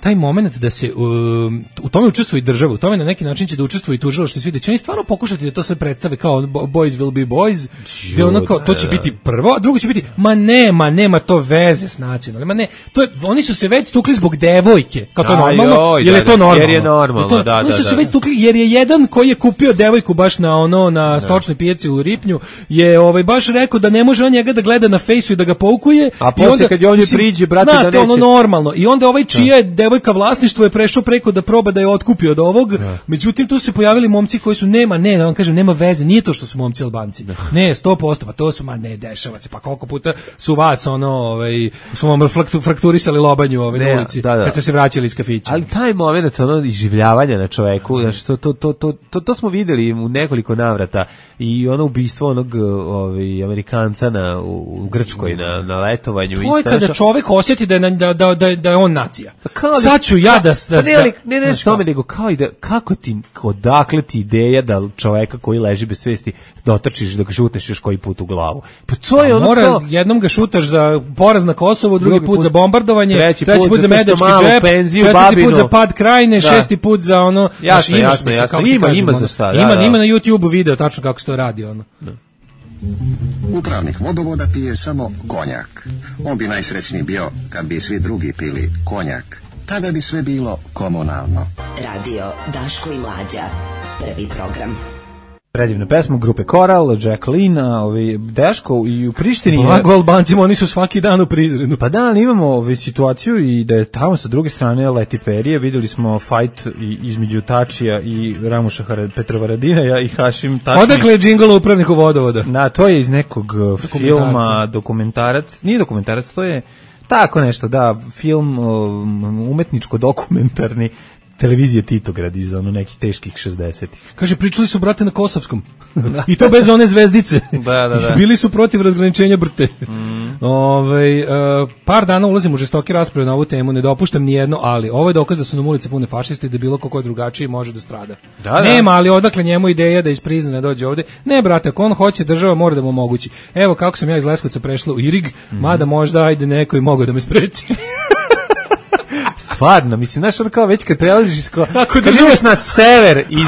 taj moment da se um, u tome učestvuje i država, u tome na neki način će da učestvuje i tužilaštvo, svi da će oni stvarno pokušati da to sve predstave kao boys will be boys, gde ono kao, to će biti prvo, a drugo će biti, ma nema, nema to veze s nacionalnim, ma ne, to je, oni su se već stukli zbog devojke, kao to je normalno, jer je to normalno. Jer je normalno, to, da, da, oni su da, se da. već stukli, jer je jedan koji je kupio devojku baš na ono, na stočnoj pijaci u Ripnju, je ovaj baš rekao da ne može on njega da gleda na fejsu i da ga poukuje. A posle kad je on je priđe, brate, da neće. Ono normalno. I onda ovaj čija je devojka vlasništvo je prešao preko da proba da je otkupi od ovog. Da. Međutim tu se pojavili momci koji su nema, ne, da vam kažem, nema veze, nije to što su momci Albanci. Da. Ne, sto posto, pa to su, ma ne, dešava se, pa koliko puta su vas ono, ovaj, su vam frakturisali lobanju ovaj, ne, na ulici, da, da. kad ste se vraćali iz kafića. Ali taj moment, ono, iživljavanja na čoveku, znači, to, to, to, to, to, to smo videli u nekoliko navrata i ono ubistvo onog ovaj, Amerikanca na, u, u Grčkoj na, na letovanju. To je kada čovek osjeti da je, da, da, da, da je on nacija. Sad ću ja da Da, ne, ali, ne, ne, što me, nego kao i da, kako ti, odakle ti ideja da čoveka koji leži bez svesti dotrčiš da ga šutneš još koji put u glavu. Pa to je ono mora, kao... jednom ga šutaš za poraz na Kosovo, drugi, drugi put, put za bombardovanje, treći, treći put, put za medački džep, penziju, četvrti babinu. put za pad krajine, da. šesti put za ono... Jasno, znaš, jasno, jasno. Ima, ima za šta. Ima, da, da. Ima na YouTubeu video tačno kako se to radi, ono. Da. Upravnik vodovoda pije samo konjak. On bi najsrećniji bio kad bi svi drugi pili konjak. Tada bi sve bilo komunalno. Radio Daško i Mlađa. Prvi program. Predivna pesma grupe Koral, Jacqueline, ovi Daško i u Prištini. Blago Albancima, oni su svaki dan u Prizrenu. Pa da, ali imamo ovu situaciju i da je tamo sa druge strane leti perije. Videli smo fight između Tačija i Ramuša Petrovaradinaja i Hašim Tačija. Odakle je džingl upravniku vodovoda? Da, to je iz nekog filma, dokumentarac. Nije dokumentarac, to je tako nešto, da, film umetničko-dokumentarni televizije Titograd iz ono nekih teških šezdesetih. Kaže, pričali su, brate, na Kosovskom. I to bez one zvezdice. Da, da, da. Bili su protiv razgraničenja brte. Mm. Ove, uh, par dana ulazim u žestoke rasprave na ovu temu, ne dopuštam ni jedno, ali ovo je dokaz da su nam ulice pune fašisti i da bilo ko je drugačiji može da strada. Da, da. Nema, ali odakle njemu ideja da iz Prizrena dođe ovde? Ne, brate, ako on hoće, država mora da mu omogući. Evo kako sam ja iz Leskovca prešla u Irig, mm. mada možda ajde neko i mogao da me spreči. Stvarno, mislim, znaš, ono kao već kad prelaziš iz ko... Kad ideš na sever iz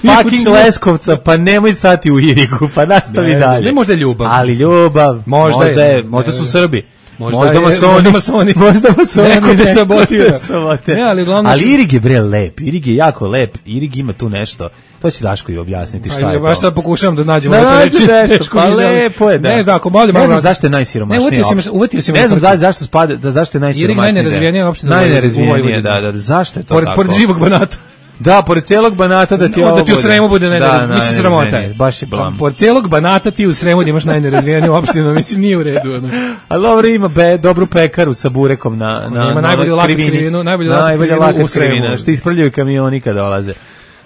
fucking Leskovca, pa nemoj stati u Irigu, pa nastavi ne, dalje. Ne, možda je ljubav. Ali ljubav, možda, možda je, možda su Srbi. Možda, možda je, masoni, možda masoni. Možda masoni. Neko te sabotira. Ne, ali uglavnom... Ali Irig je bre lep, Irig je jako lep, Irig ima tu nešto. To će Daško i objasniti šta pa, je to. Baš sad pokušavam da nađemo da, na reći. Nešto, pa lepo je, da. Ne znam, ako bolje, ne znam zašto je najsiromašniji. Ne, uvetio si, uvetio si. Ne znam da, zašto spada, da zašto je najsiromašniji. Irig najnerazvijenija opština. Najnerazvijenija, da, da, zašto je to pored, tako? Pored živog Banata. Da, pored celog Banata da ti no, ovo da ti u Sremu bude najnerazvijenije. Da, mislim, sramota je. Baš je blam. Pored celog Banata ti u Sremu imaš najnerazvijeniju opštinu, mislim, nije u redu. Ono. Ali dobro, ima be, dobru pekaru sa burekom na, na, ima najbolju lakat krivinu, najbolju lakat krivinu što ispravljaju kamioni kada dolaze.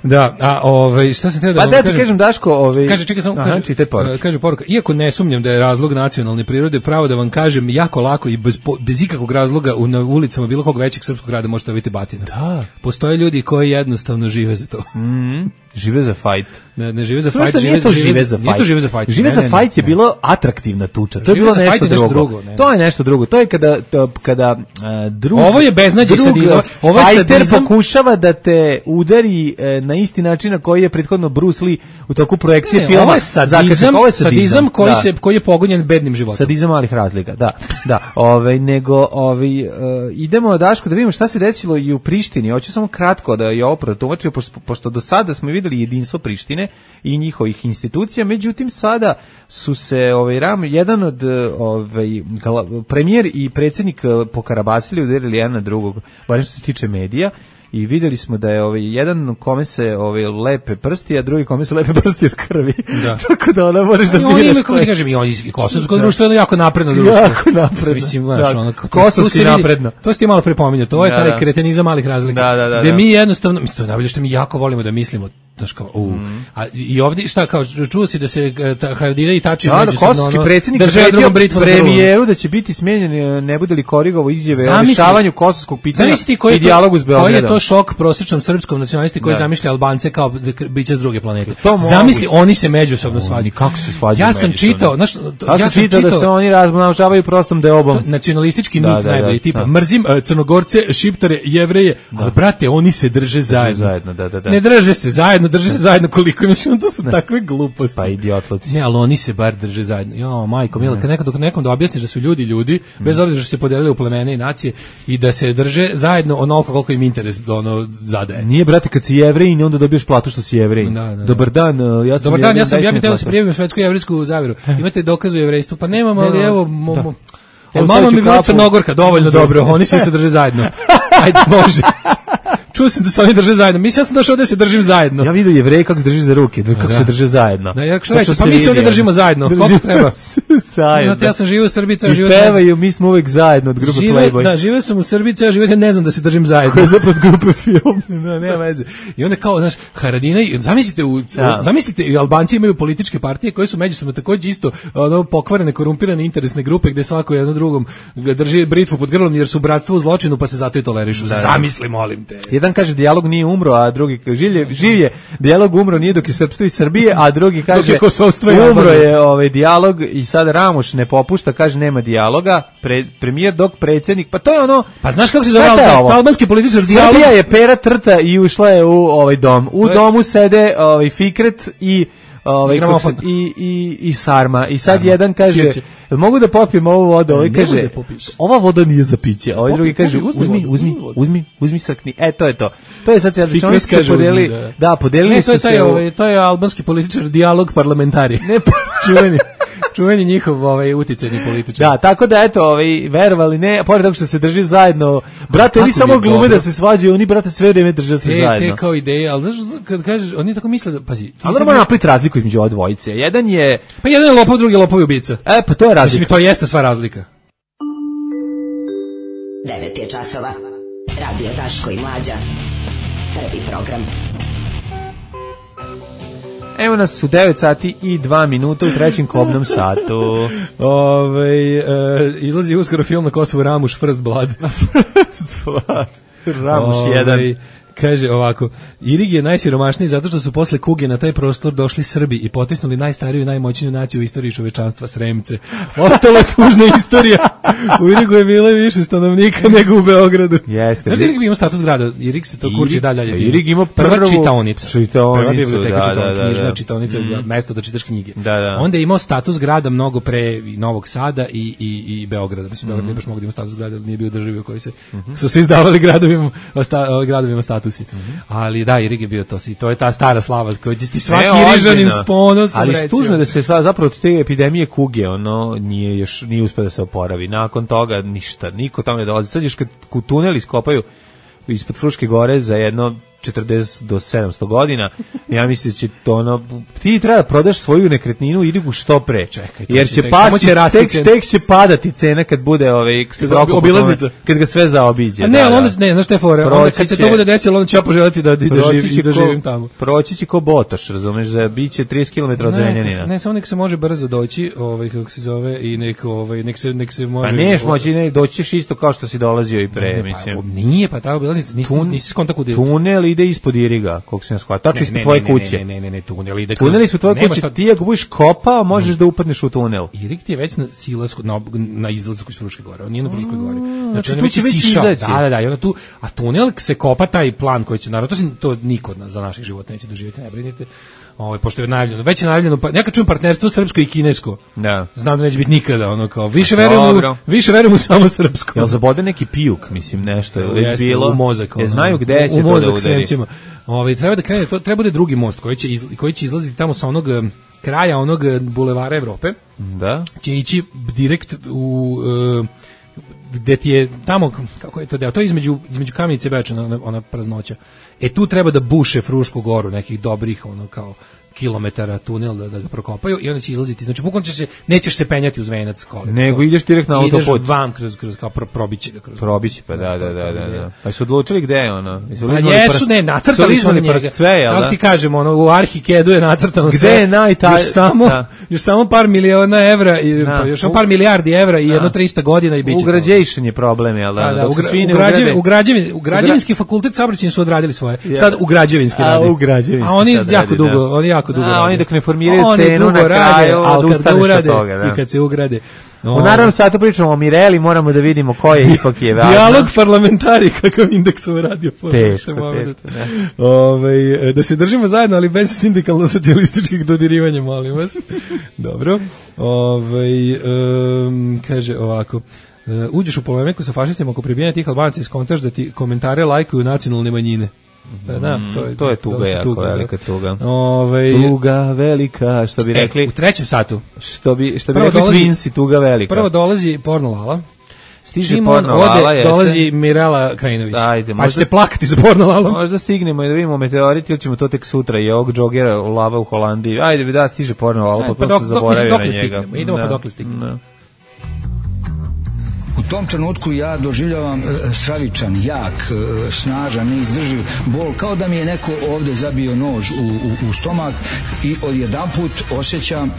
Da, a ovaj šta sam htio da pa vam da ti kažem, kažem Daško, ovaj kaže čekaj samo kaže, kaže, poruka. kaže poruka, iako ne sumnjam da je razlog nacionalne prirode, pravo da vam kažem jako lako i bez, bez ikakvog razloga u na ulicama bilo kog većeg srpskog grada možete vidjeti batina. Da. Postoje ljudi koji jednostavno žive za to. Mhm. Žive za fight. Ne, ne žive za Slušaj, fight, žive, žive, žive, žive za fight. Nije to žive za fight. Žive ne, za ne, fight ne, je ne. bilo atraktivna tuča. To žive je bilo nešto, nešto drugo. drugo ne, to je nešto drugo. To je kada to, kada uh, drug Ovo je beznađe sadizam. Ovo je sadizam pokušava da te udari uh, na isti način na koji je prethodno Bruce Lee u toku projekcije ne, filma. Ovo je sadizam, ovo je sadizam, sadizam koji da. se koji je pogonjen bednim životom. Sadizam malih razlika, da. Da, ovaj nego ovaj uh, idemo Daško da vidimo šta se desilo i u Prištini. Hoću samo kratko da je ovo protumačio pošto, pošto do sada smo videli jedinstvo Prištine i njihovih institucija, međutim sada su se ovaj ram jedan od ovaj premijer i predsjednik pokarabasili, udarili jedan na drugog, bar što se tiče medija. I videli smo da je ovaj jedan kome se ovaj lepe prsti, a drugi kome se lepe prsti od krvi. Da. Tako da ona možeš da biraš. Oni kako ti kažem, i oni i kosovsko društvo je jako napredno društvo. Jako napredno. Mislim, baš da. ono kosovski napredno. To ste malo prepominjao, to je da, taj da. kretenizam malih razlika. Da, da, da, gde da. mi jednostavno, mi to najbolje što mi jako volimo da mislimo, znaš kao, u. Mm. A i ovdje šta kao čuo si da se Haradina i Tači da, međusobno kosovski predsjednik drže britvu premijeru da će biti smenjen, ne bude li korigovao izjave o rješavanju kosovskog pitanja i dijalogu s Beogradom. Koji je to šok prosječnom srpskom nacionalisti koji zamišlja Albance kao biće s druge planete. To zamisli, oni se međusobno svađaju. Kako se svađaju? Ja sam čitao, znaš, ja sam čitao da se oni razmnožavaju prostom deobom. Nacionalistički mit najbolji tipa mrzim Crnogorce, Šiptare, Jevreje, ali brate, oni se drže zajedno. Ne drže se zajedno, drže se zajedno koliko mislim, to su takve gluposti. Pa idiotluci. Ne, ali oni se bar drže zajedno. Jo, majko, mila, kad nekad nekom da objasniš da su ljudi ljudi, bez obzira što se podelili u plemene i nacije i da se drže zajedno onoliko koliko im interes ono zadaje. Nije, brate, kad si Jevrej, onda dobiješ platu što si Jevrej. Da, da, da. Dobar dan, ja sam Dobar dan, ja sam ja bih htio da se prijavim u svetsku jevrejsku zaveru. Imate dokaz o jevrejstvu? Pa nemam, ali evo mo, mo, evo mama mi bila Crnogorka, dovoljno dobro, oni se isto drže zajedno. Ajde, može. Čuo sam da se oni drže zajedno. Mislim, ja sam došao da se držim zajedno. Ja vidio Jevreje kako se drži za ruke, kako da. se drže zajedno. Da, ja što pa mi se ovdje držimo zajedno. Koliko treba? Zajedno. Ja sam živio u Srbiji, ceo život. I pevaju, mi smo uvek zajedno od grupe Playboy. Da, živio sam u Srbiji, ceo život, ja ne znam da se držim zajedno. Ko je zapad grupe film. Da, nema veze. I onda kao, znaš, Haradina, zamislite, u, ja. zamislite, Albanci imaju političke partije koje su međusobno takođe isto ono, pokvarene, korumpirane interesne grupe gde svako jedno drugom drži britvu pod grlom jer su bratstvo u zločinu pa se zato i tolerišu. Da, zamisli, molim te. Jedan kaže dijalog nije umro, a drugi življe, živje, dijalog umro nije dok je srpstvo i Srbije, a drugi kaže je umro je ovaj dijalog i sad Ramuš ne popušta, kaže nema dijaloga, pre, premijer dok predsjednik, pa to je ono. Pa znaš kako se zove albanski političar dijalog? Srbija je pera trta i ušla je u ovaj dom. U domu sede ovaj Fikret i ovaj, I gramofon. i, i, i sarma. I sad Sarma. jedan kaže, Sirće. jel mogu da popijem ovu vodu? Ovaj Ne mogu kaže, da popiš. ova voda nije za piće. Ovaj Popi, drugi kaže, popi, uzmi uzmi, vodu, uzmi, uzmi vodu. uzmi, uzmi sakni. E, to je to. To je sad, Fikres oni su se kaže, uzmi, podelili, da. da, podelili Ne, to je su se taj, u- ovaj, to je albanski političar, dijalog parlamentari. Ne, pa- čuveni, čuveni njihov ovaj, uticajni političar. Da, tako da eto, ovaj verovali ne, pored toga što se drži zajedno. Brate, oni kako samo mi je glume dobro. da se svađaju, oni brate sve vreme drže se Te, zajedno. te kao ideje, ali znaš, kad kažeš, oni tako misle da, pazi, ti Ali sad- moramo napraviti razliku između ova dvojice. Jedan je, pa jedan je lopov, drugi je lopov i ubica. e, pa to je Mislim, razlika. to jeste sva razlika. devet je časova. Radio Daško i Mlađa. Prvi program. Evo nas u devet sati i dva minuta u trećem kobnom satu. Ove, e, izlazi uskoro film na Kosovu Ramuš First Blood. Ramuš Ovaj, jedan. Kaže ovako, Irig je najsiromašniji zato što su posle kuge na taj prostor došli Srbi i potisnuli najstariju i najmoćniju naciju u istoriji čovečanstva, Sremce. Ostala je tužna istorija. U Irigu je bilo više stanovnika nego u Beogradu. Jeste. Znaš da Irig ima status grada? Irig se to kurči Irig- dalje. Irig ima prva prvu čitaonica. čitaonicu, Prva biblioteka, da, čitaonica, da, da, knjižna da. čitaonica, Mm. mesto da čitaš knjige. Da, da. Onda je imao status grada mnogo pre i Novog Sada i, i, i Beograda. Mislim, Beograd Mhm. nije baš mogao da ima status grada, ali nije bio državi u kojoj se, su se izdavali gradovima, sta, gradovima statusi. Mhm. Ali da, Irig je bio to, i to je ta stara slava koju ti svaki Ne, Irižanin ozbiljno. s ponosom Ali reći. tužno da se sva, zapravo od te epidemije kuge, ono, nije još, nije uspio da se oporavi. Nakon toga ništa, niko tamo ne dolazi. Sad još kad u tunel iskopaju ispod Fruške gore za jedno četrdeset do sedamsto godina, ja mislim da će to ono, ti treba da prodaš svoju nekretninu i Irigu što pre. Čekaj, to jer će će tek- samo pasti, će rasti tek, cena. tek će padati cena kad bude ovaj, se Za- zaokupa obilaznica. tome, kad ga sve zaobiđe. A ne, da, ali da. onda, ne, znaš te fore, onda Proći kad se će- to bude desilo, onda ću ja poželjeti da, da, da, proći živim, će da ko- živim tamo. Proći će ko Botoš, razumeš, za biće trideset kilometara od Ne, Zrenjanina. ne, samo nek se može brzo doći, ovaj kako se zove, i nek ovaj nek se nek se može. Pa neš moći, ne, doći ćeš isto kao što si dolazio i pre, Ne, ne, mislim. pa, nije, pa ta obilaznica, nisi, nisi skontak kuda ide. Tunel ide ispod Iriga, koliko se ne shvata. Tačno Ne, ispod ne, tvoje ne, ne, kuće. Ne, ne, ne, ne, tunel ide. kroz- Tunel ispod tvoje nema kuće, šta- ti ako budeš kopao, možeš da upadneš u tunel. Irig ti je već na silasku, na, na izlasku iz Fruške gore, on nije na Fruškoj gori. znači on je tu će već isišao. izaći. Da, da, da, i onda tu, a tunel se kopa taj plan koji će, naravno, to, se, to niko od nas za naših života neće doživjeti, ne brinite. Ovaj pošto je najavljeno, već je najavljeno, pa neka čujem partnerstvo srpsko i kinesko. Da. Znam da neće biti nikada, ono kao, više verujem u, Dobro. više verujem u samo srpsko. Jel zabode neki pijuk, mislim, nešto je već Jeste, bilo. u mozak, Je ono, znaju gde će u to da mozak udari. Sremcima. Ovaj treba da krene, to treba bude drugi most koji će iz, koji će izlaziti tamo sa onog em, kraja onog em, bulevara Evrope. Da. Će ići direkt u e, gde ti je tamo, kako je to deo, to je između, između Kamenice i Beča, ona, ona praznoća. E tu treba da buše Frušku goru, nekih dobrih, ono kao kilometara tunel da, da ga prokopaju i onda će izlaziti. Znači bukvalno ćeš se, nećeš se penjati uz venac kolima. Nego ideš direkt na autoput. Ideš vam kroz, kroz kao pro, probiće ga kroz. Probići, pa da, da, da, da, da. Pa su odlučili gde je ono? Jesu Ma liznuli jesu, prst- ne, nacrtali su na liznuli njega. prst sve, jel Kako da? ti kažemo, ono, u Arhikedu je nacrtano Gde sve. je najtaj- Još samo, da. još samo par miliona evra, i, Da. pa još samo par milijardi evra i jedno trista godina i bit će to. Ugrađation je problem, jel da? Da, da, Dok u, se gra, svi ne u, građevi, ugrade- u, građevi, u građevinski fakultet saobraćajni su odradili svoje. Ja. Sad u građevinski A, radi. u građevinski A oni sad jako radi, dugo, da. oni jako dugo. A, rade. oni dok ne formiraju Oni cenu dugo na rade, kraju, ali kad odustaneš ga od urade toga, da. i kad se ugrade. U naravno satu pričamo o Mireli, moramo da vidimo ko je ipak je važno. Dijalog parlamentari, kakav indeks ovo radio. Teško, teško, da. Ovaj, da se držimo zajedno, ali bez sindikalno-socijalističkih dodirivanja, molim vas. Dobro. Ovaj, um, kaže ovako. Uh, uđeš u polemiku sa fašistima oko pribijanja tih Albanaca i skontaš da ti komentare lajkuju nacionalne manjine. Pa da, to je, To je tuga, dosta jako tuga, da. velika tuga. Ovaj, Tuga velika, što bi e, rekli, u trećem satu što bi, što bi Prvo rekli dolazi- Twinsi, tuga velika. prvo dolazi Porno Lala. Stiže Čim on Porno Lala, ode, jeste? dolazi Mirela Krajinović. Ajde, pa možda- ćete plakati za Porno Lalom. Možda stignemo i da vidimo meteorit ili ćemo to tek sutra i ovog džogera lava u Holandiji. Ajde, da, stiže Porno Lala, E, pa, pa pa dok- se dok- zaboravio dok na ne njega. stignemo, idemo pa Da, dok ne stignemo. da. U tom trenutku ja doživljavam e, stravičan, jak, e, snažan, neizdrživ bol, kao da mi je neko ovde zabio nož u, u, u stomak i odjedanput osjećam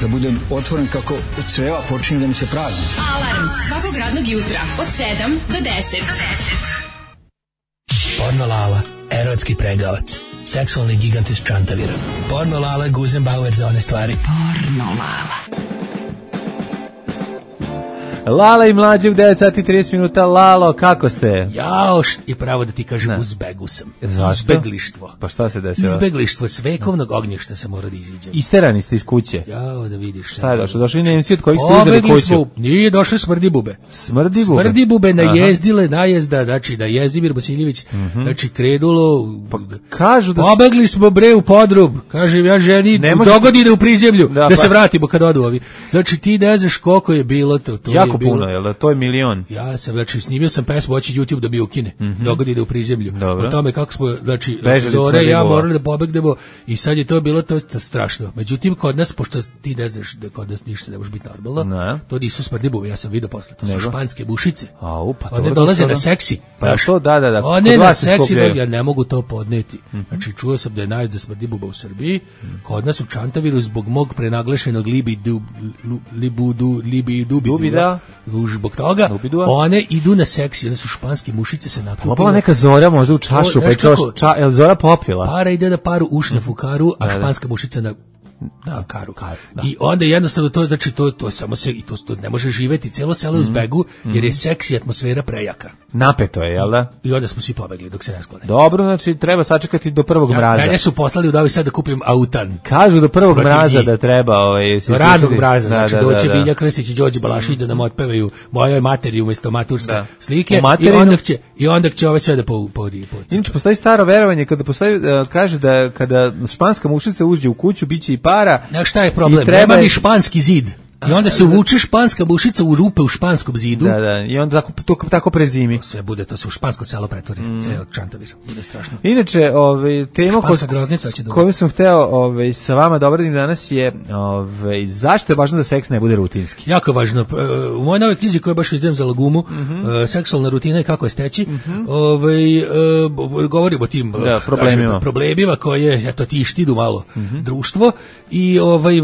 da budem otvoren kako creva počinju da mi se prazni. Alarm svakog radnog jutra od sedam do deset. Porno Lala, erotski pregavac, seksualni gigant iz Čantavira. Porno Lala, Guzenbauer za one stvari. Porno Lala. Lala i mlađe u devet sati i trideset minuta. Lalo, kako ste? Jao, i pravo da ti kažem, u zbegu sam. Zašto? Izbeglištvo. Pa šta se desilo? Izbeglištvo s vekovnog ognjišta se mora da iziđe. Isterani ste iz kuće. Jao, da vidiš. Šta je došlo? Došli Nemci od kojih ste uzeli kuću? Smo, nije došli smrdibube. Smrdibube? Smrdibube najezdile, najezda, znači da Jezdimir Vasiljević, mm-hmm. znači kredulo, pa, kažu da pobegli smo bre u podrub, kažem ja ženi, može... dogodine u prizemlju, da, da pa... se vratimo kad odu ovi. Znači ti ne znaš koliko je bilo to. to jako je bilo... puno, jel da? To je milion. Ja sam, znači, snimio sam pesmu, hoći YouTube da mi ukine, mm-hmm. dogodine u prizemlju. Dobro. O tome kako smo, znači, Zore i ja morali da pobegnemo i sad je to bilo to, to strašno. Međutim, kod nas, pošto ti ne znaš da kod nas ništa ne može biti normalno, ne. To nisu smrdibube, ja sam vidio posle, to su Nego? španske bušice. A, upa, one dolaze na seksi. Pa to, da, da, da. One na seksi, ja ne mogu to podneti. Mm-hmm. Znači, čuo sam da je najezda smrdibuba u Srbiji, kod nas u Čantaviru zbog mog prenaglašenog libidu, libudu, libidubida, zbog toga, Lubidua. One idu na seksi, one su španske mušice se nakupile. Popala neka Zora možda u čašu, o, pa je čaš, ča, je Zora popila? Para ide da paru uš na fukaru, a španska mušica na da, karu. karu da. I onda jednostavno to znači to to samo se i to, to ne može živeti celo selo u zbegu mm-hmm. jer je seksi atmosfera prejaka. Napeto je, jel da? I onda smo svi pobegli dok se ne sklone. Dobro, znači treba sačekati do prvog ja, mraza. Mene su poslali u Novi Sad da kupim autan. Kažu do prvog mraza njih. Da treba ovaj se ranog mraza, da, znači da, doće da, da. Bilja Krstić i Đorđe Balašić da nam otpevaju mojoj materi umesto maturske da. Slike i onda će i onda će ove sve da po po po. Inače postoji staro verovanje kada postoji uh, kaže da kada španska mušica uđe u kuću biće i para. Na šta je problem? Treba ni španski zid. I onda se uvuče španska bušica u rupe u španskom zidu. Da, da. I onda tako to, tako prezimi. To sve bude, to se u špansko selo pretvori, mm. ceo Čantavir. Bude strašno. Inače, ovaj tema koju sam hteo ovaj sa vama da obradim danas je ovaj zašto je važno da seks ne bude rutinski. Jako važno. U mojoj novoj knjizi koju baš izdajem za Lagumu, mm-hmm. uh, seksualna rutina i kako je steći, mm-hmm. ovaj uh, govorimo o tim da, problemima. Kažem, problemima koje eto tišti du malo mm-hmm. društvo i ovaj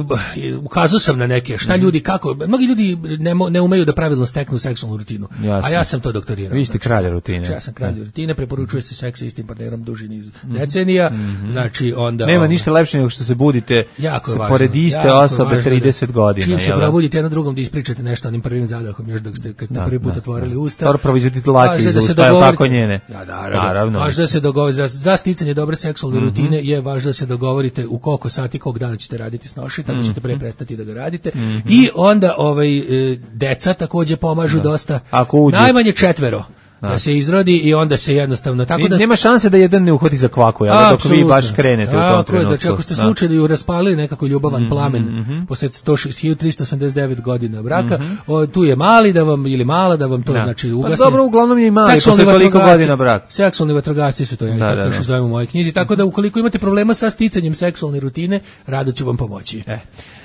ukazao sam na neke šta mm-hmm. ljudi kako, mnogi ljudi ne, ne umeju da pravilno steknu seksualnu rutinu. Jasne. A ja sam to doktorirao. Vi ste kralj rutine. Ja sam kralj rutine, preporučuje se seks sa istim partnerom duži niz decenija. Mm-hmm. Znači onda nema ovaj, ništa lepše nego što se budite pored iste osobe trideset godina. Čim se probudite jedno drugom da ispričate nešto onim prvim zadahom još dok ste kad ste da, prvi put da, otvorili da. Usta. Dobro proizvodite lake iz usta, je tako njene. Ja, naravno. naravno. Važno da se dogovorite za, za sticanje dobre seksualne mm-hmm. rutine je važno da se dogovorite u koliko sati, kog dana ćete raditi snoši, tako mm-hmm. ćete pre prestati da ga radite. Mm-hmm. I onda ovaj deca takođe pomažu da. dosta. Najmanje četvero. Da. da se izrodi i onda se jednostavno tako da nema šanse da jedan ne uhvati za kvaku, ja dok vi baš krenete u tom trenutku. Znači ako ste slučajno raspalili nekako ljubavan mm-hmm, plamen mm-hmm. posle hiljadu tristo osamdeset devet godina braka, mm-hmm. o, tu je mali da vam ili mala da vam to da. znači ugasne. Pa dobro, uglavnom je i mali posle toliko godina braka. Seksualni vatrogasci su to, ja da, tako da, da. zovem u mojoj knjizi, tako da ukoliko imate problema sa sticanjem seksualne rutine, rado ću vam pomoći. E.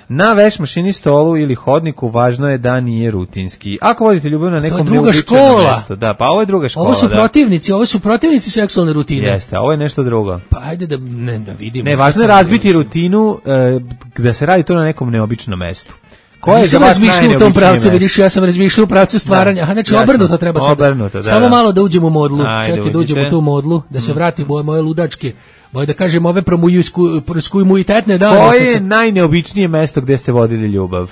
Na veš mašini, stolu ili hodniku važno je da nije rutinski. Ako vodite ljubav na nekom neuobičajenom mestu, da, pa ovo je druga škola. Ovo su da. protivnici, ovo su protivnici seksualne rutine. Jeste, ovo je nešto drugo. Pa ajde da ne da vidimo. Ne, važno je razbiti rutinu e, da se radi to na nekom neobičnom mestu. Ko je sam razmišljao u tom pravcu, vidiš, ja sam razmišljao u pravcu stvaranja. Aha, znači obrnuto treba sad. Obrnuto, da, samo da. malo da uđemo u modlu. Ajde, čekaj da uđemo u tu modlu, da se vratimo u moje ludačke, moje da kažem ove promuitetne dane. Koje je najneobičnije mesto gde ste vodili ljubav?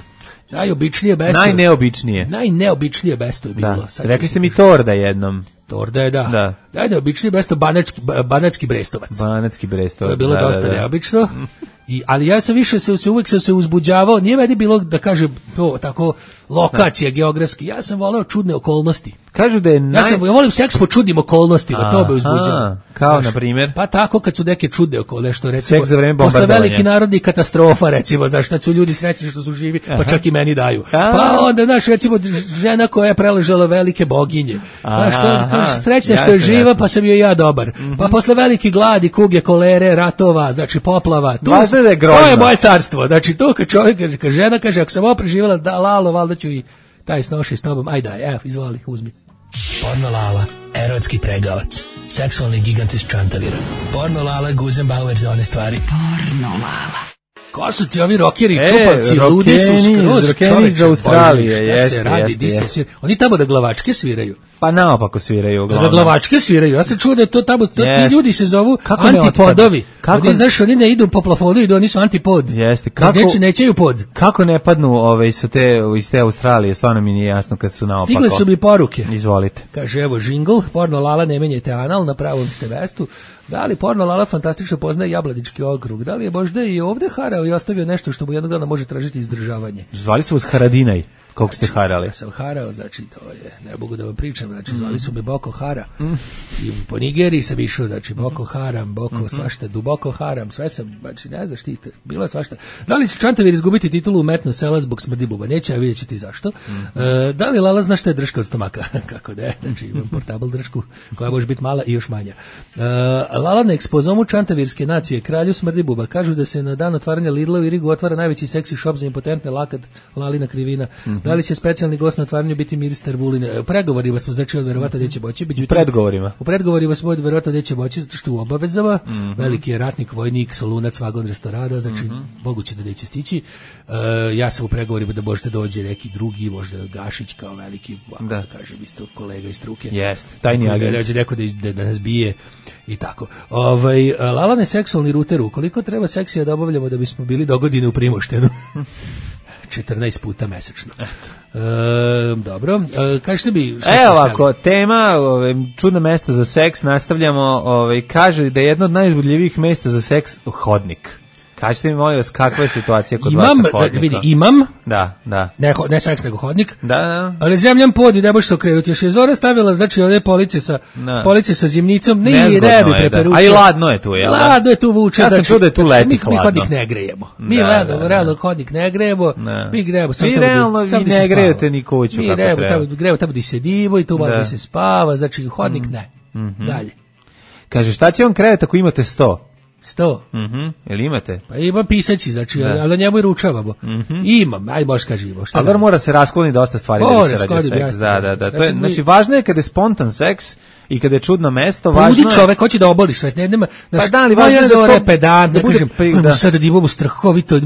Najobičnije mesto. Najneobičnije. Najneobičnije mesto je bilo. Da. Rekli ste mi Torda jednom. Torda je, da. Da. Najneobičnije mesto Banatski, Banatski Brestovac. Banatski Brestovac. To je bilo da, dosta da, da. neobično. I, ali ja sam više se, se uvijek sam se uzbuđavao, nije meni bilo da kažem to tako lokacija da. geografski, ja sam voleo čudne okolnosti. Kažu da je naj... Ja sam, ja volim seks po čudnim okolnostima, to me uzbuđava. Kao znaš, na primjer? Pa tako kad su neke čudne okolnosti, što recimo posle veliki narodni katastrofa, recimo, znaš, kad su ljudi srećni što su živi, Aha. pa čak i meni daju. Aha. Pa onda, znaš, recimo, žena koja je preležala velike boginje, pa što srećna što je živa, pa sam joj ja dobar. Mm-hmm. Pa posle velike gladi, kuge, kolere, ratova, znači poplava, tu, je to je moje carstvo. Znači, to kad čovjek kaže, kad žena kaže, ako sam ovo preživjela, da, Lalo, valjda ću i taj snoši s tobom, aj daj, evo, izvoli, uzmi. Porno Lala, erotski pregavac, seksualni gigant iz Čantavira. Porno Lala, Guzenbauer za one stvari. Porno Lala. Ko su ti ovi rokeri, E, čupavci, ludi su rokeni, skroz, rokeni čoveče, iz Australije, Bože, šta jeste, se radi, jeste, di se jeste. svira? Oni tamo da glavačke sviraju. Pa naopako sviraju Da uglavnom. glavačke sviraju. Ja se čuo da je to tamo, to, Jeste. ti ljudi se zovu Kako ne antipodovi. otpadnu? Kako- Oni, znaš, oni ne idu po plafonu, idu, oni su antipod. Jeste. Kako? Kako, Neće, nećeju pod. kako ne padnu ove, sa te, iz te Australije, stvarno mi nije jasno kad su naopako. Stigle su mi poruke. Izvolite. Kaže, evo, žingl, porno Lala, ne menjajte anal, na pravom ste mestu. Da li porno Lala fantastično poznaje Jablanički okrug? Da li je možda i ovde harao i ostavio nešto što mu jednog dana može tražiti izdržavanje? Zvali su vas Haradinaj, koliko ste harali. Ja sam harao, znači, to je, ne mogu da vam pričam, znači, zvali su me Boko Hara. I po Nigeriji sam išao, znači, Boko Haram, Boko svašta, duboko haram, sve sam, znači, ne znaš ti, bilo je svašta. Da li će Čantavir izgubiti titulu umetno sela zbog smrdi buba? Neće, a vidjet ćete i zašto. E, da li Lala zna šta je drška od stomaka? Kako ne, znači, imam portable dršku, koja može biti mala i još manja. E, Lala na ekspozomu Čantavirske nacije, kralju smrdi buba, kažu da se na dan otvaranja Lidla u Irigu otvara najveći seksi šop za impotentne lakat Lalina krivina. Da li će specijalni gost na otvaranju biti ministar Vulin? U pregovorima smo, znači, od verovatno gde će moći. U predgovorima. U predgovorima smo od verovatno gde će moći, zato što u obavezama, veliki je ratnik, vojnik, solunac, vagon restorada, znači, moguće da neće stići. Uh, ja sam u pregovorima da možete dođe neki drugi, možda Gašić kao veliki, ovako da, da kažem, isto kolega iz struke. Jeste, tajni agent. Dođe neko da, da, da nas bije i tako. Ovaj, Lalane seksualni ruteru, koliko treba seksija da obavljamo da bismo bili dogodine u Primoštenu? četrnaest puta mesečno. E, dobro, e, kažete bi... Evo ovako, tema ove, čudna mesta za seks, nastavljamo, ove, kaže da je jedno od najuzbudljivijih mesta za seks hodnik. Kažete mi, molim vas, kakva je situacija kod imam, vas sa hodnikom? Vidi, imam, da, da. Ne, ne seks, nego hodnik, da, da. Ali zemljam pod i ne možeš se okrenuti. Još je Zora stavila, znači, ove police sa, da. police sa zimnicom, ne, Nezgodno ne bi je, preperučio. da. A i ladno je tu, jel? Ladno je tu vuče. Ja sam znači, čuo da je tu leti mi, hladno. Mi hodnik ne grejemo. Mi da, ladno, da, da. realno hodnik ne grejemo, da. mi grejemo. Vi realno vi ne grejete ni kuću mi kako grejemo, treba. Mi grejemo tamo gdje se divo i tu malo da se spava, znači hodnik ne. Mm-hmm. Dalje. Kaže, šta će vam krevet ako imate sto? Sto. Mhm. Jel imate? Pa ima pisaći, znači, ali na njemu i ručavamo. Mm-hmm. Imam, aj možeš kažemo. Ali da mora se raskloni dosta stvari Mora da bi se radi seks. jasno. Da, da, da. To je, Znači, znači, mi- važno je kada je spontan seks i kada je čudno mesto, Pa važno ludi je... čovek hoće da oboliš sve, ne nema. Pa da, ali važno je da Zora to- pedant, da da bude kažem, pri- da da. sada dibobu strahovito,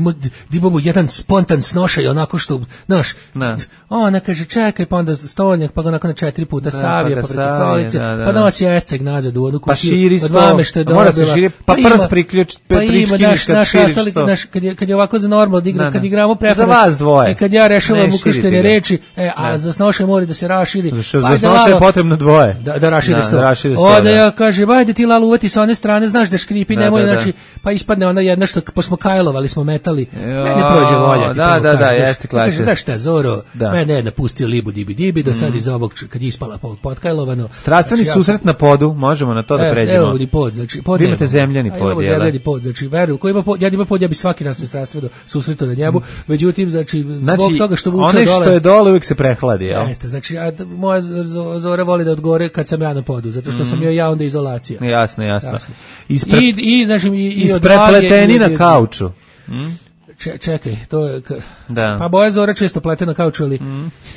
dibobu jedan spontan snošaj onako što, znaš, Da. ona kaže čekaj, pa onda stolnjak, pa ga onako na četiri puta Da, savije, pa pa ga preko savije, stolice, da, da, pa da. nosi esceg nazad u onu Pa kutiju, širi od sto, mame što je mora se dobila. širi, pa ima- prst priključ- pa ima, pričkiniš naš, kad naš širiš ostali, sto. naš, kad je, kad je ovako za normalno da igra, Da, kad da. igramo preferans. Za vas dvoje. E, kad ja rešavam Ne ukrštene širite ga. reči, e, a Da. za snoše mora da se raširi. Za što- Pa za ajde, snoše je Lalo, potrebno dvoje. Da, da raširi Da, sto. da raširi sto, Onda da. ja kažem, ajde ti Lalo uvati sa one strane, znaš da škripi, Da, nemoj, da, da. znači, pa ispadne ona jedna što posmo kajlovali smo metali. Jo, Mene prođe volja. ti da, prvo da, da, kažem, jeste znaš, klače. kaže, da šta, Zoro, Da. mene je napustio libu dibi dibi, do sad iz ovog, kad je ispala pod- potkajlovano. Strastveni Znači, ja- susret na podu, možemo na to da E, pređemo. Evo ni pod, znači pod. Vi imate nemamo. zemljani A pod, imamo jel da? zemljani pod, znači verujem, ko ima pod, ja da ima pod, ja bi svaki nas se strastveno susretao na njemu. Međutim, znači zbog Znači, toga što vuče one dole. što je dole uvijek se prehladi, jel? Jeste, znači a, d- moja Z- Zora voli da odgore kad sam ja na podu, zato što sam joj ja onda izolacija. Jasno, jasno. Jasno. Ispre... I, i, znači, i, i Isprepleteni odvage, na i- kauču. Če, čekaj, to je... Ka... Da. Pa moja Zora često plete na kauču, ali...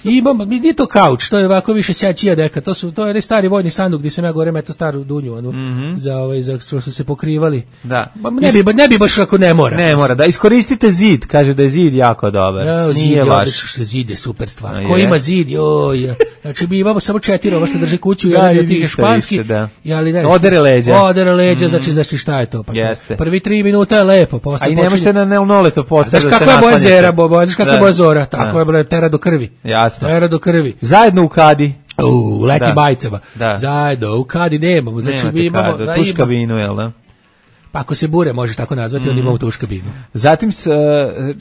Imam, mi nije to kauč, to je ovako više sjačija deka, to, su, to je onaj stari vojni sanduk gdje sam ja gore meto staru dunju, onu, za, ovaj, za što su se pokrivali. Da. Ma, ne, bi, ne bi baš ako ne mora. Ne mora, da iskoristite zid, kaže da je zid jako dobar. Ja, zid Nije je vaš. odlično, što zid je super stvar. A Ko je? ima zid, joj. Znači mi imamo samo četiri, ovo što drže kuću, Da, jedan i je tih ništa španski. više, da. I, ali, ne, Odere leđa. Odere leđa, znači, znači šta je to? Pa, Jeste. Prvi tri minuta je lepo, posle A i počinje- ne možete na neonoleto postaviti Znaš da se kako je boja naslanjate. zera, Bobo, znaš kako je Da. boja zora, tako Da. je bre, tera do krvi. Jasno. Tera do krvi. Zajedno u kadi. U, leti Da. bajcama. Da. Zajedno, u kadi nemamo, znači Nemate mi imamo... kadu, da, tuš ima- kabinu, jel da? Pa ako se bure, možeš tako nazvati, onda imamo tuš kabinu. Zatim s, uh,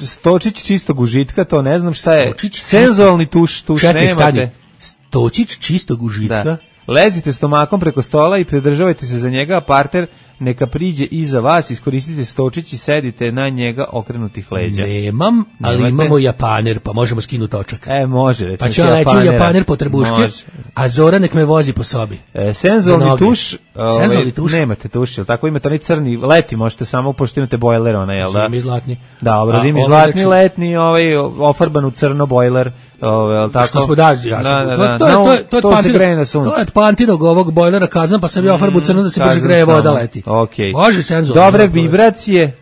stočić čistog užitka, to ne znam šta je. Stočić Senzualni tuš, tuš Čekaj, stani. nemate. Stočić čistog užitka. Da. Lezite stomakom preko stola i pridržavajte se za njega, a parter neka priđe iza vas, iskoristite stočić i sedite na njega okrenutih leđa. Nemam, ali Nemate? imamo japaner, pa možemo skinuti točak. E, može, recimo. Pa ću ja leći u japaner po trbuške, Može. a Zora nek me vozi po sobi. E, Za senzualni noge. tuš, ovaj, Senzualni tuš? nemate tuš, jel tako imate onaj crni, leti možete samo, pošto imate bojler, ona, jel da? Zimi zlatni. Da, obradim A, i ovo zlatni, znači- letni, ovaj, ofarban u crno bojler, ovaj, jel tako? Što smo daži, ja Da, sam, da, to, da. to, je- Na, to, je- to, je to se Pantinog- greje na suncu. To je od Pantinog ovog bojlera kazan, pa sam ja ofarbu crno da se brže Kazan greje voda samo. leti. Okej. Može senzualno. Dobre dobro. vibracije,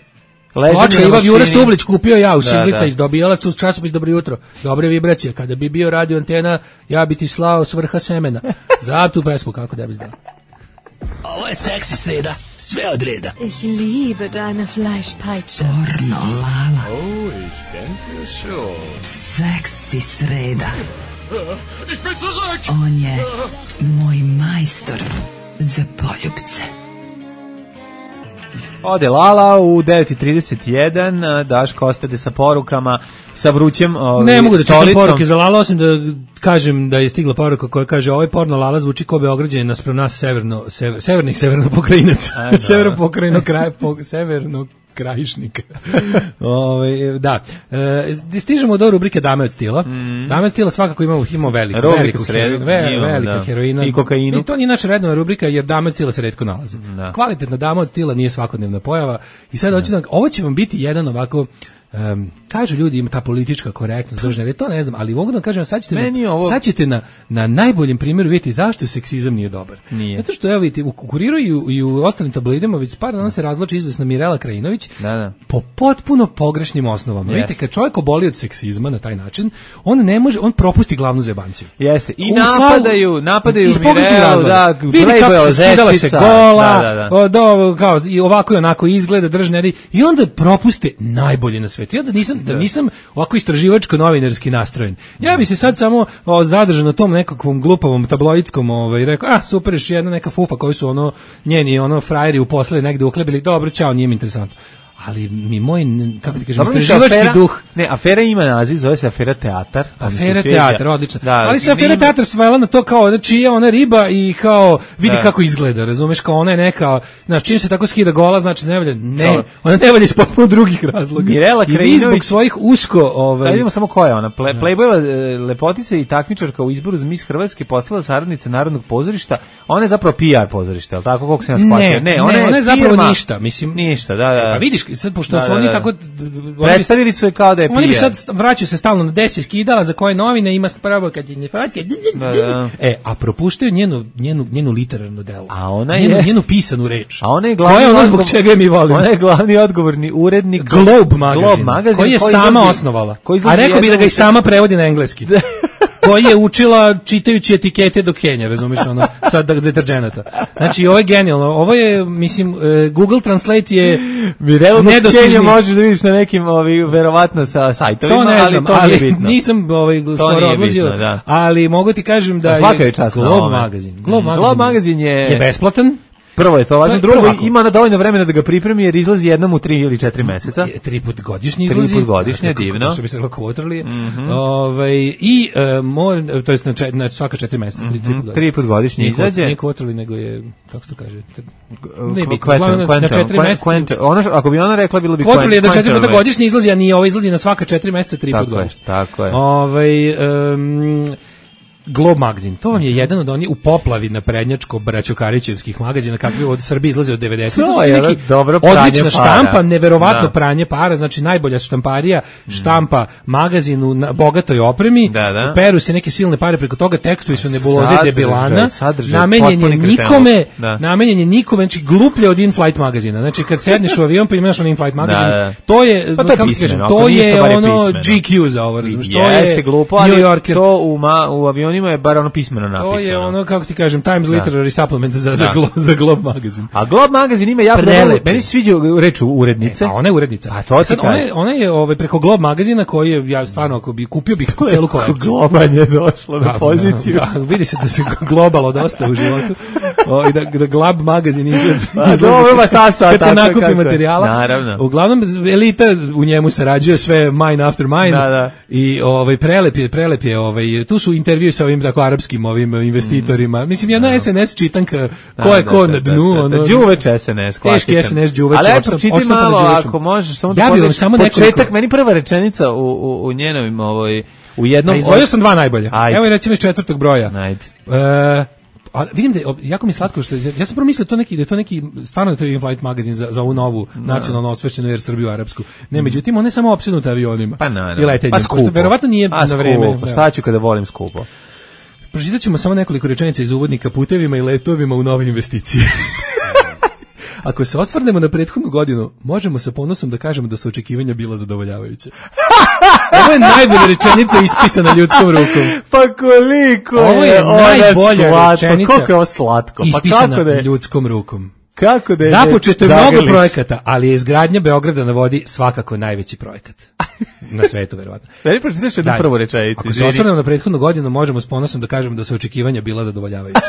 Ploča Iva Jura Stublić kupio ja u Da, Šiblica da. i dobijala su časopis Dobro jutro. Dobre vibracije. Kada bi bio radio antena, ja bi ti slao s vrha semena. Za tu pesmu, kako da bi znao. Ovo je seksi sreda, sve od reda. Ich liebe deine Fleischpeitsche. Pornolala. Oh, ich denke schon. Seksi sreda. Ich bin zurück! On je moj majstor za poljubce. Ode Lala u devet i trideset jedan, Daško ostade sa porukama, sa vrućem ovaj, Ne mogu da čitam stolicom. poruke za Lala, osim da kažem da je stigla poruka koja kaže ovaj porno Lala zvuči kao Beograđanin naspram nas severno, sever, severnih severno pokrajinaca. da. Severno pokrajino kraj, po, severno krajišnika. Ove, da. E, stižemo do rubrike Dame od stila. Mm. Dame od stila svakako imamo, imamo veliku, Rubrika veliku sred, heroinu, ve, imamo, velika da. heroina. I kokainu. I to nije naša redovna rubrika jer Dame od stila se retko nalaze. Da. Kvalitetna Dama od stila nije svakodnevna pojava i sad hoću da, ovo će vam biti jedan ovako Um, kažu ljudi ima ta politička korektnost državna, to ne znam, ali mogu da kažem sad ćete, na, ovo... sad ćete na, na najboljem primjeru vidjeti zašto seksizam nije dobar. Nije. Zato što evo vidite, u Kuriru i u, i u ostalim tabloidima već par dana se razvlači izvesna Mirela Krajinović da, da. po potpuno pogrešnim osnovama. Yes. Vidite, kad čovjek oboli od seksizma na taj način, on ne može, on propusti glavnu zebanciju. Jeste. I U napadaju, slavu, napadaju iz Mirelu, da, vidi kako se skidala se gola, da, da, da. O, do, kao, i ovako i onako izgleda, držne, i onda propuste najbolje na svetu. Ja da nisam, da nisam ovako istraživačko-novinarski nastrojen. Ja bi se sad samo o, zadržao na tom nekakvom glupavom tabloidskom ovaj, rekao, a super, još jedna neka fufa koju su ono njeni ono frajeri uposlili negde uhlebili, dobro, čao, nije mi interesantno. Ali mi moj, kako ti kažem, istraživački duh. Ne, afera ima naziv, zove se afera teatar. Afera teatar, odlično. Da, ali se afera teatar svela na to kao da čija ona riba i kao vidi da. Kako izgleda, razumeš, kao ona je neka, znači čim se tako skida gola, znači ne valja, ne, ona ne valja iz potpuno drugih razloga. Mirela Krajinović, i zbog svojih usko, ovaj. Da vidimo samo ko je ona, Ple, Playboyeva lepotica i takmičarka u izboru za Miss Hrvatske, postala saradnica Narodnog pozorišta. Ona je zapravo P R pozorište, al tako kako se ja shvatio. Ne, ne, ona je, ona je zapravo ništa, mislim. Ništa, da, da. Pa vidiš, sad pošto su oni tako predstavili su je kao da je P R. Oni bi sad vraćaju se stalno na desi skidala za koje novine ima spravo kad je ne fatke. E, a propuštaju njenu njenu njenu literarnu delo. A ona njenu, je njenu pisanu reč. A ona je glavni koja je ono zbog čega je mi volimo. Ona je glavni odgovorni urednik Globe magazin, Globe magazin koji je koji sama izlazi, osnovala. Koji a rekao bi da ga i sama prevodi na engleski. Koji je učila čitajući etikete do Kenja, razumiješ, ono, sad deterđenata. Znači, ovo je genijalno. Ovo je, mislim, Google Translate je Mirelu do Kenja možeš da vidiš na nekim, ovi, verovatno sa sajtovima, to ne znam, ali to ali nije bitno. Nisam ovaj, skoro odlazio, bitno, da. Ali mogu ti kažem da je, je Globe magazin. Globe magazin, Globe magazin je, je besplatan. Prvo je to važno, drugo ima na dovoljno vremena da ga pripremi jer izlazi jednom u tri ili četiri meseca. Tri put godišnje izlazi. Tri put godišnje, divno. Što bi se reklo quarterly. Mm -hmm. Ovaj i uh, mor, to jest na, čet, na svaka četiri meseca, tri, tri put godišnje. Tri put godišnje izađe. Nije quarterly, nego je, kako se to kaže? Ne bi, na četiri meseca. Ono, ako bi ona rekla, bilo bi quarterly je da četiri puta godišnje izlazi, a nije ovo izlazi na svaka četiri meseca, tri put godišnje. Tako je. Ovaj um, Globe magazin, to vam je jedan od onih u poplavi na prednjačko braćokarićevskih magazina kakvi od Srbije izlaze od devedesetih. To je neki odlična štampa, neverovatno da. Pranje para, znači najbolja štamparija štampa magazin u bogatoj opremi, da, da. Peru se neke silne pare preko toga, tekstovi su nebuloze sadržaj, debilana, sadržaj, namenjen je nikome, da. namenjen je nikome, znači gluplje od in-flight magazina. Znači kad sedneš u avion pa imaš on in-flight magazin, da, da. to je, pa to, kako pismeno, kažem, to je ono G Q za ovo, razumiješ, to je glupo, ali New Yorker. To u, ma, u avionu njima je bar ono pismeno napisano. To je ono, kako ti kažem, Times da. Literary Supplement za, za, glo, za Globe magazin. A Globe magazin ima jako dobro, meni se sviđa reč urednice. E, a ona je urednica. A to sad, ona, je, ona je ovaj, preko Globe magazina koji je, ja stvarno, ako bi kupio bih celu kolekciju. Globanje došlo na da, poziciju. Da, da, vidi se da se globalo dosta u životu. O, i da, da Globe magazin izgleda. Dobro, šta sad? Kad se nakupi materijala. Naravno. Uglavnom, elita u njemu sarađuje sve mine after mine. Da, da. I ovaj, prelep je, prelep je, ovaj, tu su intervjui sa ovim tako arapskim ovim investitorima. Mislim, jedna no. S N S čitanka, ko je ko na dnu. Da, da, da, đuveč S N S, klasičan. Teški S N S đuveč. Ali eto, čiti malo, ako možeš, samo da pogledaš početak, meni prva rečenica u, u, u njenom, ovoj, u jednom... Izdvojio sam dva najbolje. Ajde. Evo je recimo iz četvrtog broja. Ajde. E, a vidim da je, jako mi slatko što ja sam prvo mislio to neki da je to neki stvarno to je in-flight magazin za za ovu novu no. nacionalno osvešćenu jer Srbiju arapsku. Ne, međutim ona je samo opsednuta avionima. Pa na, i letenjem, pa skupo. Verovatno nije pa na vreme. Pa šta ću kada volim skupo? Pročitat ćemo samo nekoliko rečenica iz uvodnika putevima i letovima u nove investicije. Ako se osvrnemo na prethodnu godinu, možemo sa ponosom da kažemo da su očekivanja bila zadovoljavajuća. Ovo je najbolja rečenica ispisana ljudskom rukom. Pa koliko je ovo je najbolja slatko. rečenica Koliko je ovo slatko? Pa ispisana kako da je? ljudskom rukom. Kako da je Započeto je mnogo zagrliš? projekata, ali je izgradnja Beograda na vodi svakako najveći projekat. Na svetu, verovatno. Da li pročitaš jednu prvu rečenicu? Ako se osvrnemo na prethodnu godinu, možemo s ponosom da kažemo da su očekivanja bila zadovoljavajuća.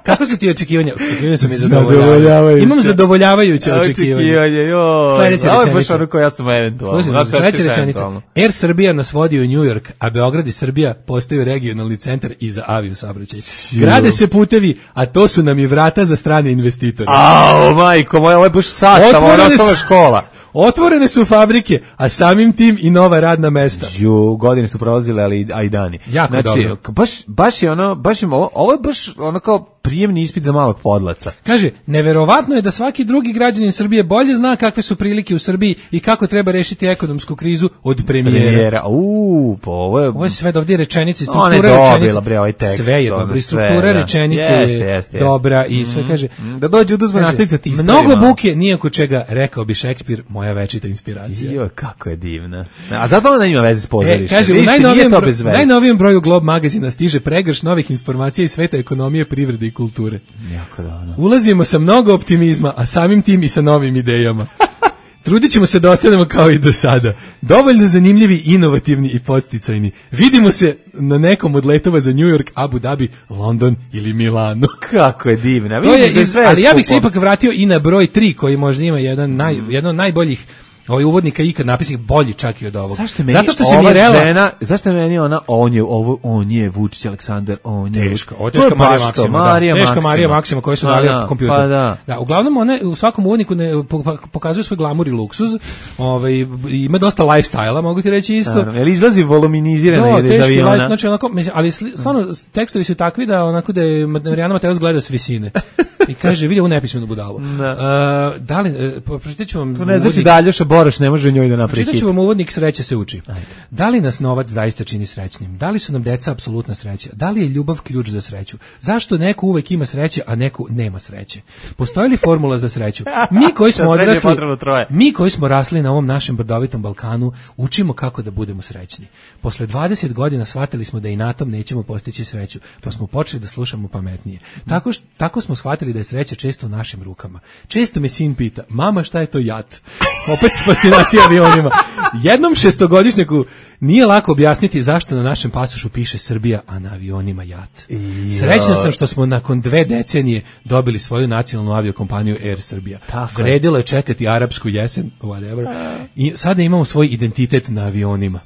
Kako su ti očekivanja? Očekivanja su mi zadovoljavajuća. Imam zadovoljavajuće očekivanja. Očekivanje, joj. Sledeća Ovo je rečenica. baš ono koja sam eventualno. Slušaj, sledeća rečenica. Air Srbija nas vodi u New York, a Beograd i Srbija postaju regionalni centar i za aviosaobraćaj. Grade se putevi, a to su nam i vrata za strane investitore. Ao, majko moja, ovo je baš sastav, ovo je osnovna škola. Otvorene su fabrike, a samim tim i nova radna mesta. Ju, godine su prolazile, ali a i dani. Jako znači, dobro. Baš, baš je ono, baš je, ovo, ovo je baš ono kao prijemni ispit za malog podlaca. Kaže, neverovatno je da svaki drugi građanin Srbije bolje zna kakve su prilike u Srbiji i kako treba rešiti ekonomsku krizu od premijera. Premijera, uuu, po ovo je... Ovo je sve ovdje rečenice, Ona struktura je dobila, rečenice. bre, ovaj tekst. Sve je ono, dobro, i sve, struktura da. rečenice Jeste, je jeste, dobra jeste. i sve kaže... Da dođe uduzme nastavnica ti ispravi mnogo malo. buke, nijako čega, rekao bi Šekspir, moja večita inspiracija. Jo, kako je divna. A zato ona ima veze s pozorištem. E, kaže, u Vidite, najnovijem, nije to bez veze. najnovijem broju Globe magazina stiže pregrš novih informacija iz sveta ekonomije, privrede i kulture. Jako dobro. Ulazimo sa mnogo optimizma, a samim tim i sa novim idejama. Trudit ćemo se da ostanemo kao i do sada. Dovoljno zanimljivi, inovativni i podsticajni. Vidimo se na nekom od letova za New York, Abu Dhabi, London ili Milano. Kako je divna. To je Vidiš da je iz, sve ali ja bih se skupo. ipak vratio i na broj tri, koji možda ima jedan, naj, jedan od najboljih ovaj uvodnika ikad napisih, bolji čak i od ovog. Zašto je meni Zato što se ova Mirela žena, zašto je meni ona, on je, ovo, on je Vučić Aleksandar, on je... Teška, ovo je teška Marija Maksima, da. Marija Teška Maksima. Marija Maksima koju su Pa dali da, kompjuter. pa da. Da, uglavnom one u svakom uvodniku ne po- pokazuju svoj glamur i luksuz. Ovaj ima dosta lifestyle-a, mogu ti reći isto. Naravno, jel izlazi voluminizirana No, ili iz teški aviona? life, znači onako, mislim, ali sli- stvarno tekstovi su takvi da onako da je Marijana Mateos gleda s visine. I kaže, vidi ovu nepismenu budalu. Da. Uh, da li, uh, pročitat ću vam To ne znači uvodnik- da Aljoša Boroš ne može njoj da napravi Pročitat hit. ću vam uvodnik Sreća se uči. Da li nas novac zaista čini srećnim? Da li su nam deca apsolutna sreća? Da li je ljubav ključ za sreću? Zašto neko uvek ima sreće, a neko nema sreće? Postoji li formula za sreću? Mi koji smo Za sreću je odrasli, potrebno troje. mi koji smo rasli na ovom našem brdovitom Balkanu, učimo kako da budemo srećni. Posle dvadeset godina shvatili smo da i na tom nećemo postići sreću, pa smo počeli da slušamo pametnije. Tako, š- tako smo shvatili da je sreća često u našim rukama. Često me sin pita, mama, šta je to jat? Opet fascinacija avionima. Jednom šestogodišnjaku nije lako objasniti zašto na našem pasošu piše Srbija, a na avionima jat. Srećan sam što smo nakon dve decenije dobili svoju nacionalnu aviokompaniju Air Srbija. Tako je. Vredilo je čekati arapsku jesen, whatever. I sada imamo svoj identitet na avionima.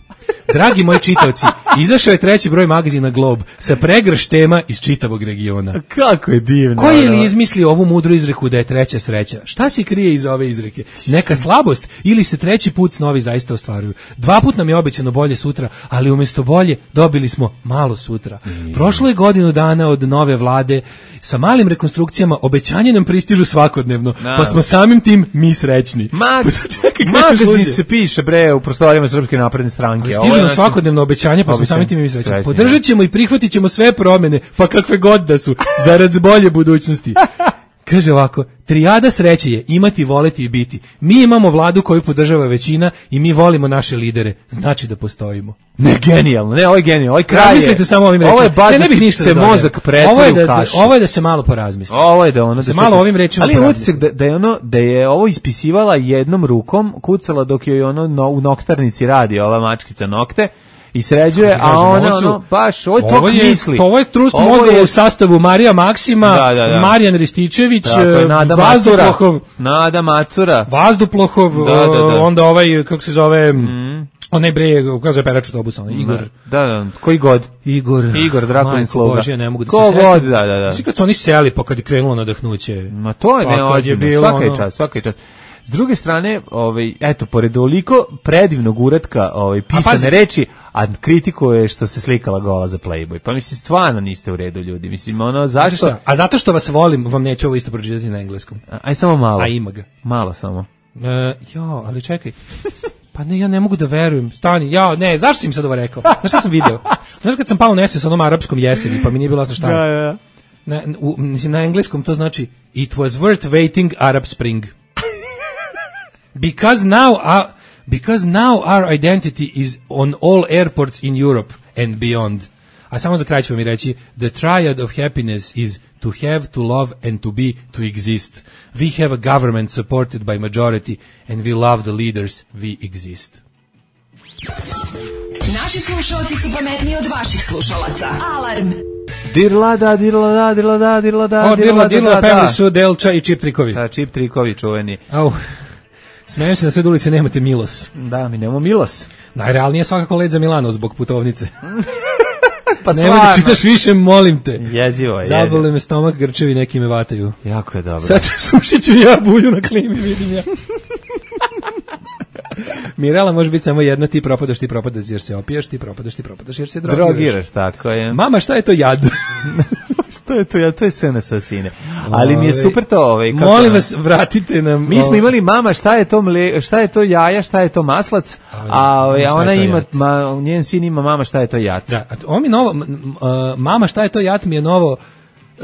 Dragi moji čitaoci, izašao je treći broj magazina Globe sa pregrš tema iz čitavog regiona. Kako je divno. Ko je ono. li izmislio ovu mudru izreku da je treća sreća? Šta se krije iza ove izreke? Neka slabost ili se treći put snovi zaista ostvaruju? Dva put nam je obećano bolje sutra, ali umjesto bolje dobili smo malo sutra. Prošlo je godinu dana od nove vlade, sa malim rekonstrukcijama obećanje nam pristižu svakodnevno, pa smo samim tim mi srećni. Mag, Pa sad čekaj, krećeš magazin luđe. se piše, bre, u prostorijama Srpske napredne stranke. Ali Ovo stižu je, nam znači- svakodnevno obećanje, pa smo Obećanje. samim tim mi srećni. Srećni, Podržat ćemo i prihvatit ćemo sve promjene, pa kakve god da su, zarad bolje budućnosti. Kaže ovako, trijada sreće je imati, voleti i biti. Mi imamo vladu koju podržava većina i mi volimo naše lidere, znači da postojimo. Ne, genijalno, ne, ovo je genijalno, ovaj kraj je... Razmislite samo ovim rečima. Ovo je baš Ne, ne da bih ti ništa se da dodam. mozak pretvori Ovo je u da, kašu. ovo je da se malo porazmisli. Ovo je da ono da se malo ovim rečima ali imam porazmisli. utisak da, da je ono da je ovo ispisivala jednom rukom, kucala dok joj ono no, u noktarnici radi ova mačkica nokte i sređuje, Kako a kažem, ona ovo su- ono baš ovo je Ovo tok je, misli. to ovo je trust Ovo mozgova je- u sastavu Marija Maksima, Da, da, da. Marijan Rističević, Tako je, Nada Macura. Vazduplahov, Nada Macura. Vazduplahov, Da, da, da. onda ovaj, kako se zove, onaj bre, kako se zove perač autobusa, onaj Igor. Da, da, koji god. Igor. Igor Drakulin Majko Sluga. Božja, ne mogu da Ko se setim. god, da, da, da. Svi kad su oni seli, pa kad je krenulo nadahnuće. Ma to je Pa kad je neozbiljno, bilo svaka je ono- čast, svaka je čast. S druge strane, ovaj, eto, pored ovoliko predivnog uratka ovaj, pisane pazi. reči, a kritikuje što se slikala gola za Playboy. Pa mislim, stvarno niste u redu, ljudi. Mislim, ono, Znate zašto? šta? A zato što vas volim, vam neću ovo isto pročitati na engleskom. Aj, samo malo. A ima ga. Malo samo. E, jo, ali čekaj. Pa ne, ja ne mogu da verujem. Stani, ja, ne, zašto si im sad ovo rekao? Znaš šta sam video? Znaš kad sam pao u nesvijest s onom arapskom jeseni, pa mi nije bilo jasno šta. Da, da. na, u, mislim, na engleskom to znači it was worth waiting Arab Spring. Because now our, because now our identity is on all airports in Europe and beyond. A samo za kraj ću vam i reći, the triad of happiness is to have, to love and to be, to exist. We have a government supported by majority and we love the leaders, we exist. Naši slušalci su pametniji od vaših slušalaca. Alarm! Dirla da, dirla da, dirla da, dirla da, o, dirla, dirla, da, pevali da. su Delča i Čip Trikovi. Da, Čip Trikovi čuveni. Au, smijem se na sve ulice, nemate Milos. Da, mi nemamo Milos. Najrealnije je svakako Led za Milano zbog putovnice. Pa nemoj da čitaš više, molim te. Jezivo je. Zabole me stomak, grčevi neki me vataju. Jako je dobro. Sad sušit ću ja bulju na klimi, vidim ja. Mirela može biti samo jedna, ti propadaš, ti propadaš jer se opiješ, ti propadaš, ti propadaš jer se drogiraš. Drogiraš, tako je. Mama, šta je to jad? Šta je to jad? To je S N S sine. Ali mi je super to, ovaj kako. Molim vas, vratite nam. Mi smo imali mama, šta je to mle, šta je to jaja, šta je to maslac, a ovaj a ona ima ma, njen sin ima mama, šta je to jad. Da, on mi novo mama, šta je to jad mi je novo.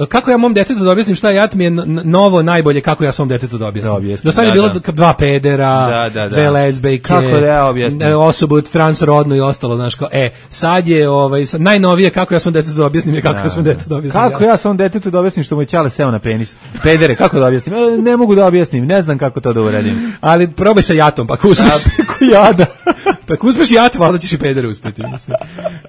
Kako ja mom detetu da objasnim šta je jat mi je novo najbolje kako ja svom detetu da objasnim. Da objasnim, do sad je da, bilo da. dva pedera, da, da, da. dve lezbejke, kako da ja objasnim? Osobu transrodnu i ostalo, znaš, kao, e, sad je ovaj, sad, najnovije kako ja svom detetu da objasnim je kako da, ja svom detetu da objasnim. Kako ja, ja svom detetu da objasnim što mu je ćale seo na penis? Pedere, kako da objasnim? E, ne mogu da objasnim, ne znam kako to da uradim. Ali probaj sa jatom, pa ako uspeš. Preko jada. Pa ako uspeš jat, valjda ćeš i pedere uspeti.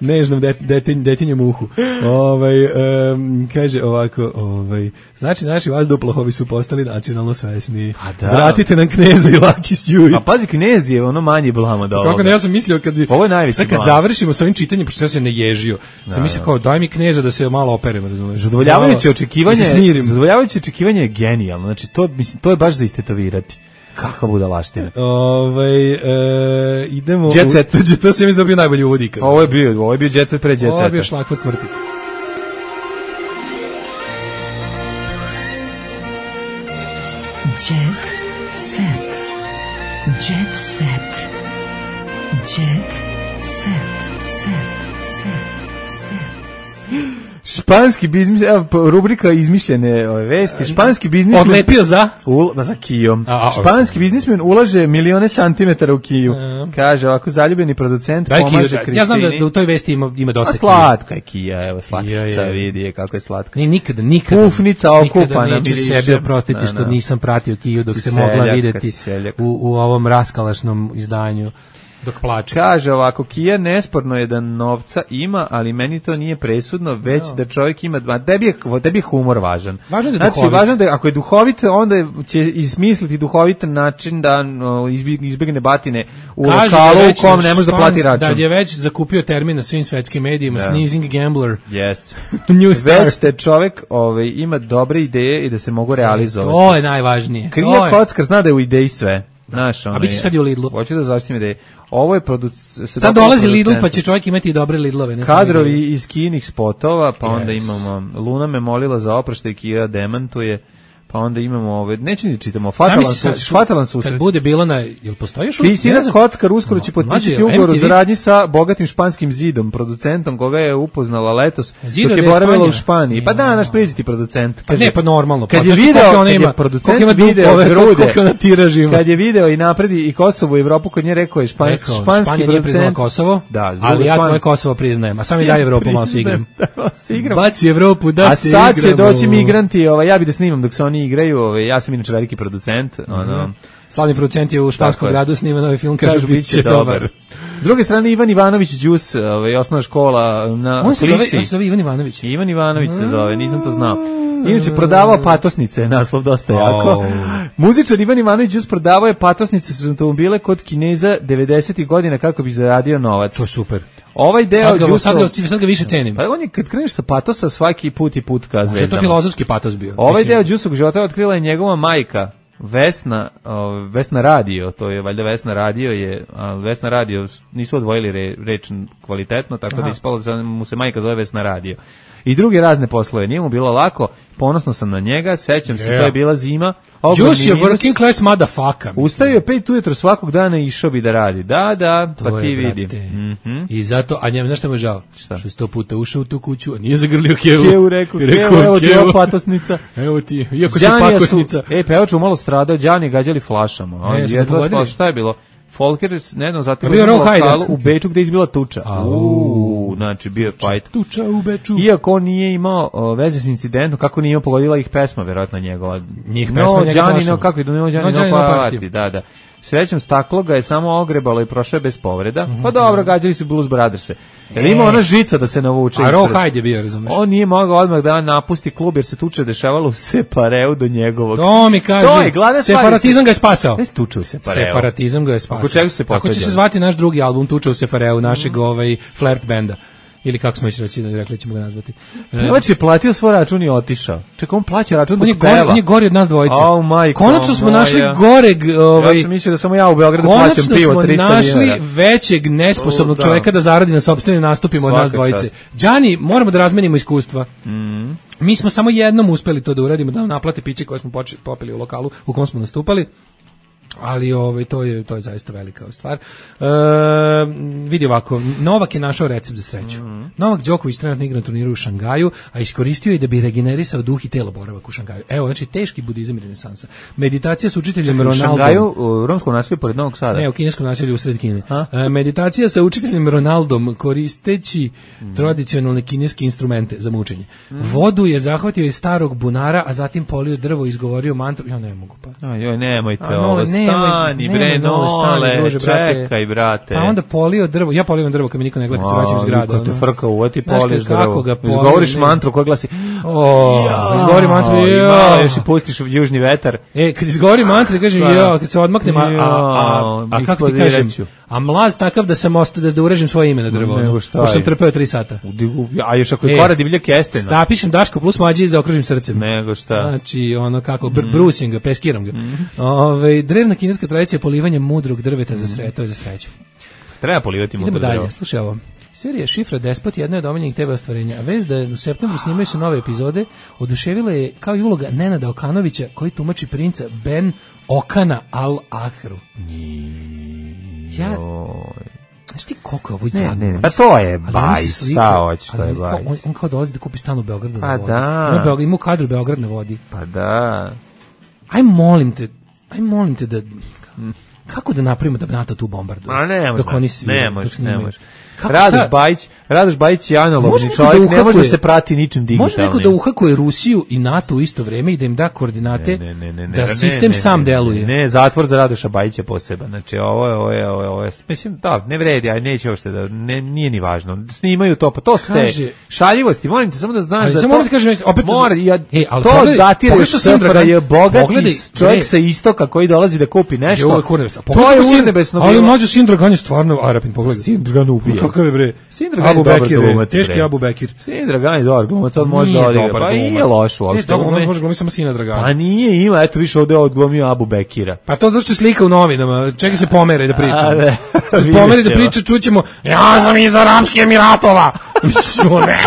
Nežnom detinj, detinjem uhu. Ovaj, um, kaže ovako, ovaj, znači naši vazduhoplovi su postali nacionalno svesni. Da. Vratite nam Kneza i Laki Stjuj. A pazi, Knez je ono manje blama da ovoga. Kako ne, ja sam mislio kad, ovo je najveći kad završimo sa ovim čitanjem, pošto ja se ne ježio, da, sam mislio kao daj mi Kneza da se malo operem, razumiješ. Zadovoljavajuće očekivanje, da zadovoljavajuće očekivanje je genijalno, znači to, mislim, to je baš za istetovirati. Kakva budalaština. Ovaj e, idemo Jet Set. U, to se mi dobio najbolji uvodnik. Ovo je bio, ovo je bio Jet Set pre Jet Seta. Ovo je bio šlagvort smrti. Jet Set. Jet Set. Jet Set. Set. Španski biznis, evo rubrika izmišljene ove vesti. Španski biznismen odlepio za ul, za Kijom. A, a, Španski biznismen ulaže milione santimetara u Kiju. A, kaže ovako zaljubljeni producent da, pomaže Kiju, Kristini. Ja znam da, da u toj vesti ima ima dosta Kija. Slatka je Kija, evo slatkica, vidi je kako je slatka. Ni nikada nikada pufnica okupana neću sebi oprostiti što nisam pratio Kiju dok se mogla videti u, u ovom raskalašnom izdanju. Dok plače. Kaže ovako, Kija nesporno je da novca ima, ali meni to nije presudno, već no. da čovjek ima, a tebi je, tebi je humor važan. Važno je da znači, važno da ako je duhovit, onda će izmisliti duhovitan način da no, izbjegne batine u kaže lokalu da u kom ne može da plati račun. Da je već zakupio termin na svim svetskim medijima, da. Sneezing Gambler. Jest. New Star. Već te čovjek ovaj, ima dobre ideje i da se mogu realizovati. To je najvažnije. Krija kockar zna da je u ideji sve. Naš, a biće sad i u Lidlu. Hoću da zaštitim ideje. Ovo je producent. Sad dolazi Lidl, pa će čovjek imati i dobre Lidlove. Ne kadrovi iz kinih spotova, pa yes. onda imamo Luna me molila za oproštaj, Kija demantuje, pa onda imamo ove, neću ni čitamo, fatalan su, fatalan susret. Kad bude bilo na, jel postoji još? Kristina Kockar uskoro će potpisati ugovor o saradnji sa bogatim španskim zidom, producentom koga je upoznala letos, Zido dok je boravila u Španiji. Pa da, naš priznati producent. Pa ne, pa normalno. Kad je video, kad je producent video grude, kad je video i napredi i Kosovo i Evropu, kod nje rekao je španski producent. Španija nije priznala Kosovo, ali ja tvoje Kosovo priznajem, a sam i dalje Evropu malo se igram. Baci Evropu, da se igram. A sad će doći migranti, ja bih da snimam dok se oni igraju, ove, ja sam inače veliki producent, mm-hmm. ono, slavni producent je u španskom gradu snima novi film, kažu bit će dobar. S druge strane Ivan Ivanović Đus, ovaj osnovna škola na on se zove, on se zove Ivan Ivanović. Ivan Ivanović se zove, nisam to znao. Inače prodavao patosnice, naslov dosta jako. Oh. Muzičar Ivan Ivanović Đus prodavao je patosnice sa automobile kod Kineza devedesetih godina kako bi zaradio novac. To je super. Ovaj deo sad ga, sad ga, sad ga više cenim. Pa on je kad kreneš sa patosa svaki put i put ka zvezdama. Što je to filozofski patos bio? Ovaj mislim. Deo Đusovog života otkrila je njegova majka. Vesna, uh, Vesna Radio, to je valjda Vesna Radio je, a Vesna Radio nisu odvojili re, reč kvalitetno, tako Aha. da ispalo da mu se majka zove Vesna Radio. I druge razne poslove, nije mu bilo lako, ponosno sam na njega, sećam yeah. se, to je bila zima, Juice je working class motherfucker. Ustao je pet ujutro svakog dana i išao bi da radi. Da, da, To pa ti je, vidi. brate. Mhm. I zato, a njem, znaš šta mu je žao? Šta? Što je sto puta ušao u tu kuću, a nije zagrlio kevu. Kevu rekao, I kevu, evo ti ova patosnica. Evo ti, iako si Đanija pakosnica. Su, e, pevač u malo stradao, Đani gađali flašama. On E, su ga jedva pogodili? spao, šta je bilo? Folker, ne znam, zatim A bio Row Hajda. u Beču gde je izbila tuča. Uuu, znači bio je fight. Tuča u Beču. Iako on nije imao o, veze s incidentom, kako nije imao pogodila ih pesma, verovatno njegova. Njih no, pesma, njega Đani, flašom. no, kako je, no, Đani, No, no, Đani, no, party, party. da, da. Srećom staklo ga je samo ogrebalo i prošao je bez povreda. Mhm. Pa dobro, gađali su Blues Brotherse. Jer ima ona žica da se navuče. A ispred. Row Hajde je bio, razumeš? On nije mogao odmah da napusti klub jer se tuče dešavalo u Separeu do njegovog. To mi kaže, To je glavna stvar. separatizam ga je spasao. Ne se tuče u Separeu. Separatizam ga je spasao. Oko čega su se Kako će posvađali? se zvati naš drugi album Tuča u Sefareu, našeg ovaj flirt benda. Ili kako smo reći, rekli ćemo ga nazvati. E, Pevač je platio svoj račun i otišao. Čekaj, on plaća račun on je dok gori, peva. on je gori od nas dvojice. Au, majko Konačno smo moja. našli goreg, ovaj, Ja sam mislio da samo ja u Beogradu plaćam konačno pivo smo trista našli dinara. većeg nesposobnog O, da. čoveka da zaradi na sopstvenim nastupima od nas Svaka dvojice. čast. Đani, moramo da razmenimo iskustva. Mhm. Mi smo samo jednom uspeli to da uradimo, da nam naplate piće koje smo poči- popili u lokalu u kom smo nastupali. Ali ovaj to je to je zaista velika stvar. E, vidi ovako, Novak je našao recept za sreću. Mm. Novak Đoković trenutno igra na turniru u Šangaju, a iskoristio je da bi regenerisao duh i telo boravak u Šangaju. Evo, znači teški budizam i renesansa. Meditacija sa učiteljem U Ronaldom. Šangaju, u romskom naselju pored Novog Sada. Ne, u kineskom naselju u sred Kine. E, meditacija sa učiteljem Ronaldom koristeći Mm. tradicionalne kineske instrumente za mučenje. Vodu je zahvatio iz starog bunara, a zatim polio drvo i izgovorio mantru. Ja ne mogu pa. Aj, joj, nemojte A, ovo, Nole, nemoj, stani, nemoj, bre, Nole, stani, Nole, druže, brate. čekaj, brate. Pa onda polio drvo, ja polivam drvo kad me niko ne gleda kad se vraćam iz grada. Kad te ono. frka uvati, Znaš poliš kako drvo. ga polim, Izgovoriš ne. mantru koja glasi O, izgovori mantru, i ja. malo još i pustiš južni vetar. E, kad izgovori mantru, kažem, Da, da. ja, kad se odmaknem, a, a, a, a, a kako ti kažem, eksplodirat ću. a mlaz takav da sam ostao da, da urežem svoje ime na drvo. Nego ono, šta pošto sam je? trpeo tri sata. A još ako je E, kora divljak jeste. Sta, pišem Daško plus mlađi i zaokružim srcem. Nego šta. Znači, ono kako, br brusim ga, peskiram ga. Ove, drevna kineska tradicija polivanja mudrog drveta za sreću, to je za sreću. Treba polivati Idemo mudro dalje, drvo. slušaj ovo. Serija Šifra Despot jedna je od omiljenih te ve ostvarenja, a vez da je u septembru snimaju se nove epizode, oduševila je kao i uloga Nenada Okanovića koji tumači princa Ben Okana Al-Ahru. Ja, znaš ti koliko je ovo Ne, jadno? ne, Oni pa se- to je ali oni se bajs, slikaju- šta hoćeš, to ali je oni kao- bajs. On, on kao dolazi da kupi stan u Beogradu na Pa vodi. da. Ima, Beograd, ima u kadru Beograd na vodi. Pa da. Aj molim te, aj molim te da... Kako da napravimo da NATO tu bombarduje? A ne može, Dok oni svi, ne dok može, ne snimaju. može. Kako, Radoš šta? Bajić, Radoš Bajić je Može analogni neko čovjek, da ne može da uhakuje- se prati ničim digitalnim. Može neko da uhakuje Rusiju i NATO u isto vrijeme i da im da koordinate Ne, ne, ne, ne, da ne, sistem ne, sam ne, deluje. Ne, zatvor za Radoša Bajića poseban. Znači ovo je, ovo je, ovo je, ovo je. Mislim, da, ne vredi, aj neće uopšte da, ne, nije ni važno. Snimaju to, pa to ste Kaže- šaljivosti, molim te samo da znaš Ali da samo to... moram ti kažem, opet- mora, ja, E, ali to pogledaj- datira pogledaj još što sam S F R J, Dragan- bogat pogledaj, čovjek bre. sa istoka koji dolazi da kupi nešto. Jo, kurne sa. To je urnebesno Ali bilo. mlađu Sin Dragan je stvarno Arapin, pogledaj. Sin Dragan ubija. Kakav je bre? Sin Dragan je Abu dobar Bekir, glumac, teški bre. Abu Bekir. Sin Dragan je dobar glumac, on može Nije da odigra. dobar Pa glumac. nije loš uopšte. Nije dobar, ume- on može glumiti samo Sina Dragana. Pa nije, ima, eto više ovde odglumio Abu Bekira. Pa to zašto je slika u novinama, čekaj se pomere da pričam. A, ne. Se Vidjet pomere da ćemo. priča, čućemo, ja sam iz Aramskih Emiratova. Mislim, on ne.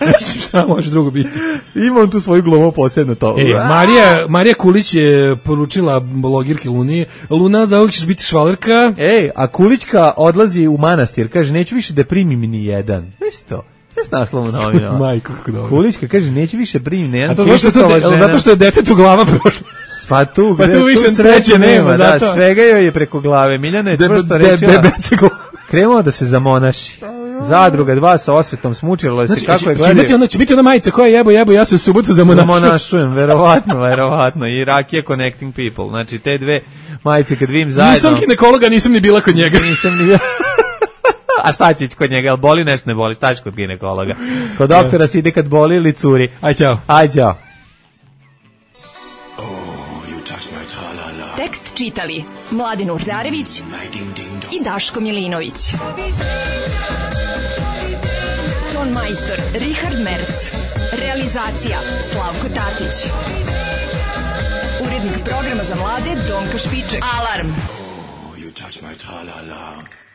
Mislim, šta može drugo biti? Ima on tu svoju glumu posebno to. E, Marija, Marija Kulić je poručila blogirki Luni, Luna, za ovog ćeš biti švalerka. Ej, a Kulićka odlazi u manastir, kaže, neću više da primim ni jedan. Nisi to? Ne s naslovom novina. Majko, kako dobro. Kulićka kaže, neću više primim ni jedan. A to zato što, Krišicova to, žena- zato što je detetu glava prošla. Pa tu, Pa gde- tu više tu sreće nema, da, zato. svega joj je preko glave. Miljana je Be- čvrsto be- rečila, bebeće glava. krenuo da se zamonaši. Zadruga dva sa osvetom smučilo se Znači, kako će, je će, gledaju. biti ona, će biti ona majica koja jebo, jebo, ja se u subotu zamonašujem. Zamonašujem, verovatno, verovatno. I Rakija Connecting People. Znači, te dve majice kad vidim zajedno... Nisam ginekologa, nisam ni bila kod njega. Nisam ni... A šta će ići kod njega? Jel boli nešto, ne boli? Šta će kod ginekologa? Kod doktora se ide kad boli ili curi. Aj, čao. Aj, čao. Tekst čitali Mladin Urdarević i Daško Milinović. Ton majstor Richard Merc. Realizacija Slavko Tatić. Urednik programa za mlade Donka Špiček. Alarm! You touch my tra-la-la.